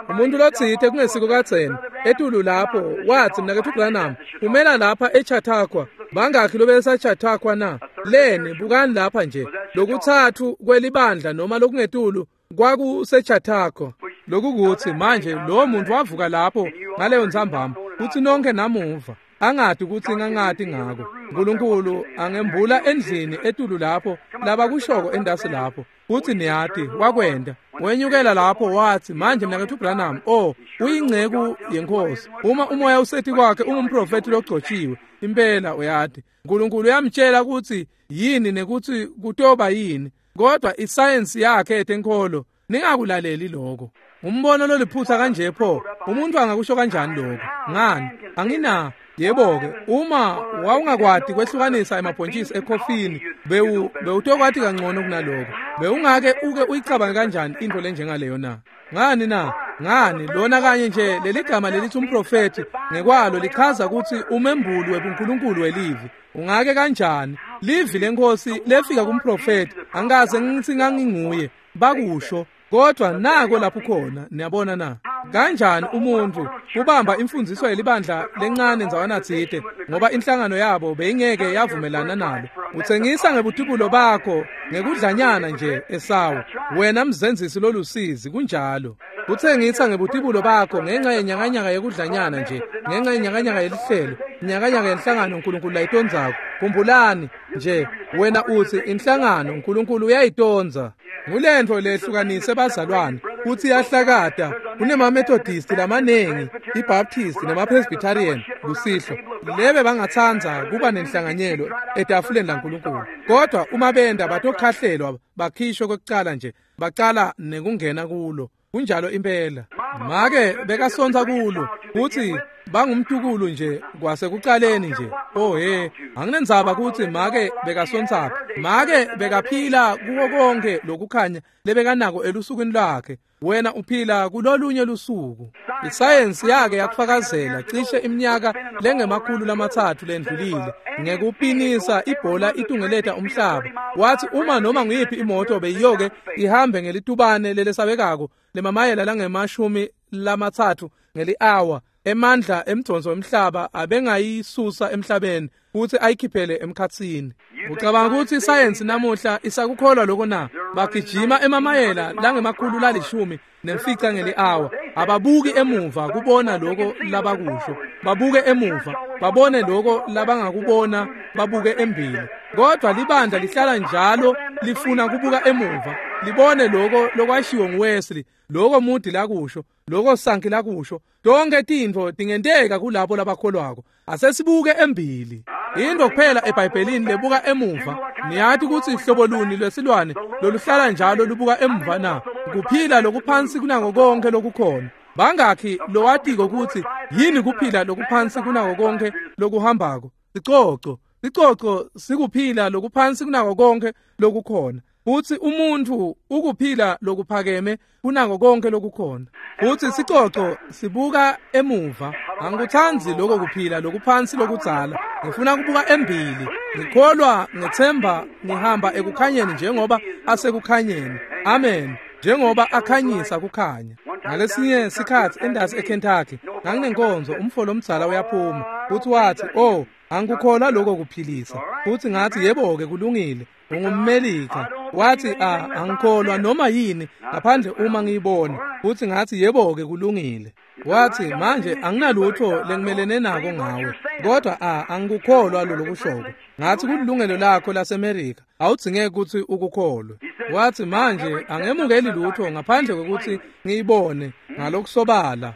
Umuntu lotsite kungesiko kadzeni etulu lapho wathi, mnaketfu Branham, umela lapha eChautauqua. Bangakhi lobesaChautauqua na? Leni, bukani lapha nje, lokuthathu kwelibandla noma lokungetulu kwakuseChautauqua. Lokukuthi manje lo muntu wavuka lapho ngaleyo ntsambama, futsi nonke namuva angati kutsi ngangati ngako. uNkulunkulu angembula endlini etulu lapho labakushoko endasi lapho. Futsi niyati wakwenta. Wenyukela lapho wathi, manje mnaketfu Branham, oh, uyingceku yenkosi. Uma umoya useti kwakhe ungumprofeti logcotshiwe. Impela uyati. uNkulunkulu uyamtshela kutsi yini nekutsi kutoba yini. Kodwa isayensi yakhe yetenkholo, ningakulaleli lokho. Umbono loliphutsa kanje pho, umuntu angakusho kanjani lokho? Ngani? Angina. Yebo-ke, uma wawungakwati kwehlukanisa emabhontjisi ekhofini, bewutokwati kangcono kunaloko. Bewungake uke uyicabange kanjani into lenjengaleyo na? Ngani na? Ngani, lona kanye nje leligama lelithi umprofethi ngekwalo lichaza kutsi umembuli webuNkulunkulu welivi. Ungake kanjani? Livi leNkhosi lefika kumprofeti, angikaze ngithi nganginguye, bakusho, kodwa nako lapho khona, niyabona na? Kanjani umuntu kubamba imfundiso yelibandla lencane ndzawana tsite ngoba inhlangano yabo beyingeke yavumelana nalo. Utsengisa ngebutubulo bakho ngekudlanyana nje Esawu, wena mzenzisi lolusizi, kunjalo. Utsengisa ngebutubulo bakho ngenxa yenyakanyaka yekudlanyana nje, ngenxa yenyakanyaka yelihlelo, inyakanyaka yenhlangano uNkulunkulu layitondzako. Khumbulani nje, wena uthi inhlangano uNkulunkulu uyayitonza. Ngulentfo lehlukanise bazalwane kutsi iyahlakata. Kunema-Methodist lamanengi, iBaptist nema-Presbyterian kusihlo lebe bangatsandza kuba nenhlanganyelo etafuleni laNkulunkulu, kodwa uma benda batokhahlelwa bakhishwe kwekucala nje, bacala nekungena kulo. Kunjalo impela. Make bekasontsa kulo kutsi bangumtukulu nje kwasekucaleni nje. Oh he, anginendzaba kutsi make bekasontsaphi. Make bekaphila kuko konke lokukhanya lebekanako elusukwini lwakhe. Wena uphila kulolunye lusuku. Isayensi yake yakufakazela cishe iminyaka lengama-300 lendlulile ngekupinisa ibhola itungeleta umhlaba. Wathi uma noma nguyiphi imoto beyiyoke ihambe ngelitubane lelesabekako lemamayela langama-30 ngeli-hour, emandla emdonso wemhlaba abengayisusa emhlabeni futhi ayikhiphele emkhatsini. Ucabanga ukuthi isayensi namuhla isakukholwa lokho na? Bagijima emamayela langama-115 ngeli-hour. Ababuki emuva kubona lokho labakusho, babuke emuva babone lokho labangakubona, babuke embili. Kodwa libandla lihlala njalo lifuna kubuka emuva, libone lokho lokwashiwo nguWesley, lokho Moody lakusho, lokho Sankey lakusho. Tonke tintfo tingenteka kulabo labakholwako. Asesibuke embili. Into kuphela eBhayibhelini lebuka emuva. Niyati kutsi hlobo luni lwesilwane loluhlala njalo lubuka emuva na? Kuphila lokuphansi kunako konke lokukhona. Bangakhi lowatiko kutsi yini kuphila lokuphansi kunako konke lokuhambako? Sicoco. Sicoco sikuphila lokuphansi kunako konke lokukhona. Futsi umuntfu ukuphila lokuphakeme kunako konke lokukhona. Futsi sicoco sibuka emuva. Angikutsandzi lokho kuphila lokuphansi lokudzala. Ngifuna kubuka embili. Ngikholwa, ngethemba, ngihamba ekukhanyeni njengoba asekukhanyeni. Amen. Njengoba akhanyisa kukhanya. Ngalesinye sikhatsi endasi eKentucky, nganginenkonzo, umfo lomdzala uyaphuma. Futhi wathi, "Oh, angikukholwa lokho kuphilisa." Futhi ngathi, "Yebo-ke, kulungile. Ungummelika." Wathi, angikholwa noma yini ngaphandle uma ngiyibona. Futhi ngathi, "Yebo-ke, kulungile." Wathi, "Manje anginalutho lengimelene nako ngawe, kodwa angikukholwa lolokushoko." Ngathi, "Kulilungelo lakho laseMerika, awudzingeki kutsi ukukholwe." Wathi, "Manje angemukeli lutho ngaphandle kwekutsi ngiyibone ngalokusobala."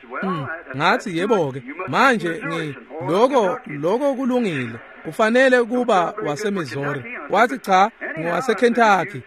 Ngathi, "Yebo-ke, manje lokho kulungile. Ufanele kuba waseMissouri." Wathi, "Cha, ngiwaseKentucky."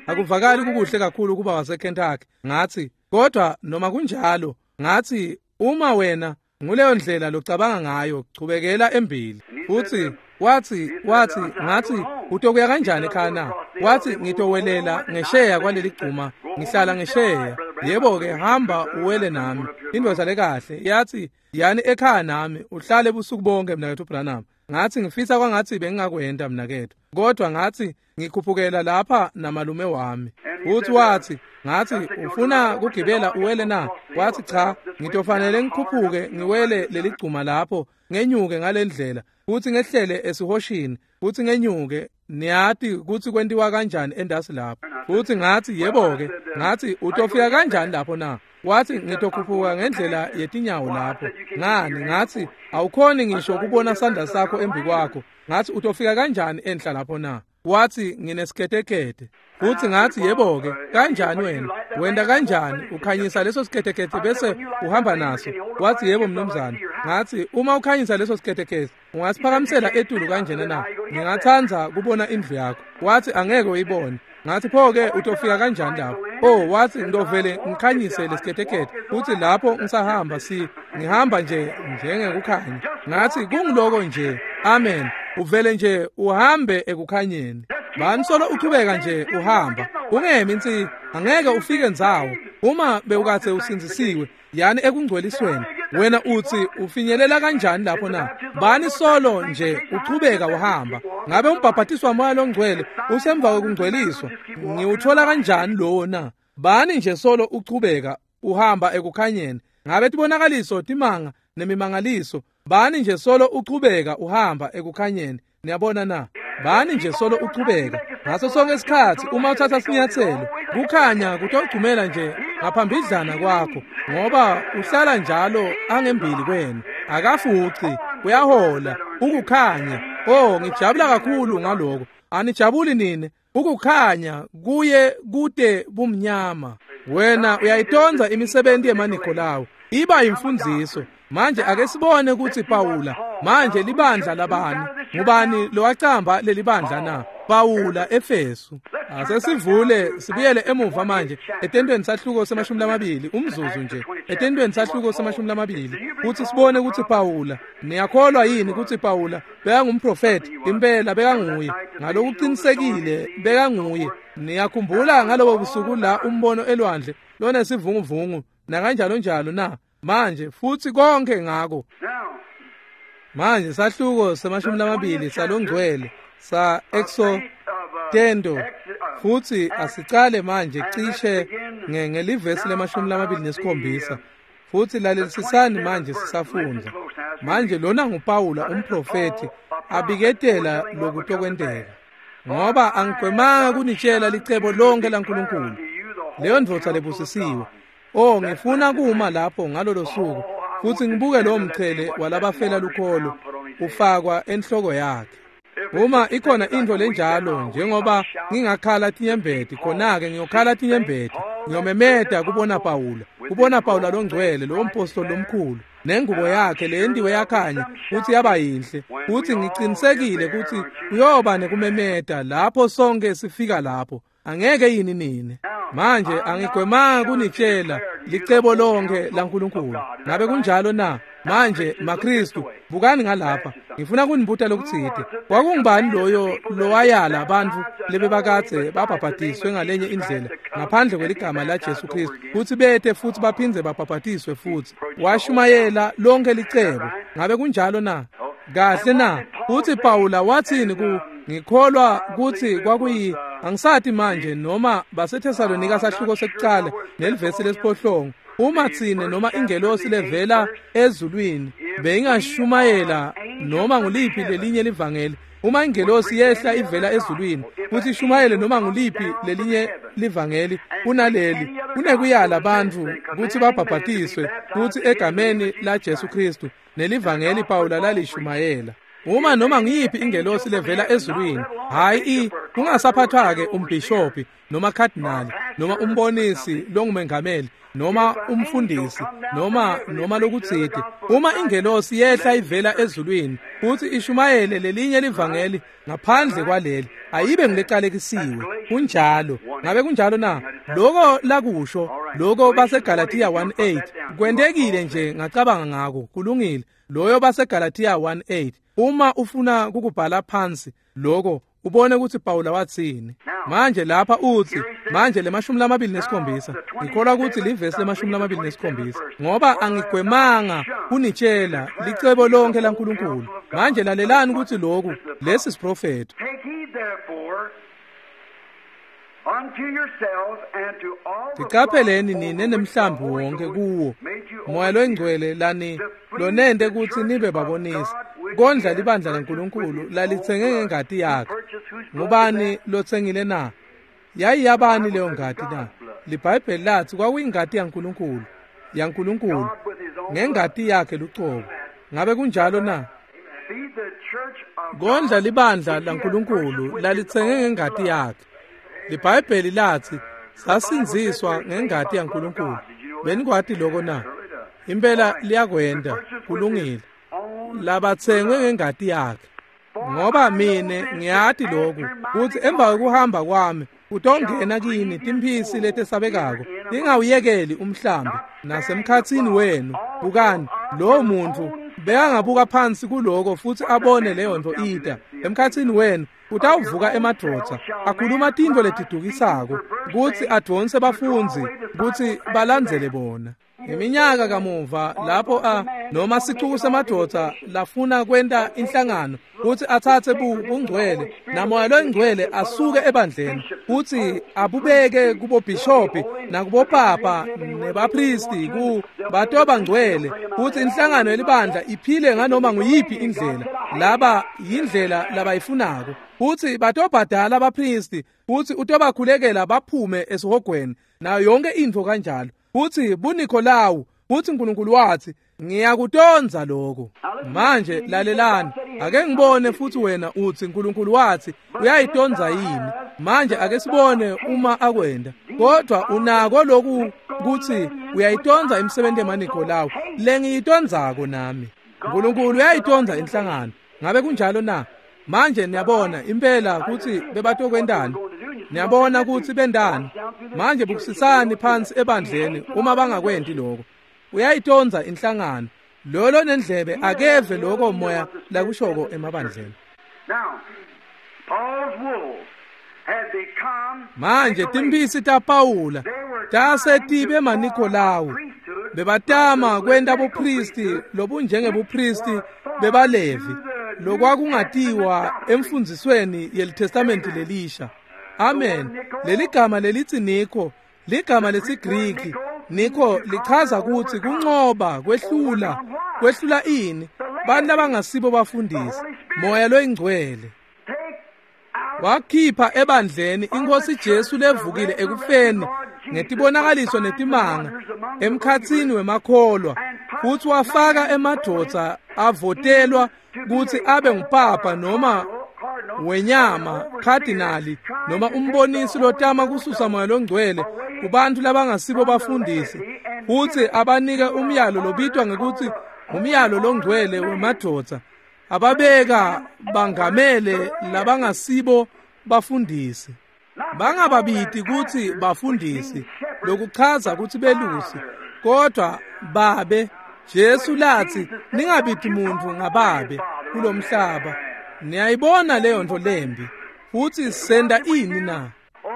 Akuvakali kukuhle kakhulu kuba waseKentucky. Ngathi, "Kodwa noma kunjalo," ngathi, "uma wena nguleyo ndlela locabanga ngayo, chubekela embili." Futhi wathi, ngathi, "Utokuya kanjani ekhaya na?" Wathi, "Ngitowelela ngesheya kwaleli gcuma, ngihlala ngesheya." "Yebo-ke, hamba uwele nami." Indvodza lekahle yathi, "Yani ekhaya nami, uhlale busuku bonke mnaketfu Branham." Ngathi, "Ngifisa kwangathi bengingakwenta mnaketfu, kodwa ngathi ngikhuphukela lapha namalume wami." Futhi wathi, ngathi, "Ufuna kugibela uwele na?" Wathi, "Cha, ngitofanele ngikhuphuke ngiwele leligcuma lapho, ngenyuke ngalendlela, futhi ngehlele esihoshini, futhi ngenyuke. Niyati kutsi kwentiwa kanjani endasi lapho." Futhi ngathi, "Yebo-ke." Ngathi, "Utofika kanjani lapho na?" Wathi, "Ngitokhuphuka ngendlela yetinyawo lapho." Ngani? Ngathi, "Awukhoni ngisho kubona sandla sakho embi kwakho." Ngathi, "Utofika kanjani enhla lapho na?" Wathi, "Nginesiketekete." Futhi ngathi, "Yebo-ke, kanjani wena? Wenda kanjani? Ukhanyisa leso siketekete bese uhamba naso?" Wathi, "Yebo mnumzane." Ngathi, "Uma ukhanyisa leso siketekete, ungasiphakamisela etulu kanjena na? Ngingatsandza kubona indlu yakho." Wathi, "Angeke uyibone." Ngathi, "Pho-ke utofika kanjani lapho?" Oh, wathi, "Ngidovele ngikhanyise lesiketekete futhi lapho ngisahamba ngihamba nje njengekukhanya." Ngathi, "Kungiloko nje." Amen. Uvele nje uhambe ekukhanyeni. Banisolo uchubeka nje uhamba. Ungemi nsi, angeke ufike ndzawo. Uma bewukathe usindzisiwe, yani ekungcwelisweni. Wena utsi ufinyelela kanjani lapho na? Bani solo nje uchubeka uhamba. Ngabe umbhabhatiso waMoya loNgcwele usemva kwekungcweliswa? Ngiwuthola kanjani lowo na? Bani nje solo uchubeka uhamba ekukhanyeni. Ngabe tibonakaliso timanga nemimangaliso? Bani nje solo uchubeka uhamba ekukhanyeni. Niyabona na? Bani nje solo uchubeka. Ngaso sonke isikhathi uma uthatha sinyathelo, kukhanya kutogcumela nje ngaphambidlana kwakho, ngoba uhlala njalo angembili kwenu. Akafuci, uyahola, ukukhanya. Oh, ngijabula kakhulu ngaloko. Anijabuli nini? Ukukhanya kuye kude bumnyama. Wena uyayitonza imisebenzi yemaNikolawu. Iba imfundiso. Manje ake sibone ukuthi Pawula manje libandla labani? Ngubani lowacamba lelibandla na? Pawula Efesu. Asesivule sibuyele emuva manje etentweni sahluko se-20, umzuzu nje. Etentweni sahluko se-20 kuthi sibone ukuthi Pawula, niyakholwa yini ukuthi Pawula bekangumprofeti? Impela bekanguye. Ngalokuqinisekile bekanguye. Niyakhumbula ngalobo busuku la umbono elwandle lonesivunguvungu nakanjalo njalo na? Manje futhi konke ngako. Manje sahluko se-20 salongcwele sa Exo Tendo, futhi asicale manje cishe ngelivesi le-27. Futhi lalelisisani manje sisafundza. Manje lona nguPawula umprofeti abiketela lokutokwenteka. Ngoba angigwemanga kunitshela licebo lonke laNkulunkulu. Leyo ndvodza lebusisiwe. Oh, ngifuna kuma lapho ngalolo suku futhi ngibuke lo mchele walabafela lukholo ufakwa enhloko yakhe. Uma ikhona into lenjalo, njengoba ngingakhala tinyembeti, khona-ke ngiyokhala tinyembeti. Ngiyomemeda kubona Pawula, kubona Pawula longcwele, lowo mpostoli lomkhulu, nengubo yakhe leyendiwe yakhanya futhi yaba yinhle. Futhi ngiqinisekile ukuthi kuyoba nekumemeda lapho sonke sifika lapho. Angeke yini nini? Manje angigwemanga kunitshela licebo lonke laNkulunkulu. Ngabe kunjalo na? Manje maKristu, bukani ngalapha. Ngifuna kunibuta lokutsite. Kwakungubani loyo lowayala abantu lebebakadze babhabhatiswe ngalenye indlela ngaphandle kweligama la Jesu Kristu kutsi bete futhi baphindze babhabhatiswe futhi? Washumayela lonke licebo. Ngabe kunjalo na? Kahle na? Uthi Pawula wathini ku ngikholwa kuthi kwakuyi angisati manje noma baseThesalonika sahluko sekucala nelivesi lesiphohlongo. Uma tsine noma ingelosi levela ezulwini beyingashumayela noma nguliphi lelinye livangeli, uma ingelosi yehla ivela ezulwini futhi ishumayele noma nguliphi lelinye livangeli kunaleli, kunekuyala abantu kutsi babhabhatiswe kutsi egameni la Jesu Kristu nelivangeli Pawula lalishumayela. Uma noma ngiyiphi ingelosi levela ezulwini, hayi kungasaphathwa-ke umbhishobhi noma cardinal noma umbonisi longumengameli noma umfundisi noma lokutsite, uma ingelosi yehla ivela ezulwini futhi ishumayele lelinye livangeli ngaphandle kwaleli, ayibe ngilecalekisiwe. Kunjalo. Ngabe kunjalo na? Lokho lakusho lokho baseGalatia 1:8 kwentekile nje, ngacabanga ngako. Kulungile. Loyo baseGalatia 1:8. Uma ufuna kukubhala phansi lokho ubone ukuthi Pawula wathini. Manje lapha uthi manje le-27, ngikholwa ukuthi livesi le-27, ngoba angigwemanga kunitshela licebo lonke laNkulunkulu. Manje lalelani ukuthi lokhu lesi siprofeto. Tiqapheleni nine nemhlambi wonke kuwo Moya loNgcwele lani lonente kutsi nibe babonisi kondla libandla laNkulunkulu lalitsenge ngengati yakhe. Ngubani lotsengile na? Yayiyabani leyo ngati na? LiBhayibheli lathi kwakuyingati yaNkulunkulu, yaNkulunkulu ngengati yakhe lucobo. Ngabe kunjalo na? Kondla libandla laNkulunkulu lalitsenge ngengati yakhe. LiBhayibheli lathi sasinziswa ngengati yaNkulunkulu. Benikwati lokho na? Impela liyakwenda. Kulungile. Labatsengwe ngengati yakhe. Ngoba mine ngiyati lokhu kutsi emva kwekuhamba kwami utongena kini timphisi letesabekako, ningawuyekeli umhlambi nasemkhatsini wenu. Bukani, lowo muntu bekangabuka phansi kuloko futhi abone leyo nto ita emkhatsini wenu. Utawuvuka emadvodza akhuluma tintfo letidukisako kutsi advonse bafundzi kutsi balandzele bona. Ngeminyaka kamuva lapho noma sicuku semadvodza lafuna kwenta inhlangano kutsi atsatse bungcwele namoya longcwele asuke ebandleni kutsi abubeke kubobhishobhi nakubopapa nebapristi ku batoba ngcwele kutsi inhlangano yelibandla iphile nganoma nguyiphi indlela laba yindlela labayifunako kutsi batobhadala abapristi kutsi utobakhulekela baphume esihogweni nayo yonke intfo kanjalo kutsi buNikolawu kutsi uNkulunkulu wathi ngiyakutondza lokho. Manje lalelani, ake ngibone futhi wena uthi uNkulunkulu wathi uyayitondza yini. Manje ake sibone uma akwenda. Kodwa unako lokhu kuthi uyayitondza imisebenzi yemaNikolawu lengiyitondzako nami. uNkulunkulu uyayitondza inhlangano. Ngabe kunjalo na? Manje niyabona impela kutsi bebatokwentani. Niyabona kutsi bendani. Manje bukusisani phansi ebandleni uma bangakwenti lokho. Uyayitondza inhlangano. Lolo nendlebe akeve lokho moya lakushoko emabandleni. Manje timphisi taPawula tase tibe maNikolawu. Bebatama kwenta bupristi lobunjengebupristi bebalevi lokwakungatiwa emfundzisweni yeliTestamenti lelisha. Amen. Leligama lelithi Niko ligama lesiGriki. Niko lichaza kutsi kuncoba, kwehlula. Kwehlula ini? Bantu labangasibo bafundisi. Moya loyingcwele wakhipha ebandleni iNkosi Jesu levukile ekufeni ngetibonakaliso netimanga emkhatsini wemakholwa, futsi wafaka emadvodza avotelwa kutsi abe ngupapa noma wenyama, khadinali noma umbonisi lotama kususa moya longcwele kubantu labangasibo bafundisi, futsi abanike umyalo lobitwa ngekutsi umyalo longcwele wemadvodza, ababeka bangamele labangasibo bafundisi. Bangababiti kutsi bafundisi, lokuchaza kutsi belusi, kodwa babe. Jesu lathi ningabiti muntu ngababe kulomhlaba. Niyayibona leyo nto lembi. Futhi senda ini na?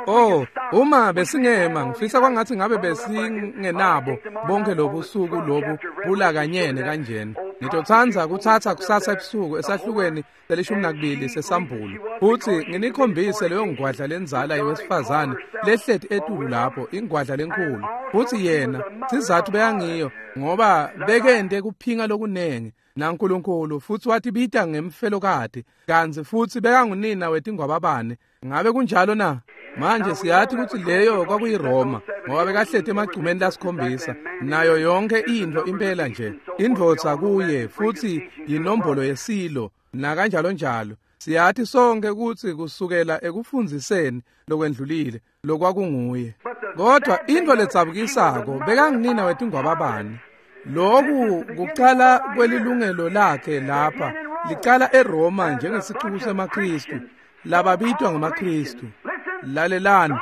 Oh, uma besingema ngifisa kwangathi ngabe besingenabo bonke lobusuku lobu bulakanyene kanjena. Ngitotsandza kutsatsa kusasa ebusuku esahlukweni leli-12 sesambulo futhi nginikhombise leyo ngwadla lenzala yewesifazane lehleti etulu lapho, ingwadla lenkhulu. Futhi yena sizathu beyangiyo ngoba bekente kuphinga lokunengi naNkulunkulu, futhi watibita ngemfelokati, kantsi futhi bekangunina wetingwababane. Ngabe kunjalo na? Manje siyathi kutsi leyo kwakuyiRoma ngoba bekahleti emagcumeni lasikhombisa nayo yonke intfo impela nje indvodza kuye, futhi yinombolo yesilo nakanjalo njalo. Siyathi sonke kutsi kusukela ekufundziseni lokwendlulile lokwakunguye. Kodwa intfo ledzabukisako bekangunina wetingwababane. Lokhu kucala kwelilungelo lakhe lapha licala eRoma njengesicuku semaKristu lababitwa ngamaKristu. Lalelani,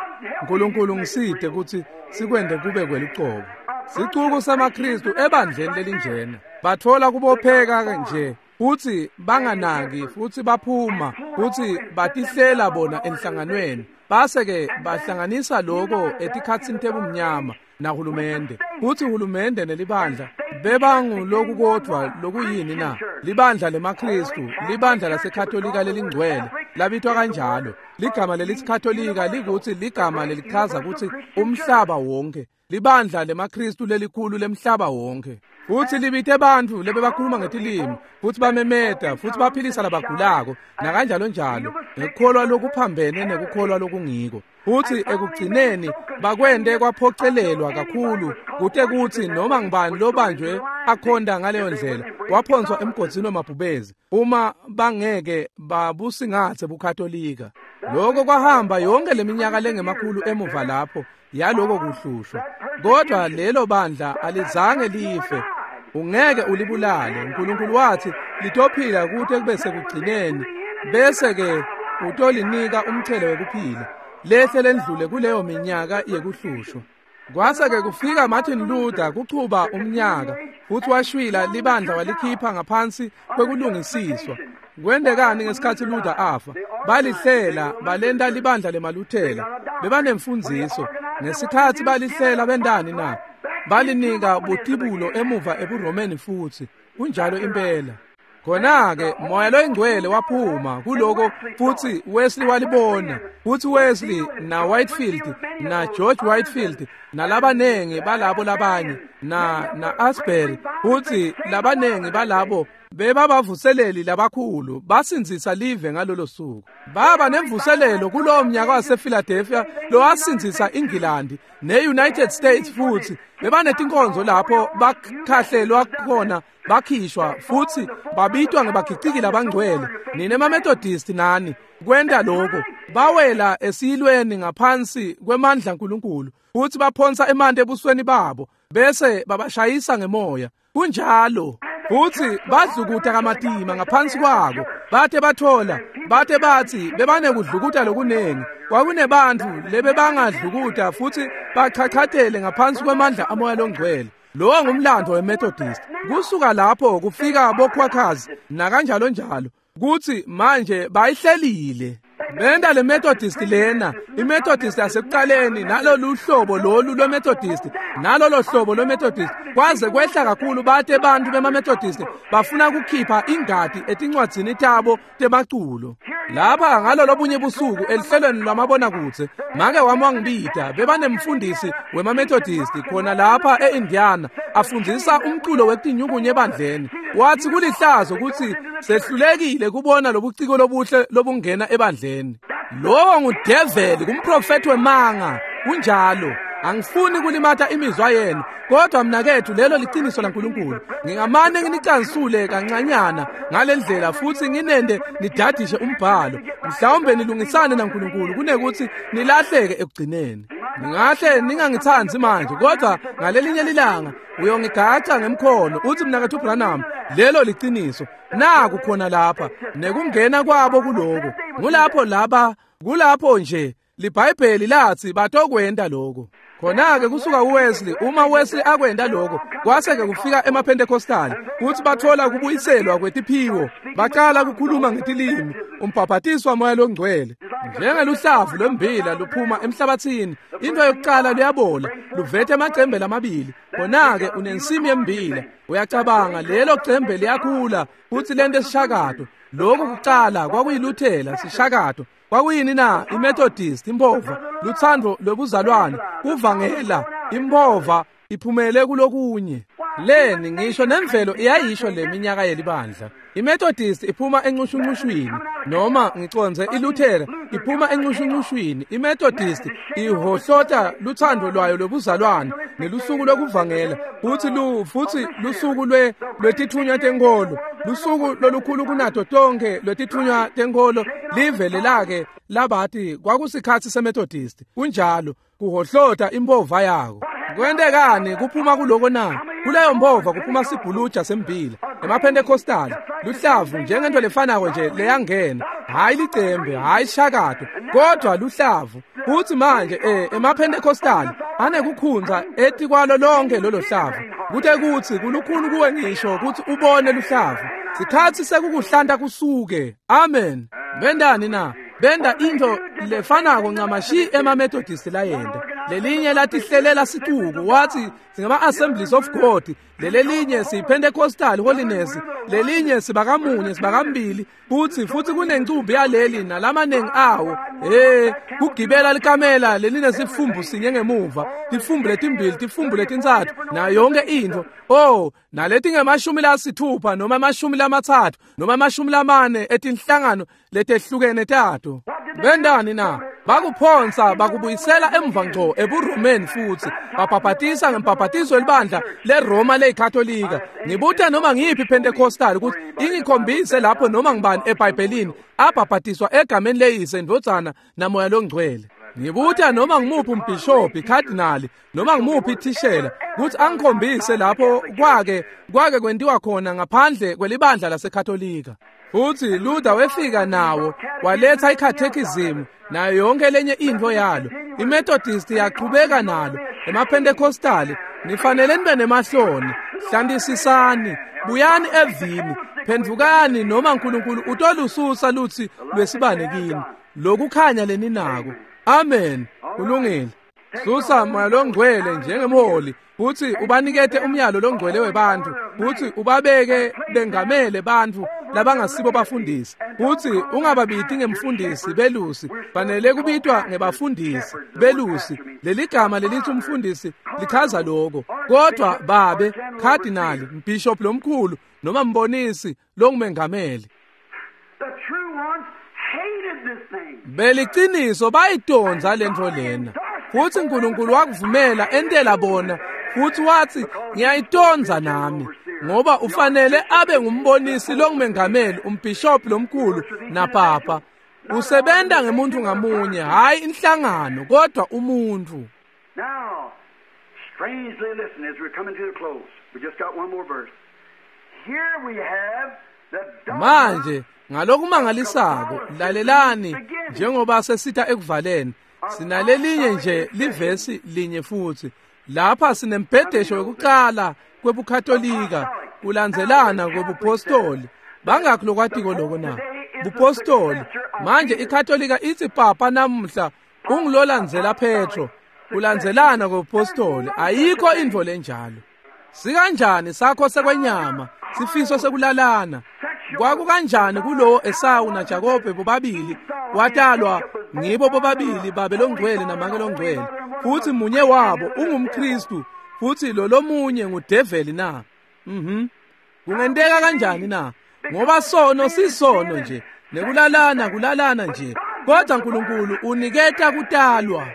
uNkulunkulu ngiside kutsi sikwende kube kwelucobo. Sicuku semaKristu ebandleni lelinjena batfola kubopheka nje futsi banganaki, futsi baphuma futsi batihlela bona enhlanganweni, base-ke bahlanganisa loko etikhatsini tebumnyama nahulumende. Futsi hulumende nelibandla bebangulokukodvwa lokuyini na? Libandla lemaKristu, libandla laseKatolika lelingcwele labitwa kanjalo. Ligama lelithi Katolika likutsi ligama lelichaza kutsi umhlaba wonke, libandla lemaKristu lelikhulu lemhlaba wonke. Futsi libite bantfu lebebakhuluma ngetilimi, futsi bamemeta, futsi baphilisa labagulako nakanjalo njalo, ngekukholwa lokuphambene nekukholwa lokungiko. Futsi ekugcineni bakwente kwaphocelelwa kakhulu kute kutsi noma ngibani lobanjwe akhonda ngaleyo ndlela waphonswa emgodzini wemabhubezi uma bangeke babusingathe buKatolika. Lokho kwahamba yonke leminyaka lengemakhulu emuva lapho yaloko kuhlushwa. Kodwa lelo bandla alizange life. Ungeke ulibulale. uNkulunkulu wathi litophila kute kube sekugcineni, bese ke utolinika umthelo wekuphila lehle lendlule kuleyo minyaka yekuhlushwa. Kwase-ke kufika Martin Luther kuchuba umnyaka, futhi washwila libandla walikhipha ngaphansi kwekulungisiswa. Kwendekani ngesikhathi Luther afa? Balihlela balenta libandla lemaLuthela. Bebanemfundziso. Ngesikhathi balihlela bendani na? Balinika butibulo emuva ebuRomeni futhi. Kunjalo impela. Khona-ke Moya loyiNgcwele waphuma kuloko futhi Wesley walibona. Futhi Wesley na Whitefield na George Whitefield nalabanengi balabo labanye na Asbury futhi labanengi balabo bebabavuseleli labakhulu basinzisa live ngalolo suku. Baba nemvuselelo kulowo mnyaka wasePhiladelphia lowasinzisa iNgilandi ne-United States futhi bebanetinkonzo lapho bakhahlelwa khona bakhishwa futhi babitwa ngebagiciki labangcwele. Nine maMethodist nani kwenta lokho. Bawela esiyilweni ngaphansi kwemandla kaNkulunkulu futhi baphonsa emanti ebusweni babo bese babashayisa ngemoya. Kunjalo. Futhi badlukuta kamatima ngaphansi kwako. Bathe bathola, bathe bathi bebanekudlukuta lokunengi. Kwakunebantu lebebangadlukuta futhi bachachatele ngaphansi kwemandla amoya longcwele. Lowo ngumlando weMethodist. Kusuka lapho kufika boKwakhazi nakanjalo njalo. Kuthi manje bayihlelile. Benda le Methodist lena, iMethodist yasekuqaleni nalolu hlobo lolu lweMethodist, nalolo hlobo lweMethodist kwaze kwehla kakhulu bathe bantu bemaMethodist bafuna ukukhipha ingadi etincwadzini tabo temaculo. Lapha ngalolobunye busuku elihlelweni lwamabonakudze make wami wangibida bebanemfundisi wemaMethodist khona lapha eIndiana afundzisa umculo wetinyukunye ebandleni. Wathi kulihlazo ukuthi sehlulekile kubona lobuciko lobuhle lobungena ebandleni. Lowo ngudeveli kumprofethi wemanga. Kunjalo. Angifuni kulimata imizwa yenu, kodwa mnakethu lelo liqiniso laNkulunkulu. Ngingamane nginicansule kancanyana ngalendlela futhi nginende nidadishe umbhalo. Mhlawumbe nilungisane naNkulunkulu kunekuthi nilahleke ekugcineni. Ningahle ningangithandi manje, kodwa ngalelinye lilanga uyongigaca ngemkhono uthi mnakethu Branham, lelo liqiniso. Naku khona lapha nekungena kwabo kuloko. Ngulapho laba, kulapho nje liBhayibheli lathi batokwenda lokho. Khona-ke kusuka uWesley, uma Wesley akwenda lokho, kwase-ke kufika emaPentecostal, kuthi bathola kubuyiselwa kwetiphiwo, baqala ukukhuluma ngetilimi, umbhaphatiswa moya longcwele. Njengeluhlavu lwembila luphuma emhlabathini, into yokuqala luyabola, luvethe amacembe lamabili. Khona-ke unensimi yembila, uyacabanga lelo cembe liyakhula, futhi lento esishakato. Lokhu kuqala kwakuyiluthela sishakato. Kwakuyini na? IMethodist, impova, luthando lobuzalwane, kuvangela, impova iphumele kulokunye. Leni ngisho nemvelo iyayisho leminyaka yelibandla. IMethodist iphuma encushuncushwini, noma ngiconze iLuthera iphuma encushuncushwini. IMethodist ihohlota luthando lwayo lobuzalwane nelusuku lokuvangela, futhi lusuku lwetithunywa tenkolo, lusuku lolukhulu kunato tonke lwetithunywa tenkolo livele lake labathi kwakusikhathi seMethodist. Kunjalo, kuhohlota impova yako. Kwentekani kuphuma kuloko na? Kuleyo mpova kuphuma sibhuluja sembila. EmaPentecostal luhlavu njengento lefanako nje leyangena, hayi licembe, hayi shakato, kodwa luhlavu. Futhi manje emaPentecostal anekukhunza etikwalo lonke lolo hlavu. Kute kuthi kulukhuni kuwe ngisho ukuthi ubone luhlavu. Sikhathi sekukuhlanta kusuke. Amen. Bendani na? Benda into lefanako ncamashi emaMethodist layenda. Lelinye latihlelela sicuku wathi singama Assemblies of God, lelelinye siyiPentecostal Holiness, lelinye sibakamunye sibakambili, futhi kunencumbi yaleli nalamanengi awo. Kugibela likamela leline sifumbu sinye ngemuva, tifumbu letimbili, tifumbu letintsatfu, nayo yonke into. Oh, naleti ngemashumi lasithupha noma amashumi lamathathu noma amashumi lamane etinhlangano letehlukene tato. Bendani na? Bakuphonsa bakubuyisela emva ngco ebuRomeni futhi babhabhatisa ngembhabhatiso elibandla leRoma leyiKatolika. Ngibuta noma ngiyiphi iPentecostal ukuthi ingikhombise lapho noma ngibani eBhayibhelini abhabhatiswa egameni leyise, indvodzana namoya longcwele. Ngibuta noma ngimuphi umbhishobhi, cardinal, noma ngimuphi ithishela ukuthi angikhombise lapho kwake kwentiwa khona ngaphandle kwelibandla laseKatolika. Futhi Luther wefika nawo waletha icatechism nayo yonke lenye into yalo. IMethodist yaqhubeka nalo. EmaPentecostal nifanele nibe nemahloni, hlantisisani, buyani evini, phendvukani noma uNkulunkulu utolususa lutsi lwesibane kini. Lokukhanya leninako. Amen. Kulungile. Susa Moya loNgcwele njengemholi futsi ubanikete umyalo longcwele webantfu futsi ubabeke bengamele bantfu labangasibo bafundisi futsi ungababiti ngemfundisi belusi, fanele kubitwa ngebafundisi belusi. Leligama lelithi umfundisi lichaza lokho. Kodwa babe khadinali, mbishop lomkhulu noma mbonisi longumengameli, beliciniso bayidonza lentfo lena futsi uNkulunkulu wakuvumela entela bona futsi wathi ngiyayitondza nami, ngoba ufanele abe ngumbonisi longumengameli, umbishop lomkhulu napapa. Usebenta ngemuntu ngamunye, hayi inhlangano, kodwa umuntu. Now, strangely listen as we're coming to the close. We just got one more verse. Here we have the manje ngalokumangalisako lalelani njengoba sesita ekuvaleni, sinalelinye nje livesi linye futhi. Lapha sinembhedesho yokuqala kwebuKatolika kulandzelana kwebupostoli. Bangakho lokwatiko lokho na? Bupostoli. Manje iKatolika ithi papa namuhla ungulolandzela Petro, kulandzelana kwebupostoli. Ayikho intfo lenjalo. Sikanjani sakho sekwenyama, sifiso sekulalana? Kwakukanjani kulowo Esawu naJakobe bobabili watalwa ngibo bobabili babe longcwele namake longcwele, futhi munye wabo ungumKristu futhi lo lomunye ngudeveli na? Kungenteka kanjani na? Ngoba sono sisono nje, nekulalana kulalana nje, kodwa uNkulunkulu uniketa kutalwa.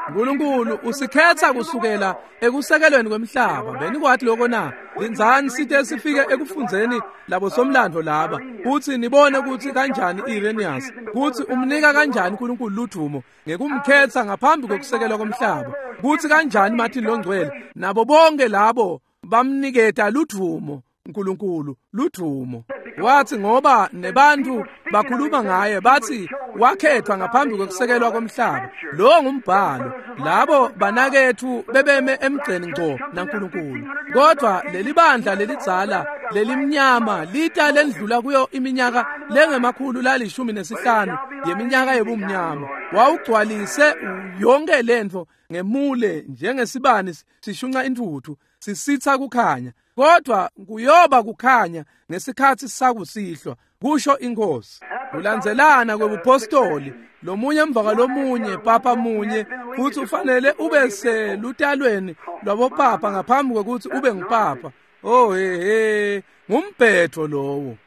uNkulunkulu usikhetha kusukela ekusekelweni kwemhlaba. Benikwathi lokho na? Lindzani site sifike ekufundzeni labo somlando laba futhi nibone ukuthi kanjani Irenaeus kuthi umnika kanjani uNkulunkulu ludumo ngekumkhetha ngaphambi kokusekelwa komhlaba, kuthi kanjani Martin longcwele nabo bonke labo bamniketa ludumo uNkulunkulu ludumo. Wathi ngoba nebantu bakhuluma ngaye bathi wakhethwa ngaphambi kokusekelwa komhlaba. Lo ngumbhalo. Labo banakethu bebeme emgceni ngco naNkulunkulu. Kodwa leli bandla lelidzala lelimnyama lita lendlula kuyo iminyaka lengemakhulu la15 yeminyaka yobumnyama. Wawugcwalise yonke lentfo ngemule njengesibani sishunqa intuthu sisitha kukhanya. Kodwa kuyoba kukhanya ngesikhathi sakusihlwa, kusho inkosi. Kulandzelana kwebupostoli, lomunye emva kwalomunye, papa munye, futhi ufanele ube selutalweni lwabopapa ngaphambi kokuthi ube ngupapa. Oh he, ngumbhetho lowo.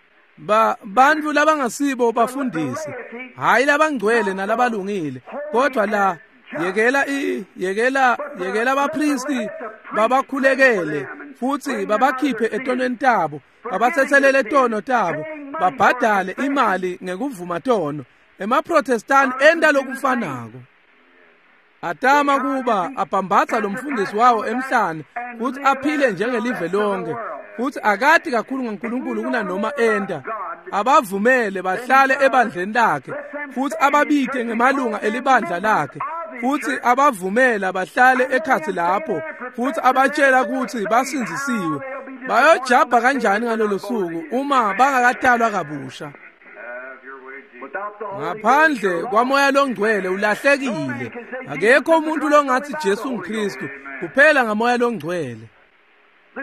Bantu labangasibo bafundisi, hayi labangcwele nalabalungile, kodwa la yekela abapristi babakhulekele futhi babakhiphe etonweni tabo, babathethelele tono tabo, babhadale imali ngekuvuma tono. EmaProtestant enta lokufanako. Atama kuba abhambatha lo mfundisi wawo emhlane futhi aphile njengelive lonke, futhi akati kakhulu ngaNkulunkulu kunanoma enta. Abavumele bahlale ebandleni lakhe futhi ababite ngemalunga elibandla lakhe, futhi abavumela bahlale ekhathi lapho futhi abatshela ukuthi basindzisiwe. Bayojabha kanjani ngalolo suku uma bangakatalwa kabusha? Ngaphandle kwaMoya loNgcwele ulahlekile. Akekho umuntu longathi Jesu nguKristu kuphela ngaMoya loNgcwele.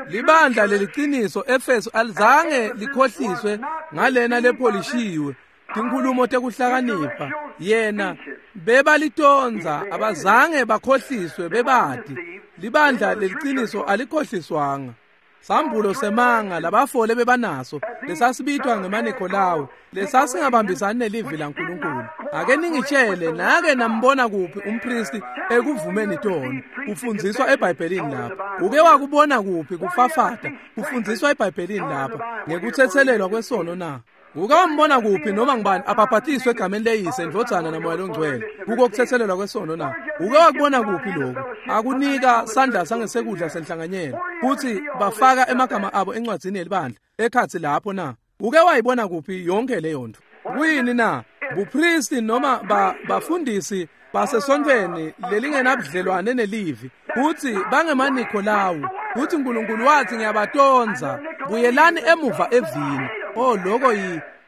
Libandla leliciniso Efeso alizange likhohliswe ngalena lepholishiwe tinkhulumo tekuhlakanipha. Yena bebalitonza, abazange bakhohliswe bebati. Libandla leliciniso alikhohliswanga. Sambulo semanga labafole bebanaso lesasibitwa ngemaNikolawu, lesasingabambisani nelivi laNkulunkulu. Ake ningitshele, nake nambona kuphi umpristi ekuvumeni tono kufundziswa eBhayibhelini lapha? Uke wakubona kuphi kufafata kufundziswa eBhayibhelini lapha ngekuthethelelwa kwesono na? Uke wambona kuphi noma ngubani abhabhatiswe egameni leyise, indvodzana naMoya loNgcwele kuko kuthethelelwa kwesono na? Uke wakubona kuphi lokhu? Akunika sandla sangesekudla senhlanganyelo futhi bafaka emagama abo encwadzini yelibandla ekhathi lapho na? Uke wayibona kuphi yonke leyo nto? Kuyini na? Bupristi noma bafundisi basesontweni lelingenabudlelwane nelivi futhi bangemaNikolawu, futhi uNkulunkulu wathi ngiyabatonza, buyelani emuva evini. Oh, lokho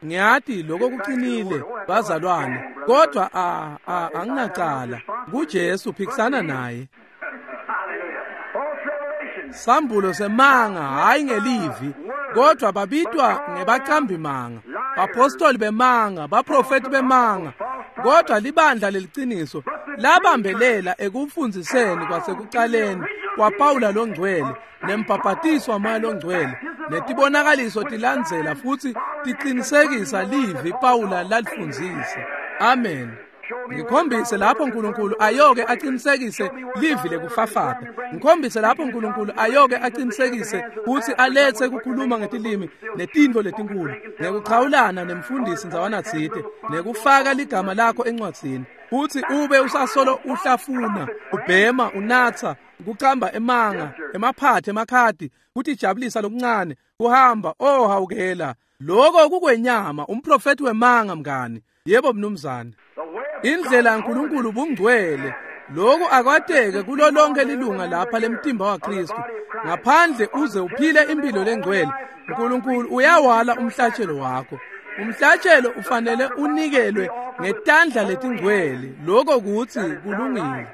ngiyati lokho kuqinile bazalwane, kodwa anginacala. kuJesu phikisana naye. Sambulo semanga hayi ngelivi, kodwa babitwa ngebaqambi manga, bapostoli bemanga, baprofeti bemanga. Kodwa libandla leliciniso labambelela ekufundziseni kwasekucaleni kwaPawula longcwele nembhabhatiso waMoya longcwele, netibonakaliso tilandzela futsi tiqinisekisa livi Pawula lalifundzisa. Amen. Ngikhombise lapho uNkulunkulu ayoke aqinisekise livi lekufafata. Ngikhombise lapho uNkulunkulu ayoke aqinisekise ukuthi alethe ukukhuluma ngetilimi netintfo letinkulu, ngekuchawulana nemfundisi ndzawana tsite, nekufaka ligama lakho encwadzini, futhi ube usasolo uhlafuna, ubhema, unatsa, kucamba emanga, emaphathe, emakhadi, kutijabulisa lokuncane, kuhamba, oh hawukela. Lokho kukwenyama, umprofeti wemanga mngani. Yebo mnumzane. Indlela yaNkulunkulu bungcwele. Lokhu akwateke kulo lonke lilunga lapha lemtimba waKristu. Ngaphandle uze uphile impilo lengcwele, uNkulunkulu uyawala umhlatshelo wakho. Umhlatshelo ufanele unikelwe ngetandla letingcwele. Lokho kuthi kulungile.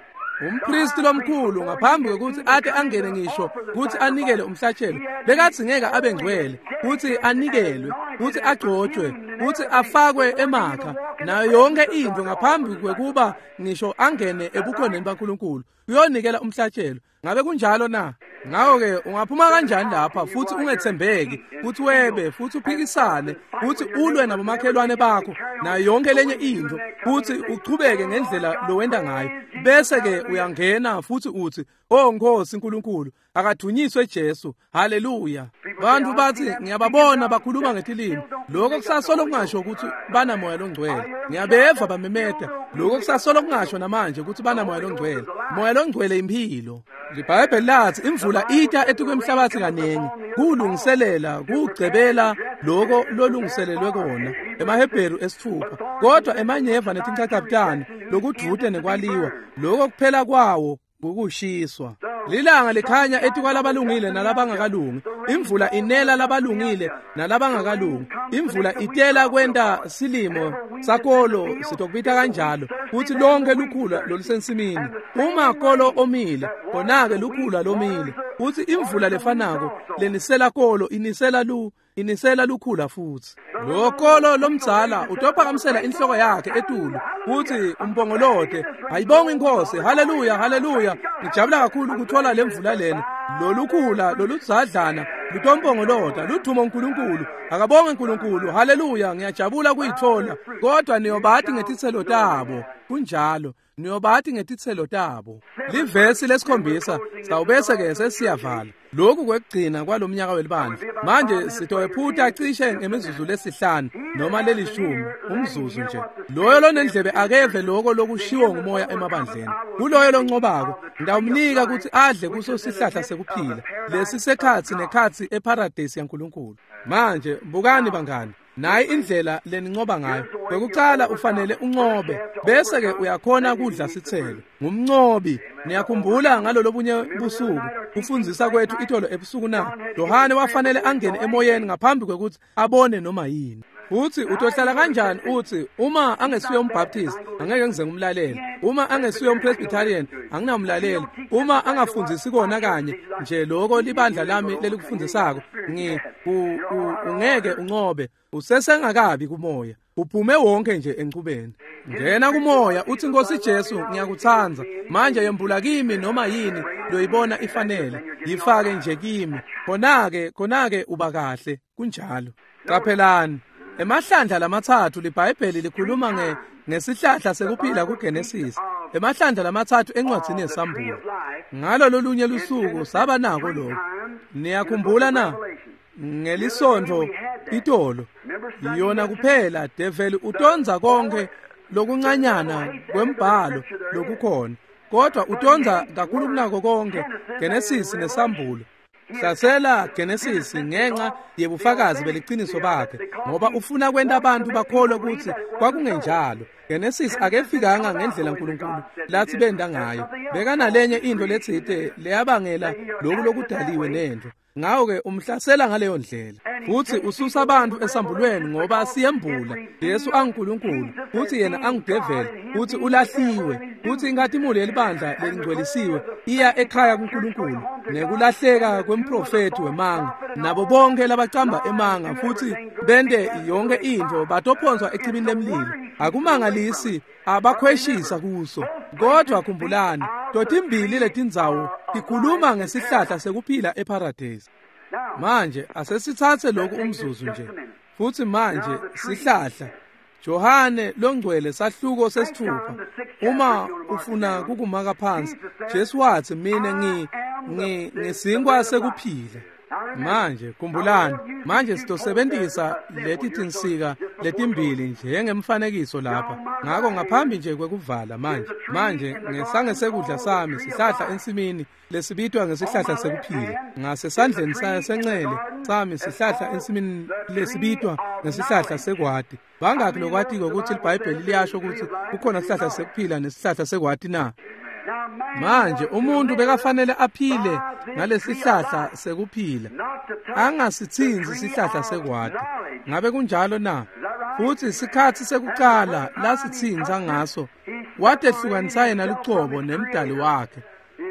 Umpristi lomkhulu ngaphambi kwekuthi ate angene ngisho kuthi anikele umhlatshelo, bekathi ngeke abe ngcwele, kuthi anikelwe, kuthi agcotshwe, kuthi afakwe emakha nayo yonke into ngaphambi kwekuba ngisho angene ebukhoneni baNkulunkulu uyonikela umhlatshelo. Ngabe kunjalo na? Ngakho-ke ungaphuma kanjani lapha futhi ungethembeki, futhi webe, futhi uphikisane, futhi ulwe nabomakhelwane bakho nayo yonke lenye into, futhi uchubeke ngendlela lowenda ngayo, bese-ke uyangena futhi uthi, "Oh Nkosi uNkulunkulu, akathunyiswe Jesu, haleluya." Bantu bathi ngiyababona bakhuluma ngetilimi. Lokho kusasolo kungasho ukuthi banamoya longcwele. Ngiyabeva bamemeta. Lokho kusasolo kungasho namanje ukuthi banamoya longcwele. Moya longcwele impilo. IBhayibheli lathi imvula ita etukwemhlabathi kaningi, kulungiselela, kugcebela lokho lolungiselelwe kona. EmaHebheru 6. Kodwa emanyeva netinchachabutane lokudvute nekwaliwa, lokho kuphela kwawo kukushiswa. Lilanga likhanya etikwalabalungile nalabangakalungi. Imvula inela labalungile nalabangakalungi. Imvula itela kwenta silimo sakolo, sitokubita kanjalo, kuthi lonke lukhula lolusensimini. Uma kolo omile, khona-ke lukhula lomile. Kuthi imvula lefanako lenisela kolo inisela lukhula futhi. Lo kolo lomdzala utophakamisela inhloko yakhe etulu kuthi umpongolote, ayibonge inkosi, haleluya, haleluya. Ngijabula kakhulu ukuthola lemvula lena. Lolukhula loludzadlana lutompongolota luthuma uNkulunkulu, akabonge uNkulunkulu, haleluya, ngiyajabula kuyithola. Kodwa niyobati ngetitselo tabo. Kunjalo, niyobati ngetitselo tabo. Livesi lesikhombisa sawubese ke sesiyavala. Lokhu kwekugcina kwalomnyaka welibandla. Manje sitowephutha cishe ngemizuzu lesihlanu noma lelishumi, umzuzu nje. Loyo lonendlebe akeve lokho lokushiwo ngumoya emabandleni. Kuloyo loncobako ngitawumnika ukuthi adle kuso sihlahla sekuphila, lesi sekhatsi nekhatsi eparadise yaNkulunkulu. Manje bukani bangani, nayi indlela lenincoba ngayo. Kwekucala ufanele uncobe, bese ke uyakhona kudla sitselo. Ngumncobi. Niyakhumbula ngalolobunye busuku kufundzisa kwethu itolo ebusuku na? Yohane wafanele angene emoyeni ngaphambi kwekuthi abone noma yini. Uthi utohlala kanjani uthi uma angesuye umbaptist angeke ngize ngumlalele, uma angesuye umpresbyterian anginamlaleli, uma angafundzisi kona kanye nje lokho libandla lami lelikufundisako, ungeke uncobe. Usesengakabi kumoya, uphume wonke nje enchubeni. Ngena kumoya uthi, Nkosi Jesu, ngiyakutsandza. Manje yembula kimi noma yini loyibona ifanele, yifake nje kimi. Khona-ke uba kahle. Kunjalo. Qaphelani, emahlandla lamathathu liBhayibheli likhuluma ngesihlahla sekuphila kuGenesis, emahlandla lamathathu encwadzini yeSambulo. Ngalo lolunye lusuku saba nako lokho. Niyakhumbula na? Ngelisonto itolo yona kuphela develi utonza konke lokuncanyana kwembhalo lokukhona, kodwa utonza kakhulu kunako konke Genesis neSambulo. Hlasela Genesis ngenxa yebufakazi beliciniso bakhe, ngoba ufuna kwenta abantu bakholwe ukuthi kwakungenjalo. Genesis akefikanga ngendlela uNkulunkulu lathi benda ngayo. Bekanalenye into letsite leyabangela lokhu lokudaliwe nento. Ngako-ke umhlasela ngaleyo ndlela. Futsi ususa abantu esambulweni ngoba siyembula Jesu anguNkulunkulu, futsi yena angudeveli, futsi ulahliwe, futsi inkhatimulo yelibandla lelingcwelisiwe iya ekhaya kuNkulunkulu, nekulahleka kwemprofethi wemanga, nabo bonke labacamba emanga futsi bente yonke intfo batophonswa echibini lemlilo. Akumangalisi abakhweshisa kuso. Kodwa khumbulani, totimbili letindzawo tikhuluma ngesihlahla sekuphila eParadise. Manje asesitsatse lokhu umzuzu nje. Futsi manje sihlahla Johane longcwele sahluko 6. Uma ufuna kukumaka phansi, Jesu wathi mina ngisinkwa sekuphila. Manje khumbulani, manje sitosebenzisa leti tinsika letimbili njengemfanekiso lapha. Ngako ngaphambi nje kwekuvala manje ngesangesekudla sami sihlahla ensimini lesibitwa ngesihlahla sekuphila, ngasesandleni senxele sami sihlahla ensimini lesibitwa ngesihlahla sekwati. Bangaki lokwatiko ukuthi iBhayibheli liyasho ukuthi kukhona sihlahla sekuphila nesihlahla sekwati na? Manje umuntu bekafanele aphile ngalesihlahla sekuphila, angasitsinzi sihlahla sekwati. Ngabe kunjalo na? Futsi sikhatsi sekucala lasitsinza ngaso, watehlukanisa yena lucobo nemdali wakhe,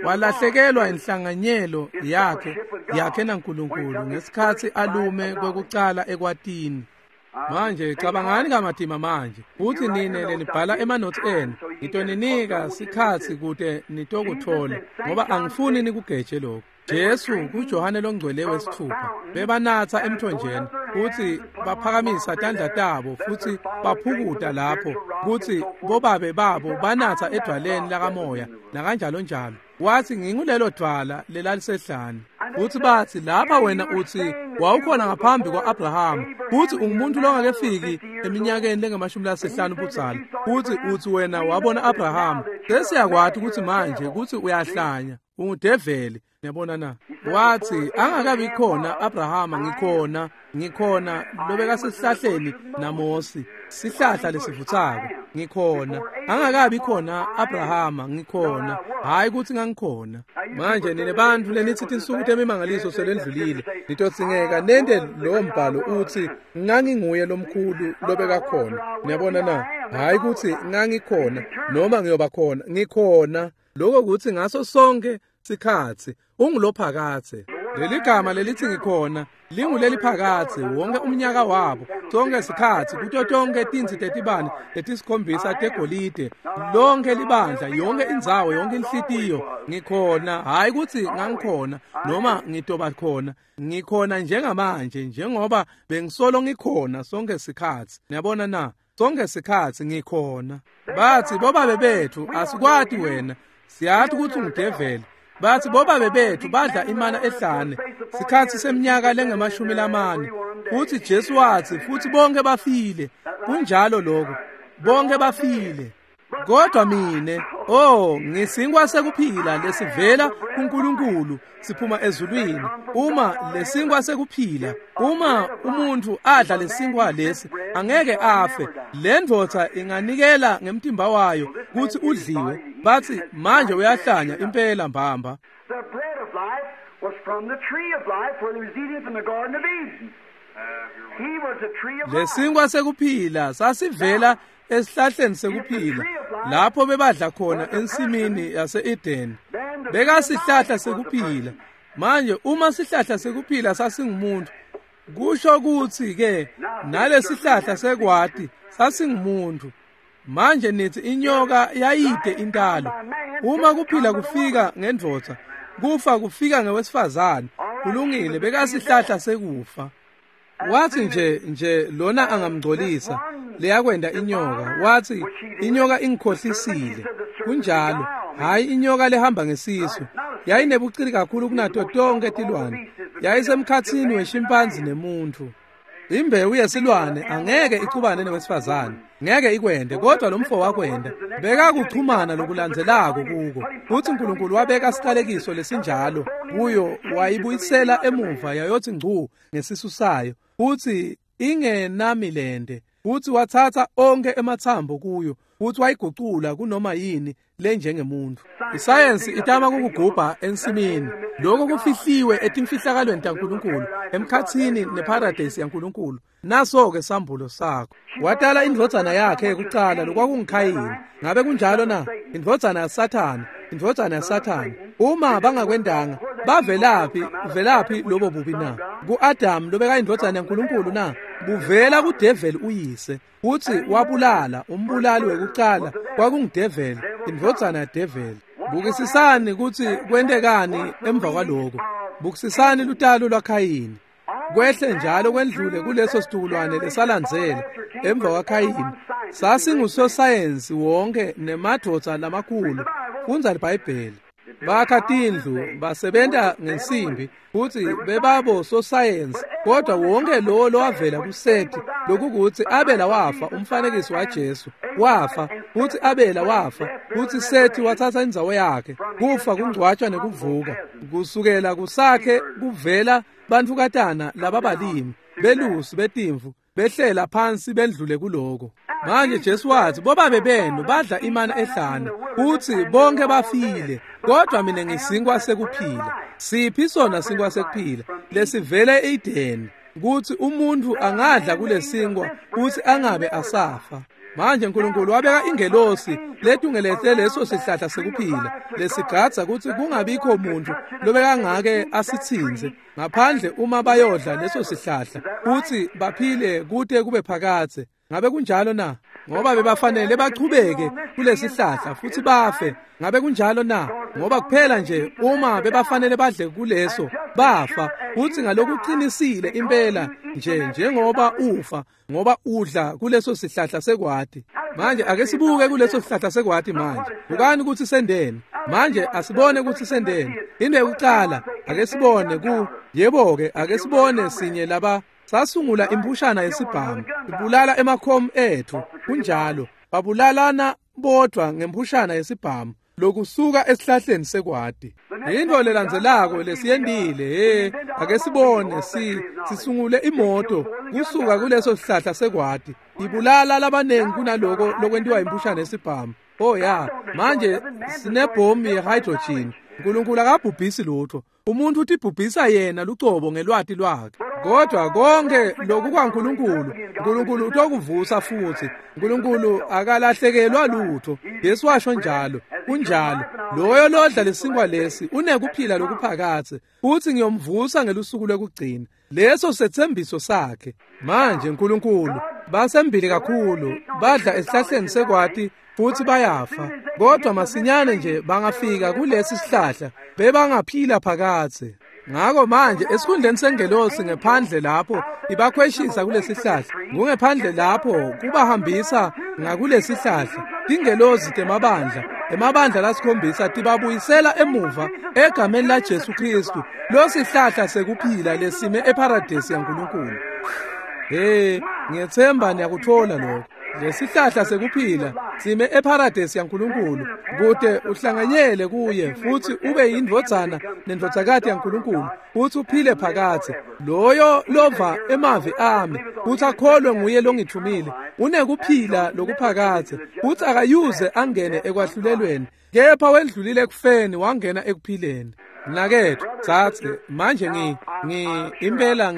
walahlekelwa inhlanganyelo yakhe naNkulunkulu ngesikhatsi alume kwekucala ekwatini. Manje cabangani kamatima manje, futsi nine lenibhala emanothi enu, ngitoninika sikhatsi kute nitokuthola, ngoba angifuni nikugeje lokho. Jesu kuJohane longcwele 6 bebanatsa emthonjeni, futsi baphakamisa tandla tabo futsi baphukuta lapho kutsi bobabe babo banatsa edwaleni lakamoya nakanjalo njalo. Wathi ngingulelo dwala lelalisehlane. Futsi bathi lapha wena uthi wawukhona ngaphambi kwa-Abrahama, futsi ungumuntu longakefiki eminyakeni lengamashumi-5 budzala, futsi uthi wena wabona Abrahama. Sesiyakwati ukuthi manje kutsi uyahlanya, ungudeveli. Niyabona na? Wathi angakabi khona Abrahama, ngikhona lobekasesihlahleni naMosi, sihlahla lesivutsako, ngikhona. Angakabi khona Abrahama, ngikhona. Hayi ukuthi ngangikhona. Manje nine bantfu lenithi tinsuku temimangaliso selendlulile, nitodzingeka nente lowo mbhalo uthi nganginguye lomkhulu lobekakhona. Niyabona na? Hayi ukuthi ngangikhona noma ngiyoba khona, ngikhona. Lokho kuthi ngaso sonke sikhatsi ungulophakathe. Leli gama lelithi ngikhona linguleliphakathe wonke umnyaka wabo, sonke sikhatsi, kuto tonke tintsi tetibane letisikhombisa tegolide, lonke libandla, yonke indzawo, yonke inhlitiyo, ngikhona. Hayi ukuthi ngangikhona noma ngitoba khona, ngikhona njengamanje njengoba bengisolo ngikhona sonke sikhatsi. Niyabona na? Sonke sikhatsi ngikhona. Bathi bobabe bethu asikwati wena, siyathi ukuthi ungudeveli. Bathi bobabe bethu badla imana ehlane sikhatsi seminyaka lengamashumi-4, futhi Jesu wathi futhi bonke bafile. Kunjalo lokho, bonke bafile. Kodwa mine, ngisinkwa sekuphila lesivela kuNkulunkulu siphuma ezulwini. Uma lesinkwa sekuphila, uma umuntu adla lesinkwa lesi angeke afe. Le ndvodza inganikela ngemtimba wayo kutsi udliwe. Bathi manje uyahlanya impela mbamba. The bread of life was from the tree of life where he was eating from the Garden of Eden. He was the tree of life. Lesinkwa sekuphila sasivela esihlahleni sekuphila lapho bebadla khona ensimini yase-Eden. Bekasihlahla sekuphila. Manje uma sihlahla sekuphila sasingumuntu, kusho kutsi ke nalesihlahla sekwati sasingumuntu. Manje nithi inyoka yayide intalo. Uma kuphila kufika ngendvodza, kufa kufika ngewesifazane. Kulungile, bekasihlahla sekufa. Wathi nje lona angamngcolisa, leyakwenda inyoka. Wathi inyoka ingikhohlisile. Kunjalo, hayi inyoka lehamba ngesisu. Yayinebucili kakhulu kunato tonke tilwane. Yayisemkhatsini weshimpanzi nemuntu. Imbewu yesilwane angeke icubane newesifazane, ngeke ikwende, kodwa lo mfo wakwenda. Bekakuchumana lokulandzelako kuko. Futhi uNkulunkulu wabeka siqalekiso lesinjalo kuyo, wayibuyisela emuva yayothi ngcu ngesisu sayo, futhi ingenamilende. Futsi watsatsa onkhe ematsambo kuyo futsi wayigucula kunoma yini lenjengemuntfu. Isayensi itama kukugubha ensimini. Lokho kufihliwe etimfihlakalweni taNkulunkulu, emkhatsini neparadesi yaNkulunkulu. Naso-ke sambulo sakho. Watala indvodzana yakhe yekucala lokwakunguKhayini. Ngabe kunjalo na? Indvodzana yaSathane, indvodzana yaSathane. Uma bangakwendanga, bavelaphi, velaphi lobo bubi na? Ku-Adamu lobekayindvodzana yaNkulunkulu na? Buvela kudeveli uyise. Futsi wabulala, umbulali wekucala kwakungudeveli, indvodzana yadeveli. Bukisisani kutsi kwentekani emva kwaloko. Bukisisani lutalo lwaKhayini. Kwehle njalo kwendlule kuleso situkulwane lesalandzela emva kwaKhayini. Sasingusosayensi wonke nemadvodza lamakhulu. Fundza liBhayibheli. Bakha tindlu, basebenta ngensimbi, futsi bebabo sosayensi. Kodwa wonke lowo lowavela kuSethi, lokukutsi Abela wafa, umfanekiso waJesu wafa, futsi Abela wafa, futsi Sethi watsatsa indzawo yakhe. Kufa kungcwatshwa nekuvuka. Kusukela kusakhe kuvela bantfukatana lababalimi, belusi betimvu, behlela phansi bendlule kuloko. Manje Jesu wathi, bobabe benu badla imana ehlane, futsi bonke bafile, kodwa mina ngisinkwa sekuphila. Siphi sona sinkwa sekuphila lesivele eEdeni, kutsi umuntu angadla kulesinkwa futsi angabe asafa. Manje uNkulunkulu wabeka ingelosi letungelete leso sihlahla sekuphila lesigadza kutsi kungabikho muntu lobekangake asitsinze ngaphandle uma bayodla leso sihlahla futsi baphile kute kube phakadze. Ngabe kunjalo na? Ngoba bebafanele bachubeke kulesihlahla futsi bafe. Ngabe kunjalo na? Ngoba kuphela nje uma bebafanele badle kuleso bafa, futsi ngalokuqinisile impela nje njengoba ufa, ngoba udla kuleso sihlahla sekwati. Manje ake sibuke kuleso sihlahla sekwati manje. Bukani kutsi sendeni. Manje asibone kutsi sendeni. Into yokucala ake sibone ku yebo-ke ake sibone sinye laba sasungula impushana yesibhamu ibulala emakhomu ethu. Kunjalo, babulalana bodvwa ngempushana yesibhamu lokusuka esihlahleni sekwati. Into lelandzelako lesiyendile, ake sibone sisungule imoto kusuka kuleso sihlahla sekwati ibulala labanengi kunaloko lokwentiwa impushana yesibhamu. Oh ya, manje sinebhomu ye-hydrogen. uNkulunkulu akabhubhisi lutho. Umuntu utibhubhisa yena lucobo ngelwati lwakhe. Kodwa konke lokhu kwaNkulunkulu, uNkulunkulu utokuvusa futhi. uNkulunkulu akalahlekelwa lutho. Yesu washo njalo, kunjalo. Loyo lodla lesinkwa lesi unekuphila lokuphakadze, futhi ngiyomvusa ngelusuku lwekugcina. Leso sethembiso sakhe. Manje uNkulunkulu basembili kakhulu, badla esihlahleni sekwati futhi bayafa. Kodwa masinyane nje bangafika kulesi sihlahla bebangaphila phakadze. Ngakho manje esikhundleni sengelosi ngephandle lapho ibakhweshisa kulesihlahla, kungephandle lapho kubahambisa ngakulesihlahla. Tingelosi temabandla, emabandla lasikhombisa tibabuyisela emuva egameni laJesu Kristu, losihlahla sekuphila lesime eparadesi yaNkulunkulu. Hey, ngiyethemba niyakuthola lokho. Lesihlahla sekuphila sime eparadesi yaNkulunkulu kute uhlanganyele kuye futsi ube yindvodzana nendvodzakati yaNkulunkulu futsi uphile phakadze. Loyo lova emavi ami futsi akholwe nguye longithumile unekuphila lokuphakadze futsi akayuze angene ekwahlulelweni, kepha wendlulile ekufeni wangena ekuphileni. Mnaketfu, tsatse manje impela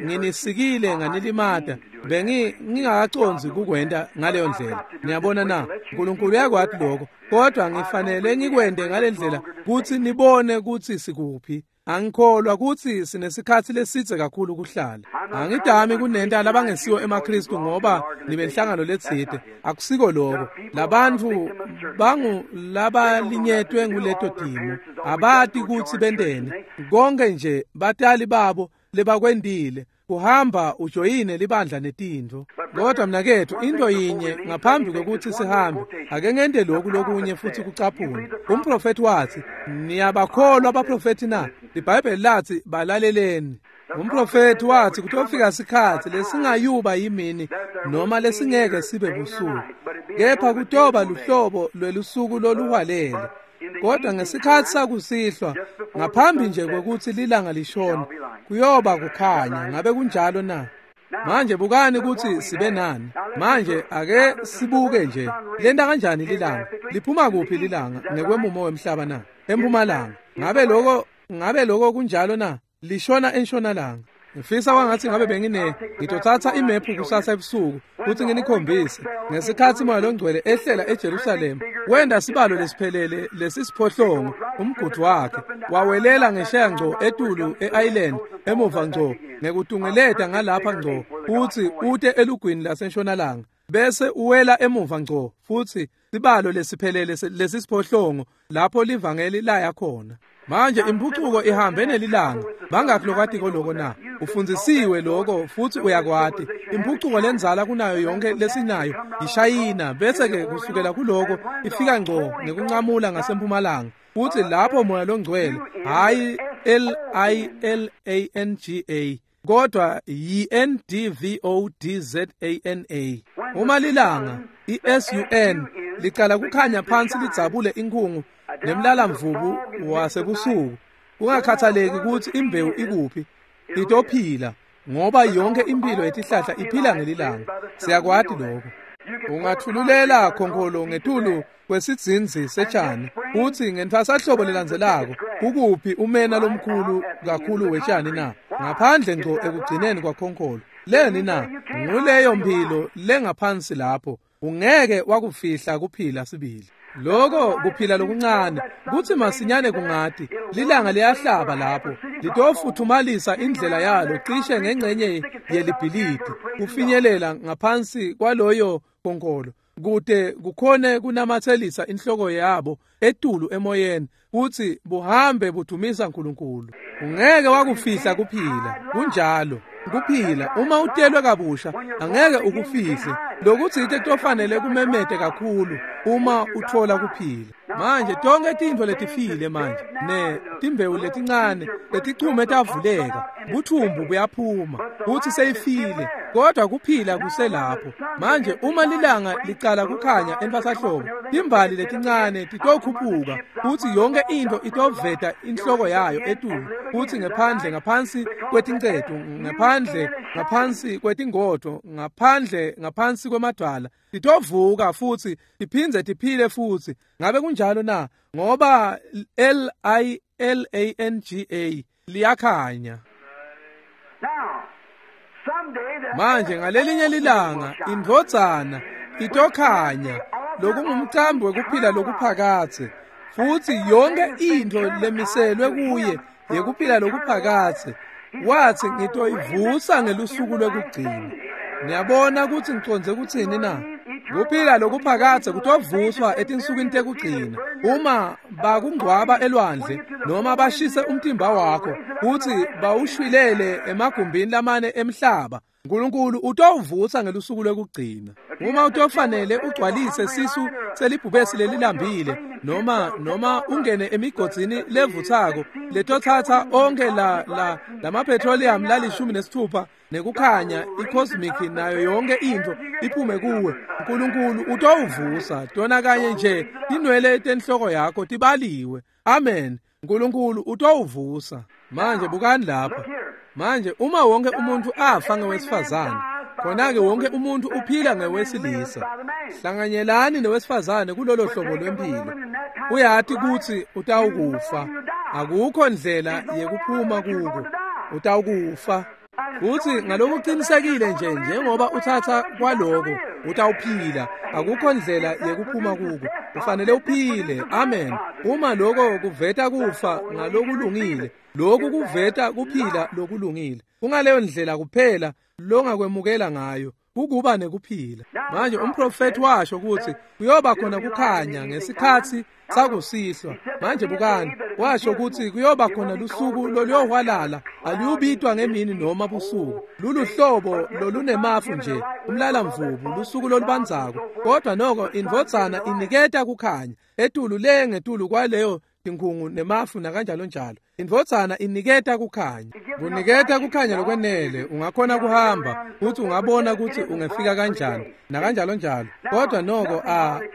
nginisikile nganilimata. Bengingakacondzi kukwenta ngaleyo ndlela. Niyabona na? uNkulunkulu uyakwati lokho, kodwa ngifanele ngikwente ngale ndlela kutsi nibone kutsi sikuphi. Angikholwa kutsi sinesikhatsi lesidze kakhulu kuhlala. Angidami kunenta labangesiwo emaKristu ngoba nibenhlangano letsite. Akusiko lokho. Labantfu bangu labalinyetwe nguleto timo. Abati kutsi benteni. Konke nje batali babo lebakwendile kuhamba ujoyine libandla netintfo. Kodwa mnaketfu, into yinye ngaphambi kwekutsi sihambe, ake ngente lokhu lokunye futhi kucaphuna. Umprofethi wathi, niyabakholwa abaprofethi na? IBhayibheli lathi balaleleni. Umprofethi wathi kutofika sikhatsi lesingayuba yimini noma lesingeke sibe busuku, kepha kutoba luhlobo lwelusuku loluhwalele. Kodwa ngesikhatsi sakusihlwa, ngaphambi nje kwekutsi lilanga lishone, kuyoba kukhanya. Ngabe kunjalo na? Manje bukani kutsi sibe nani. Manje ake sibuke nje lenta kanjani lilanga, liphuma kuphi lilanga ngekwemumo wemhlaba na? Empumalanga. Ngabe lokho kunjalo na? Lishona entshonalanga. Ngifisa kwangathi ngabe ngitothatha imephu kusasa ebusuku kutsi nginikhombise ngesikhatsi Moya Longcwele ehlela eJerusalema wenda sibalo lesiphelele lesisiphohlongo umgudu wakhe wawelela ngesheya ngco etulu e-island emuva ngco ngekutungeleta ngalapha ngco futsi ute elugwini lasentshonalanga bese uwela emuva ngco futsi sibalo lesiphelele lesisiphohlongo lapho livangeli laya khona. Manje impucuko ihambe nelilanga. Bangakhi lokwatiko lokho na? Ufundzisiwe lokho futsi uyakwati. Impucuko lenzala kunayo yonke lesinayo iShayina, bese ke kusukela kuloko ifika ngco ngekuncamula ngasempumalanga. Futsi lapho Moya Longcwele, hayi L-I-L-A-N-G-A kodwa Y-N-D-V-O-D-Z-A-N-A. Uma lilanga i-S-U-N licala kukhanya phansi lidzabule inkhungu nemlalamvubu wasebusuku, kungakhathaleki kutsi imbewu ikuphi, itophila ngoba yonke impilo yetihlahla iphila ngelilanga. Siyakwati lokho. Ungathululela khonkholo ngetulu kwesidzinzi setshani utsi ngentfwasahlobo lelandzelako kukuphi umena lomkhulu kakhulu wetshani na? Ngaphandle ngco ekugcineni kwakhonkholo. Leni na? Nguleyo mphilo lengaphansi lapho. Ungeke wakufihla kuphila sibili. Lokho kuphila lokuncane kutsi masinyane kungati lilanga liyahlaba lapho litofuthumalisa indlela yalo cishe ngengcenye yelibhilidi kufinyelela ngaphansi kwaloyo khonkolo kute kukhone kunamatselisa inhloko yabo etulu emoyeni kutsi buhambe budumisa uNkulunkulu. Ungeke wakufihla kuphila. Kunjalo kuphila uma utelwe kabusha angeke ukufihle lokutsite kutofanele kumemete kakhulu uma utfola kuphila. Manje tonke tintfo letifile manje ne timbewu letincane letichume tavuleka, buthumbu buyaphuma kutsi seyifile, kodwa kuphila kuselapho. Manje uma lilanga licala kukhanya entfwasahlobo, timbali letincane titokhuphuka kutsi yonke intfo itoveta inhloko yayo etulu, kutsi ngephandle ngaphansi kwetincetu, ngephandle ngaphansi kwetingodvo, ngaphandle ngaphansi kwemadwala titovuka futsi tiphindze tiphile futsi. Ngabe kunjalo na? Ngoba L-I-L-A-N-G-A liyakhanya. Manje ngalelinye lilanga indvodzana itokhanya lokungumcambi wekuphila lokuphakadze, futsi yonke intfo lemiselwe kuye yekuphila lokuphakadze. Watsi ngitoyivusa ngelusuku lwekugcina. Niyabona kutsi ngicondze kutsini na? Kuphila lokuphakadze kutovuswa etinsukwini tekugcina. Uma bakungcwaba elwandle noma bashise umtimba wakho kutsi bawushwilele emagumbini lamane emhlaba, uNkulunkulu utowuvusa ngelusuku lwekugcina. Uma utofanele ugcwalise sisu selibhubesi lelilambile noma ungene emigodzini levutsako letotsatsa onke la lamapetroleum lali-16 nekukhanya i-cosmic nayo yonke intfo iphume kuwe, uNkulunkulu utowuvusa. Tona kanye nje tinwele tenhloko yakho tibaliwe. Amen. uNkulunkulu utowuvusa. Manje bukani lapha. Manje uma wonke umuntu afa ngewesifazane, khona-ke wonke umuntu uphila ngewesilisa. Hlanganyelani newesifazane kulolo hlobo lwempilo. Uyati kutsi utawukufa. Akukho ndlela yekuphuma kuko. Utawukufa. Futsi ngalokuqinisekile nje njengoba uthatha kwaloko utawuphila. Akukho ndlela yekuphuma kuko. Ufanele uphile. Amen. Uma lokho kuveta kufa ngalokulungile, lokhu kuveta kuphila lokulungile. Kungaleyo ndlela kuphela longakwemukela ngayo kukuba nekuphila. Manje umprofeti washo kutsi kuyoba khona kukhanya ngesikhatsi sakusihlwa. Manje bukani, washo kutsi kuyoba khona lusuku loluyohwalala, aluyubitwa ngemini noma busuku. Luluhlobo lolunemafu nje, umlalamvubu, lusuku lolubandzako. Kodwa noko indvodzana iniketa kukhanya etulu le ngetulu kwaleyo tinkhungu nemafu nakanjalo njalo. Indvodzana iniketa kukhanya. Kuniketa kukhanya lokwenele, ungakhona kuhamba futhi ungabona kutsi ungefika kanjani nakanjalo njalo. Kodwa noko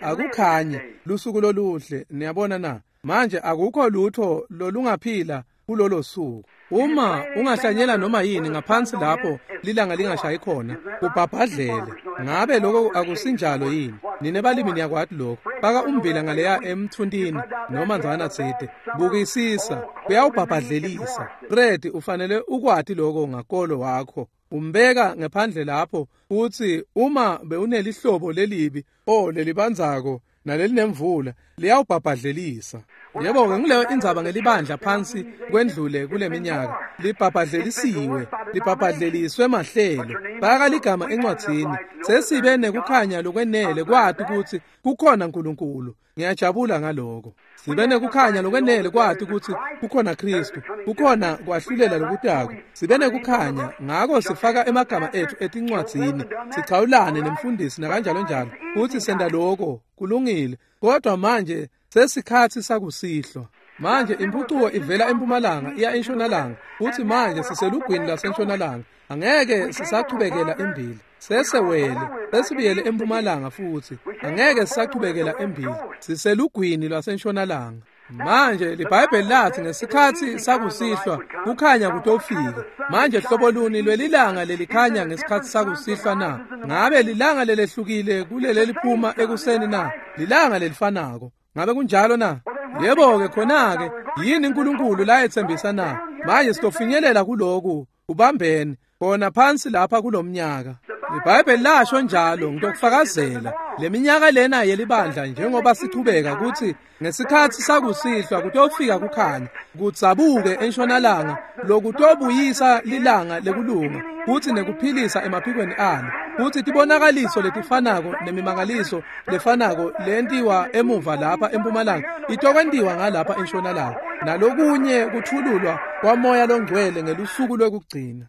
akukhanye lusuku loluhle. Niyabona na? Manje akukho lutho lolungaphila kulolo suku. Uma ungahlanyela noma yini ngaphansi lapho lilanga lingashayi khona, kubhabhadlele. Ngabe lokho akusinjalo yini? Nine balimi niyakwati lokho. Faka ummbila ngaleya emthuntini noma ndzana tsite. Bukisisa, kuyawubhabhadlelisa. Fred, ufanele ukwati lokho ngakolo wakho. Umbeka ngephandle lapho uthi uma bewunelihlobo lelibi lelibandzako nalelinemvula liyawubhabhadlelisa. Yebo-ke ngileyo indzaba ngelibandla phansi kwendlule kule minyaka. Libhabhadlelisiwe, libhabhadleliswe mahlelo. Baka ligama encwadzini. Sesibe nekukhanya lokwenele kwati kutsi kukhona Nkulunkulu. Ngiyajabula ngaloko. Sibe nekukhanya lokwenele kwati kutsi kukhona Kristu, kukhona kwahlulela lokutako. Sibe nekukhanya, ngako sifaka emagama ethu etincwadzini, sichawulane nemfundisi nakanjalo njalo, futsi senta loko, kulungile. Kodwa manje sesikhatsi sakusihlwa. Manje impucuko ivela empumalanga iya entshonalanga, futsi manje siselugwini lasentshonalanga. Angeke sisachubekela embili. Sesewele, sesibuyele empumalanga futsi. Angeke sisachubekela embili. Siselugwini lwasentshonalanga. Manje liBhayibheli lathi ngesikhatsi sakusihlwa kukhanya kutofika. Manje hlobo luni lwelilanga lelikhanya ngesikhatsi sakusihlwa na? Ngabe lilanga lelehlukile kuleli liphuma ekuseni na? Lilanga lelifanako. Ngabe kunjalo na? Yebo-ke khona-ke yini uNkulunkulu layetsembisa na? Manje sitofinyelela kuloku ubambene khona phansi lapha kulomnyaka. IBhayibheli lasho njalo, ngitokufakazela leminyaka lena yelibandla njengoba sichubeka kutsi ngesikhatsi sakusihlwa kutofika kukhanya kudzabuke entshonalanga lokutobuyisa lilanga lekulunga kutsi nekuphilisa emaphikweni alo, kutsi tibonakaliso letifanako nemimangaliso lefanako lentiwa emuva lapha empumalanga itokwentiwa ngalapha entshonalanga, nalokunye kuthululwa kwamoya longcwele ngelusuku lwekugcina.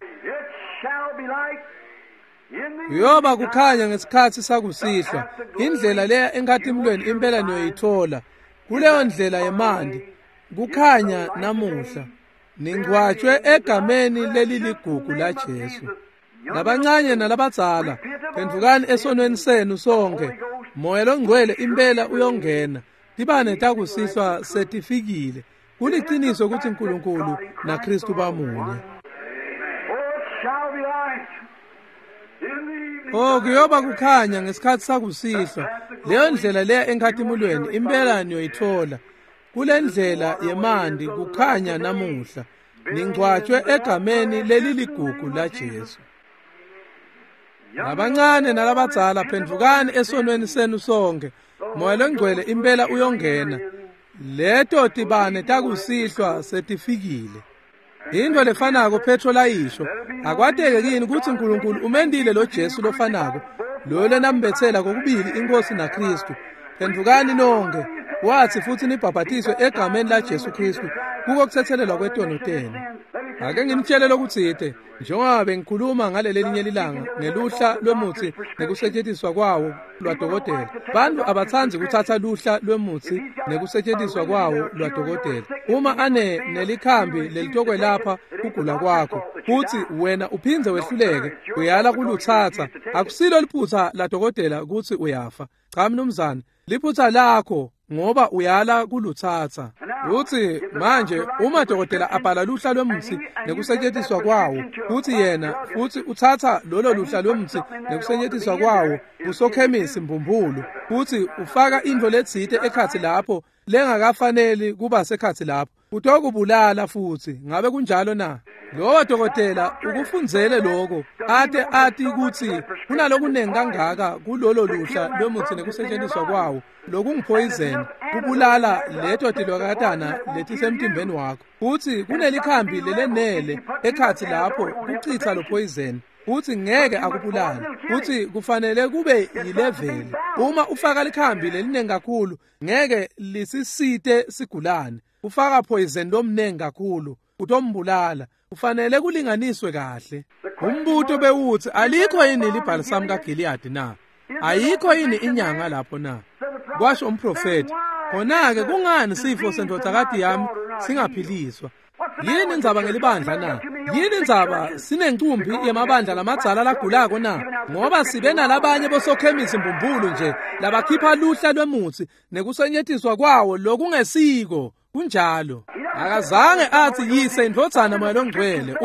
Kuyoba kukhanya ngesikhatsi sakusihlwa. Indlela leya enkhatimulweni impela niyoyithola. Kuleyo ndlela yemanti kukhanya namuhla. Ningcwatshwe egameni leliligugu laJesu. Labancane nalabadzala, phendvukani esonweni senu sonke. Moya longcwele impela uyongena. Tibane takusihlwa setifikile. Kuliciniso kutsi uNkulunkulu naKristu bamunye. Kuyoba kukhanya ngesikhatsi sakusihlwa. Leyo ndlela leya enkhatimulweni impela niyoyithola. Kule ndlela yemanti kukhanya namuhla. Ningcwatshwe egameni leliligugu laJesu. Labancane nalabadzala, phendvukani esonweni senu sonke. Moya longcwele impela uyongena. Leto tibane takusihlwa setifikile. Into lefanako Petro layisho, akwateke kini kutsi uNkulunkulu umendile lo Jesu lofanako, lo lenambetsela kokubili inkosi naKristu. Phendvukani nonke, wathi futhi nibhabhatiswe egameni laJesu Kristu kuko kuthethelelwa kwetono tenu. Ake nginitshele lokutsite, njengoba bengikhuluma ngaleli linye lilanga ngeluhla lwemutsi nekusetjentiswa kwawo lwadokotela. Bantu abatsandzi kutsatsa luhla lwemutsi nekusetjentiswa kwawo lwadokotela. Uma ane nelikhambi lelitokwelapha kugula kwakho, futsi wena uphindze wehluleke, uyala kulutsatsa, akusilo liphutsa ladokotela kutsi uyafa. Cha mnumzane, liphutsa lakho ngoba uyala kulutsatsa. Uthi manje uma dokotela abhala luhla lwemutsi nekusetjentiswa kwawo, uthi yena futhi utsatsa lolo luhla lwemutsi nekusetjentiswa kwawo kusokhemisi mbumbulu, uthi ufaka intfo letsite ekhatsi lapho lengakafaneli kuba sekhatsi lapho, utokubulala futhi. Ngabe kunjalo na? Lowo dokotela ukufundzele lokho, ate ati kutsi kunalokunengi kangaka kulolo luhla lwemutsi nekusetjentiswa kwawo lokungiphoyizeni kubulala leto tilokatana letisemtimbeni wakho, futsi kunelikhambi lelenele ekhatsi lapho kucitsa lo poison, futsi ngeke akubulale, futsi kufanele kube yileveli. Uma ufaka likhambi lelinengi kakhulu ngeke lisisite sigulane, ufaka poison lomnengi kakhulu utombulala. Kufanele kulinganiswe kahle. Umbuto bewuthi alikho yini libhalisamu kaGiliyadi na? Ayikho yini inyanga lapho na? Kwasho umprofeti. Khona-ke kungani sifo sendvodzakati yami singaphiliswa? Yini indzaba ngelibandla na? Yini indzaba sinencumbi yemabandla lamadzala lagulako na? Ngoba sibe nalabanye bosokhemisi mbumbulu nje labakhipha luhla lwemutsi nekusetjentiswa kwawo lokungesiko. Kunjalo. Akazange athi yise indvodzana moya longcwele.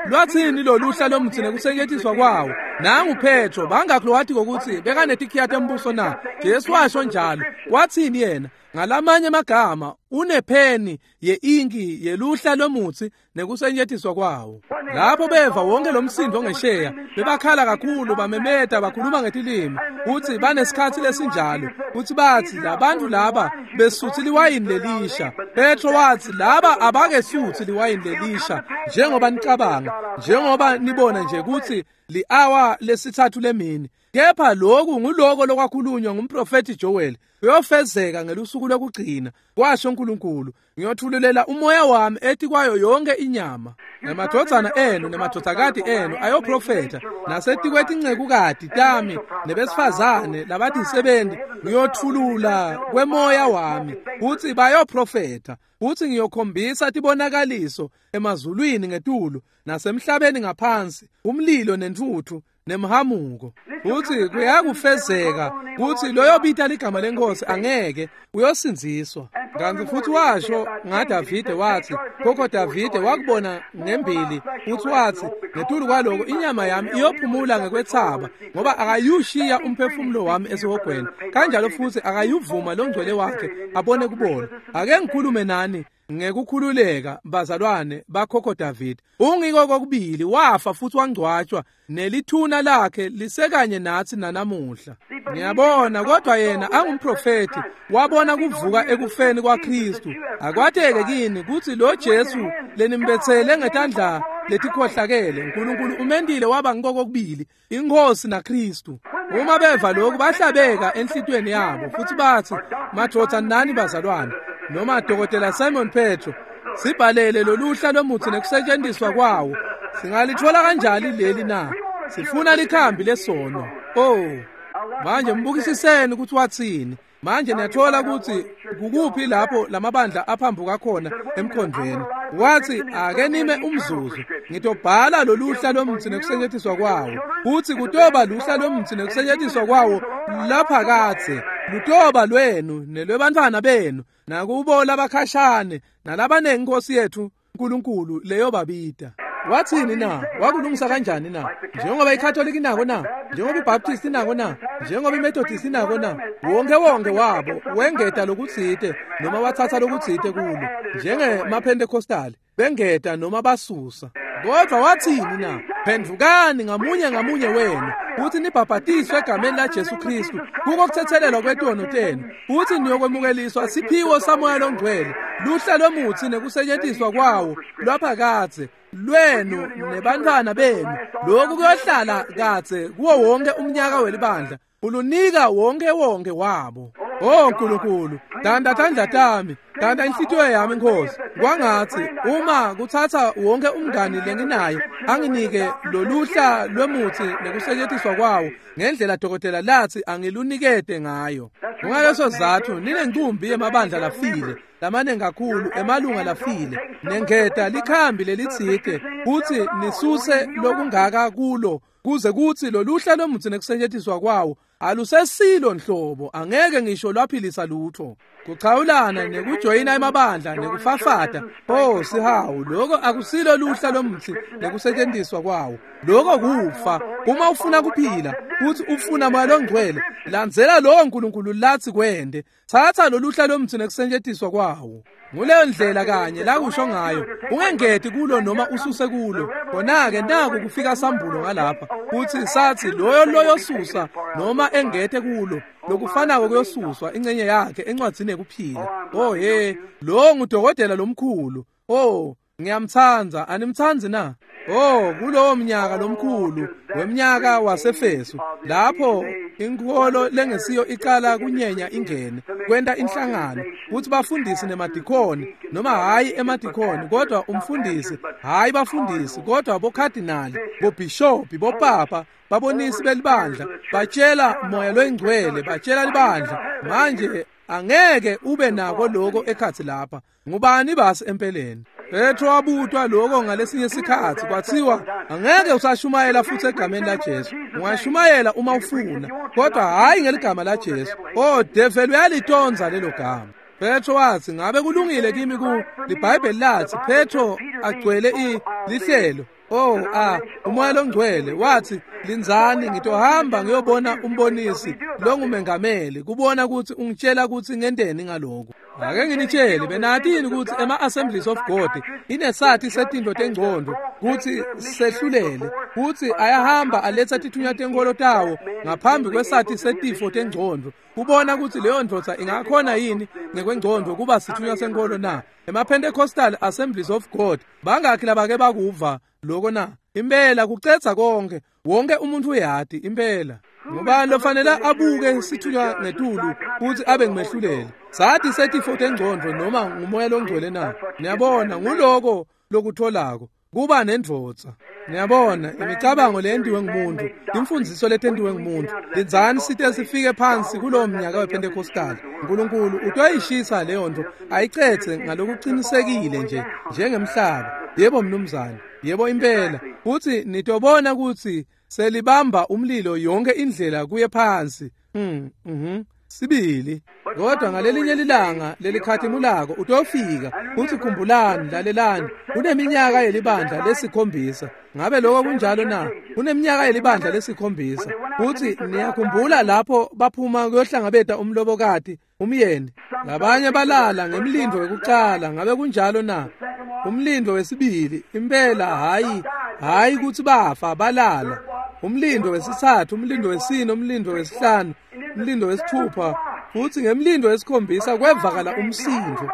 Lwathini loluhla lomtsi nekusetjentiswa kwawo? Nangu Petro bangakho wathi ukuthi bekanetikhiya tembuso na? Jesu washo njalo. Wathini yena? Ngalamanye amagama unepheni yeinki yeluhla lomutsi nekusetjentiswa kwawo. Lapho beva wonke lo msindo ngesheya bebakhala kakhulu, bamemeta, bakhuluma ngetilimi kutsi banesikhatsi lesinjalo, kutsi bathi labantu laba besuthi liwayini lelisha. Petro wathi laba abakesuthi liwayini lelisha njengoba nicabanga, njengoba nibona nje kutsi li-awa lesithathu lemini. Kepha lokhu nguloko lokwakhulunywa ngumprofethi Joel, kuyofezeka ngelusuku lokugcina, kwasho uNkulunkulu, ngiyothululela umoya wami etikwayo yonke inyama. Nemadvodzana enu nemadvodzakati enu ayoprofetha, nasetikwetingcekukati tami nebesifazane labatisebenti ngiyothulula kwemoya wami, kutsi bayoprofetha, kutsi ngiyokhombisa tibonakaliso emazulwini ngetulu nasemhlabeni ngaphansi, umlilo nentfutfu nemhamuko. Kutsi kuyakufezeka kutsi loyobita ligama lenkosi angeke uyosindziswa. Kanti futhi washo ngaDavide wathi, khokho Davide wakubona ngembili, futhi wathi ngetulu kwaloko inyama yami iyophumula ngekwethaba, ngoba akayushiya umphefumulo wami esihogweni, kanjalo futhi akayuvuma longcwele wakhe abone kubona. Ake ngikhulume nani ngekukhululeka bazalwane bakhokho David. Ungiko kokubili wafa futhi wangcwatshwa, nelithuna lakhe lisekanye nathi nanamuhla. Ngiyabona, kodwa yena angumprofeti wabona kuvuka ekufeni kwaKristu. Akwateke kini kutsi lo Jesu lenimbetsele ngetandla letikhohlakele, uNkulunkulu umendile waba ngikokubili, inkosi naKristu. Uma beva lokhu bahlabeka enhlitweni yabo futhi bathi, madvodza nani bazalwane, noma Dokotela Simon Petro, sibhalele loluhla lomutsi nekusetjentiswa kwawo. Singalithola kanjani leli na? Sifuna likhambi lesono. Oh, manje mbukisiseni ukuthi wathini. Manje niyathola ukuthi kukuphi lapho lamabandla aphambuka khona emkhondweni. Wathi ake nime umzuzu, ngitobhala loluhla lomutsi nekusetjentiswa kwawo, kuthi kutoba luhla lomutsi nekusetjentiswa kwawo laphakadze, lutoba lwenu nelwebantfwana benu nakubo labakhashane nalabanengi Nkosi yethu uNkulunkulu leyobabita. Wathini na? Wakulungisa kanjani na? Njengoba iCatholic inako na? Njengoba iBaptist inako na? Njengoba iMethodist inako na? Wonke wonke wabo wengeta lokutsite noma wathatha lokutsite kulo, njengemaPentecostal bengeta noma basusa. Kodwa wathini na? Phendvukani ngamunye ngamunye wenu kuthi nibhabhatiswe egameni laJesu Kristu kuko kuthethelelwa kwetono tenu, futhi niyokwemukeliswa siphiwo saMoya loNgcwele, luhla lomutsi nekusetjentiswa kwawo lwaphakadze lwenu nebantfwana benu. Lokhu kuyohlala kadze kuwo wonke umnyaka welibandla, ulunika wonke wonke wabo. Oh Nkulunkulu, danda tandla tami, danda inhlitiyo yami Nkosi. Kwangathi uma kuthatha wonke umngani lenginaye anginike loluhla lwemutsi nekusetjentiswa kwawo ngendlela dokotela lathi angilunikete ngayo. Kungaleso sizatfu ninencumbi yemabandla lafile, lamaningi kakhulu emalunga lafile, nengeta likhambi lelitsite kutsi nisuse lokungaka kulo, kuze kutsi loluhla lomutsi nekusetjentiswa kwawo alusesilo nhlobo, angeke ngisho lwaphilisa lutho. Kuchawulana nekujoyina emabandla nekufafata, oh sihawu, lokho akusilo luhla lomutsi nekusetjentiswa kwawo. Lokho kufa. Uma ufuna kuphila futhi ufuna Moya loNgcwele, landzela lowo Nkulunkulu lathi kwende. Thatha loluhla lomutsi nekusetjentiswa kwawo. Nguleyo ndlela kanye la kusho ngayo, ungengeti kulo noma ususe kulo. Khona-ke naku kufika sambulo ngalapha kuthi sathi loyo loyosusa noma engete kulo, lokufanako kuyosuswa ingcenye yakhe encwadzini yekuphila. Oh he, lo ngudokotela lomkhulu. Oh, ngiyamtsandza, animtsandzi na? Oh, kulowo mnyaka lomkhulu wemnyaka waseFesu, lapho inkholo lengesiyo iqala kunyenya ingene kwenta inhlangano, kuthi bafundisi nemadikoni, noma hayi emadikoni kodwa umfundisi, hayi bafundisi kodwa bokhadinali, bobhishobhi, bopapa, babonisi belibandla, batshela Moya loyiNgcwele, batshela libandla. Manje angeke ube nako lokho ekhatsi lapha. Ngubani basi empeleni? Petro wabutwa lokho ngalesinye isikhathi, kwathiwa angeke usashumayela futhi egameni laJesu. Ungashumayela uma ufuna, kodwa hayi ngeligama laJesu. Oh, devil uyalitonza lelo gama. Petro wathi, ngabe kulungile kimi ku liBhayibheli lathi Petro agcwele lihlelo. Oh, umoya longcwele wathi, linzani ngitohamba ngiyobona umbonisi longumengameli kubona ukuthi ungitshela ukuthi ngenteni ngalokho. Ake nginitshele, benatini ukuthi ema-Assemblies of God inesathi setinto tengcondo ukuthi sehlulele, ukuthi ayahamba aletha tithunywa tenkolo tawo ngaphambi kwesathi setifo tengcondo kubona ukuthi leyo ndvodza ingakhona yini ngekwengcondo kuba sithunywa senkolo na. Ema-Pentecostal Assemblies of God bangakhi labake bakuva lokho na? Impela kucetha konke, wonke umuntu uyati impela. Ngoba lofanele abuke sithunywa ngetulu ukuthi abe ngimehluleli. Sathi setifo tengcondo noma ngumoya longcwele na? Niyabona, nguloko lokutholako kuba nendvodza. Niyabona, imicabango leyentiwe ngumuntu, imfundiso letentiwe ngumuntu. Linzani site sifike phansi kulowo mnyaka wePentecostal. uNkulunkulu utoyishisa leyo nto ayicethe ngalokuqinisekile nje njengemhlaba. Yebo mnumzane, yebo impela. Futhi nitobona ukuthi selibamba umlilo yonke indlela kuye phansi. Sibili. Kodwa ngalelinye lilanga lelikhatimulako utofika. Futhi khumbulani, lalelani, kuneminyaka yelibandla lesikhombisa. Ngabe lokho kunjalo na? Kuneminyaka yelibandla lesikhombisa. Futhi niyakhumbula lapho baphuma kuyohlangabeta umlobokati, umyeni. Labanye balala ngemlindo wekucala. Ngabe kunjalo na? Umlindo wesibili, impela hayi ukuthi bafa, balala. Umlindo wesithathu, umlindo wesine, umlindo wesihlanu, umlindo wesithupha, futhi ngemlindo wesikhombisa kwevakala umsindo.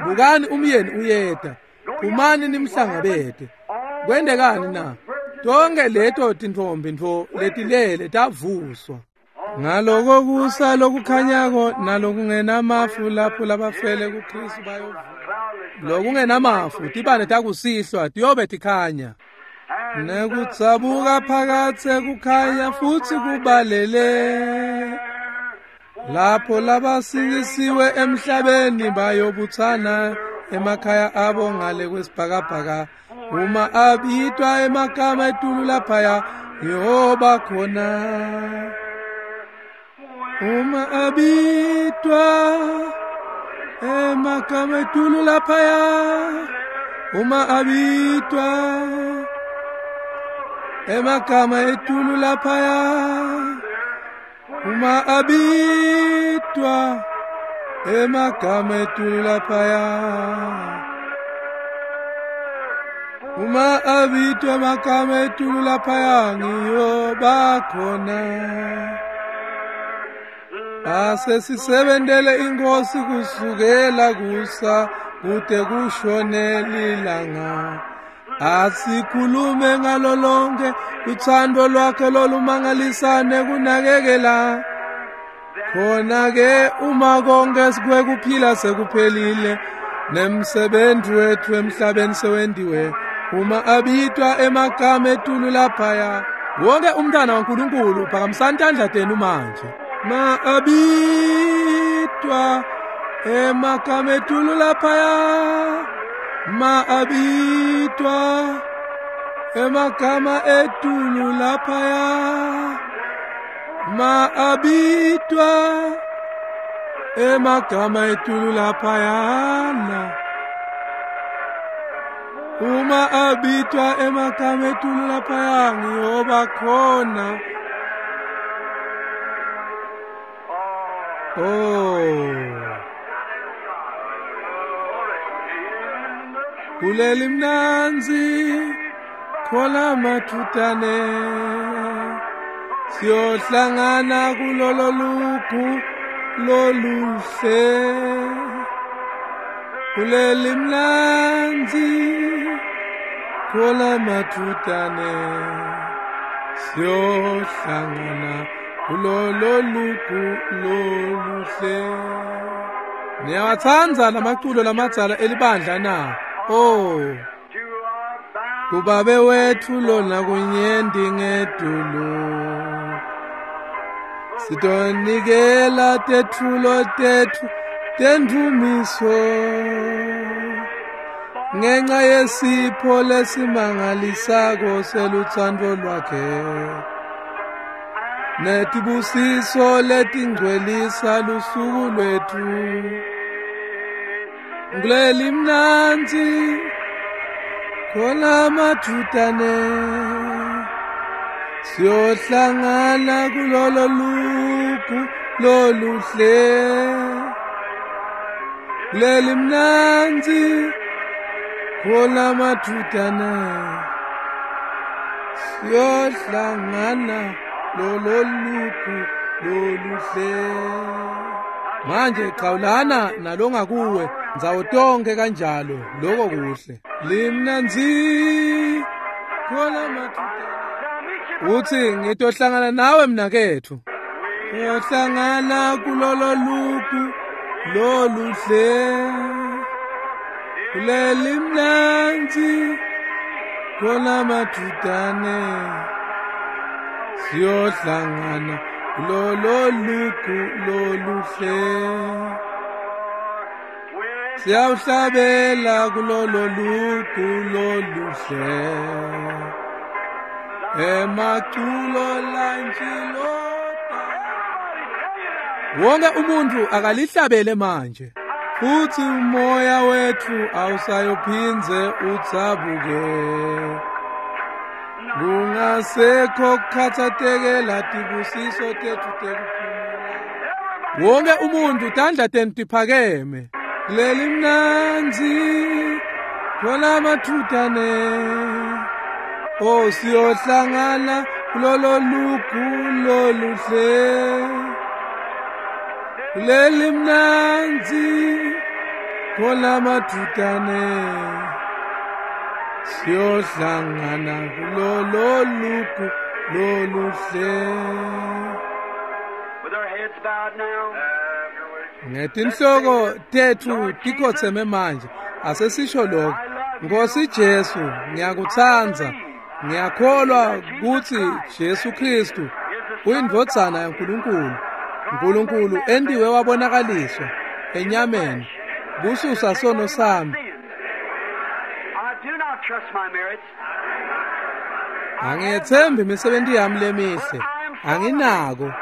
Bukani umyeni uyeda, phumani nimhlangabete. Kwendekani na? Tonke leto tintombi ntfo letilele tavuswa. Ngaloko kusa lokukhanyako nalokungenamafu lapho labafele kuKristu bayovuka. Lokungenamafu tibane takusihlwa tiyobe tikhanya. Nekutsabuka phakathe kukhanya futhi kubalele. Lapho labasindisiwe emhlabeni bayobuthana emakhaya abo ngale kwesibhakabhaka. Uma abitwa emagama etulu laphaya yoba khona. Uma abitwa emagama etulu laphaya, uma abitwa emagama etulu laphaya, uma abitwa emagama etulu laphaya, uma abitwa emagama etulu laphaya ngiyoba khona. Asesisebentele inkosi kusukela kusa kude kushone lilanga. Asikhulume ngalo lonke uthando lwakhe lolumangalisane kunakekela. Khona-ke uma konke kwekuphila sekuphelile nemsebenzi wethu emhlabeni sewendiwe, uma abitwa emagama etulu laphaya, wonke umntana waNkulunkulu phakamisani tandla tenu manje. Ma abitwa emagama etulu laphaya, ma abitwa emagama etulu laphaya, ma abitwa emagama etulu laphayana. Uma abitwa emagama etulu laphaya ngiyoba khona. Oh, kuleli mnanzi khola mathutane, siyohlangana kulolo lugu loluhle. Kuleli mnanzi khola mathutane, siyohlangana kulolo lugu loluhle. Niyawatsandza lamaculo lamadzala elibandla na? Oh, kubabe wethu lona kunyendi ngetulu, sitonikela tetfulo tetfu tendumiso ngenxa yesipho lesimangalisako selutsandvo lwakhe netibusiso letingcwelisa lusuku lwetfu. Kuleli mnanzi khona mathutane siyohlangana kulolo lugu loluhle. Kuleli mnanzi khona mathutane siyohlangana lolo lugu loluhle. Manje qawulana nalongakuwe ndzawo tonke kanjalo lokho kuhle. Limnanzi khona mathutane. Uthi ngitohlangana nawe mnakethu. Siyohlangana kulolo lugu loluhle. Kuleli mnanzi khona mathutane siyohlangana kulolo lugu loluhle. Siyawuhlabela kulolo lugu loluhle. Emaculo lanjilota. Wonke umuntu akalihlabele manje. Futhi umoya wethu awusayophinze utsabuke. Kungasekho kukhathatekela tibusiso tethu tekuphumula. Wonke umuntu tandla tenu tiphakeme. Kuleli mnanzi khona mathutane. Oh siyohlangana kulolo lugu loluhle. Kuleli mnanzi khona mathutane siyohlangana kulolo lugu loluhle. With our heads bowed now. Ngetinhloko tethu tikhotseme manje. Asesisho lokho. Nkosi Jesu, ngiyakutsandza. Ngiyakholwa kutsi Jesu Kristu uyindvodzana yaNkulunkulu. Nkulunkulu endiwe wabonakaliswa enyameni kususa sono sami. I do not trust my merits. Angiyethembi imisebenti yami lemihle. Anginako,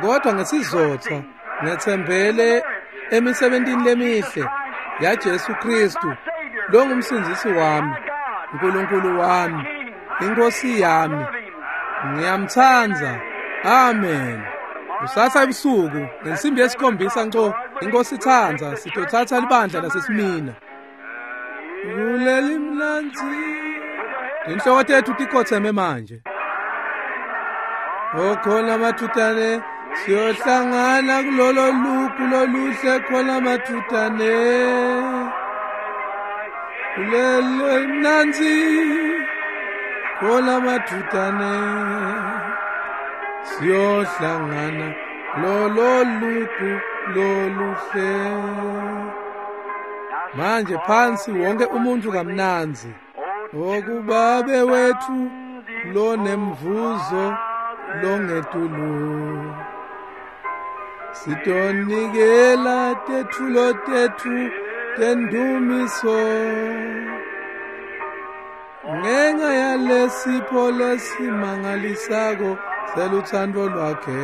kodwa ngesizotha ngethembele emisebentini lemihle ya Jesu Kristu longumsindzisi wami, uNkulunkulu wami, inkosi yami. Ngiyamtsandza. Amen. Kusasa ebusuku ngensimbi yesikhombisa nco inkosi itsandza sitothatha libandla laseSimina. Kuleli mnanzi. Inhloko tethu tikhotseme manje. Okhona mathutane siyohlangana kulolo lugu loluhle khona mathutane. Kuleli mnanzi khona mathutane siyohlangana lolo lugu loluhle. Manje phansi wonke umuntu kamnanzi. Okubabe wethu lonemvuzo longetulu. Sitonikela tethulo tethu tendumiso. Ngenxa yalesipho lesimangalisako seluthando lwakhe.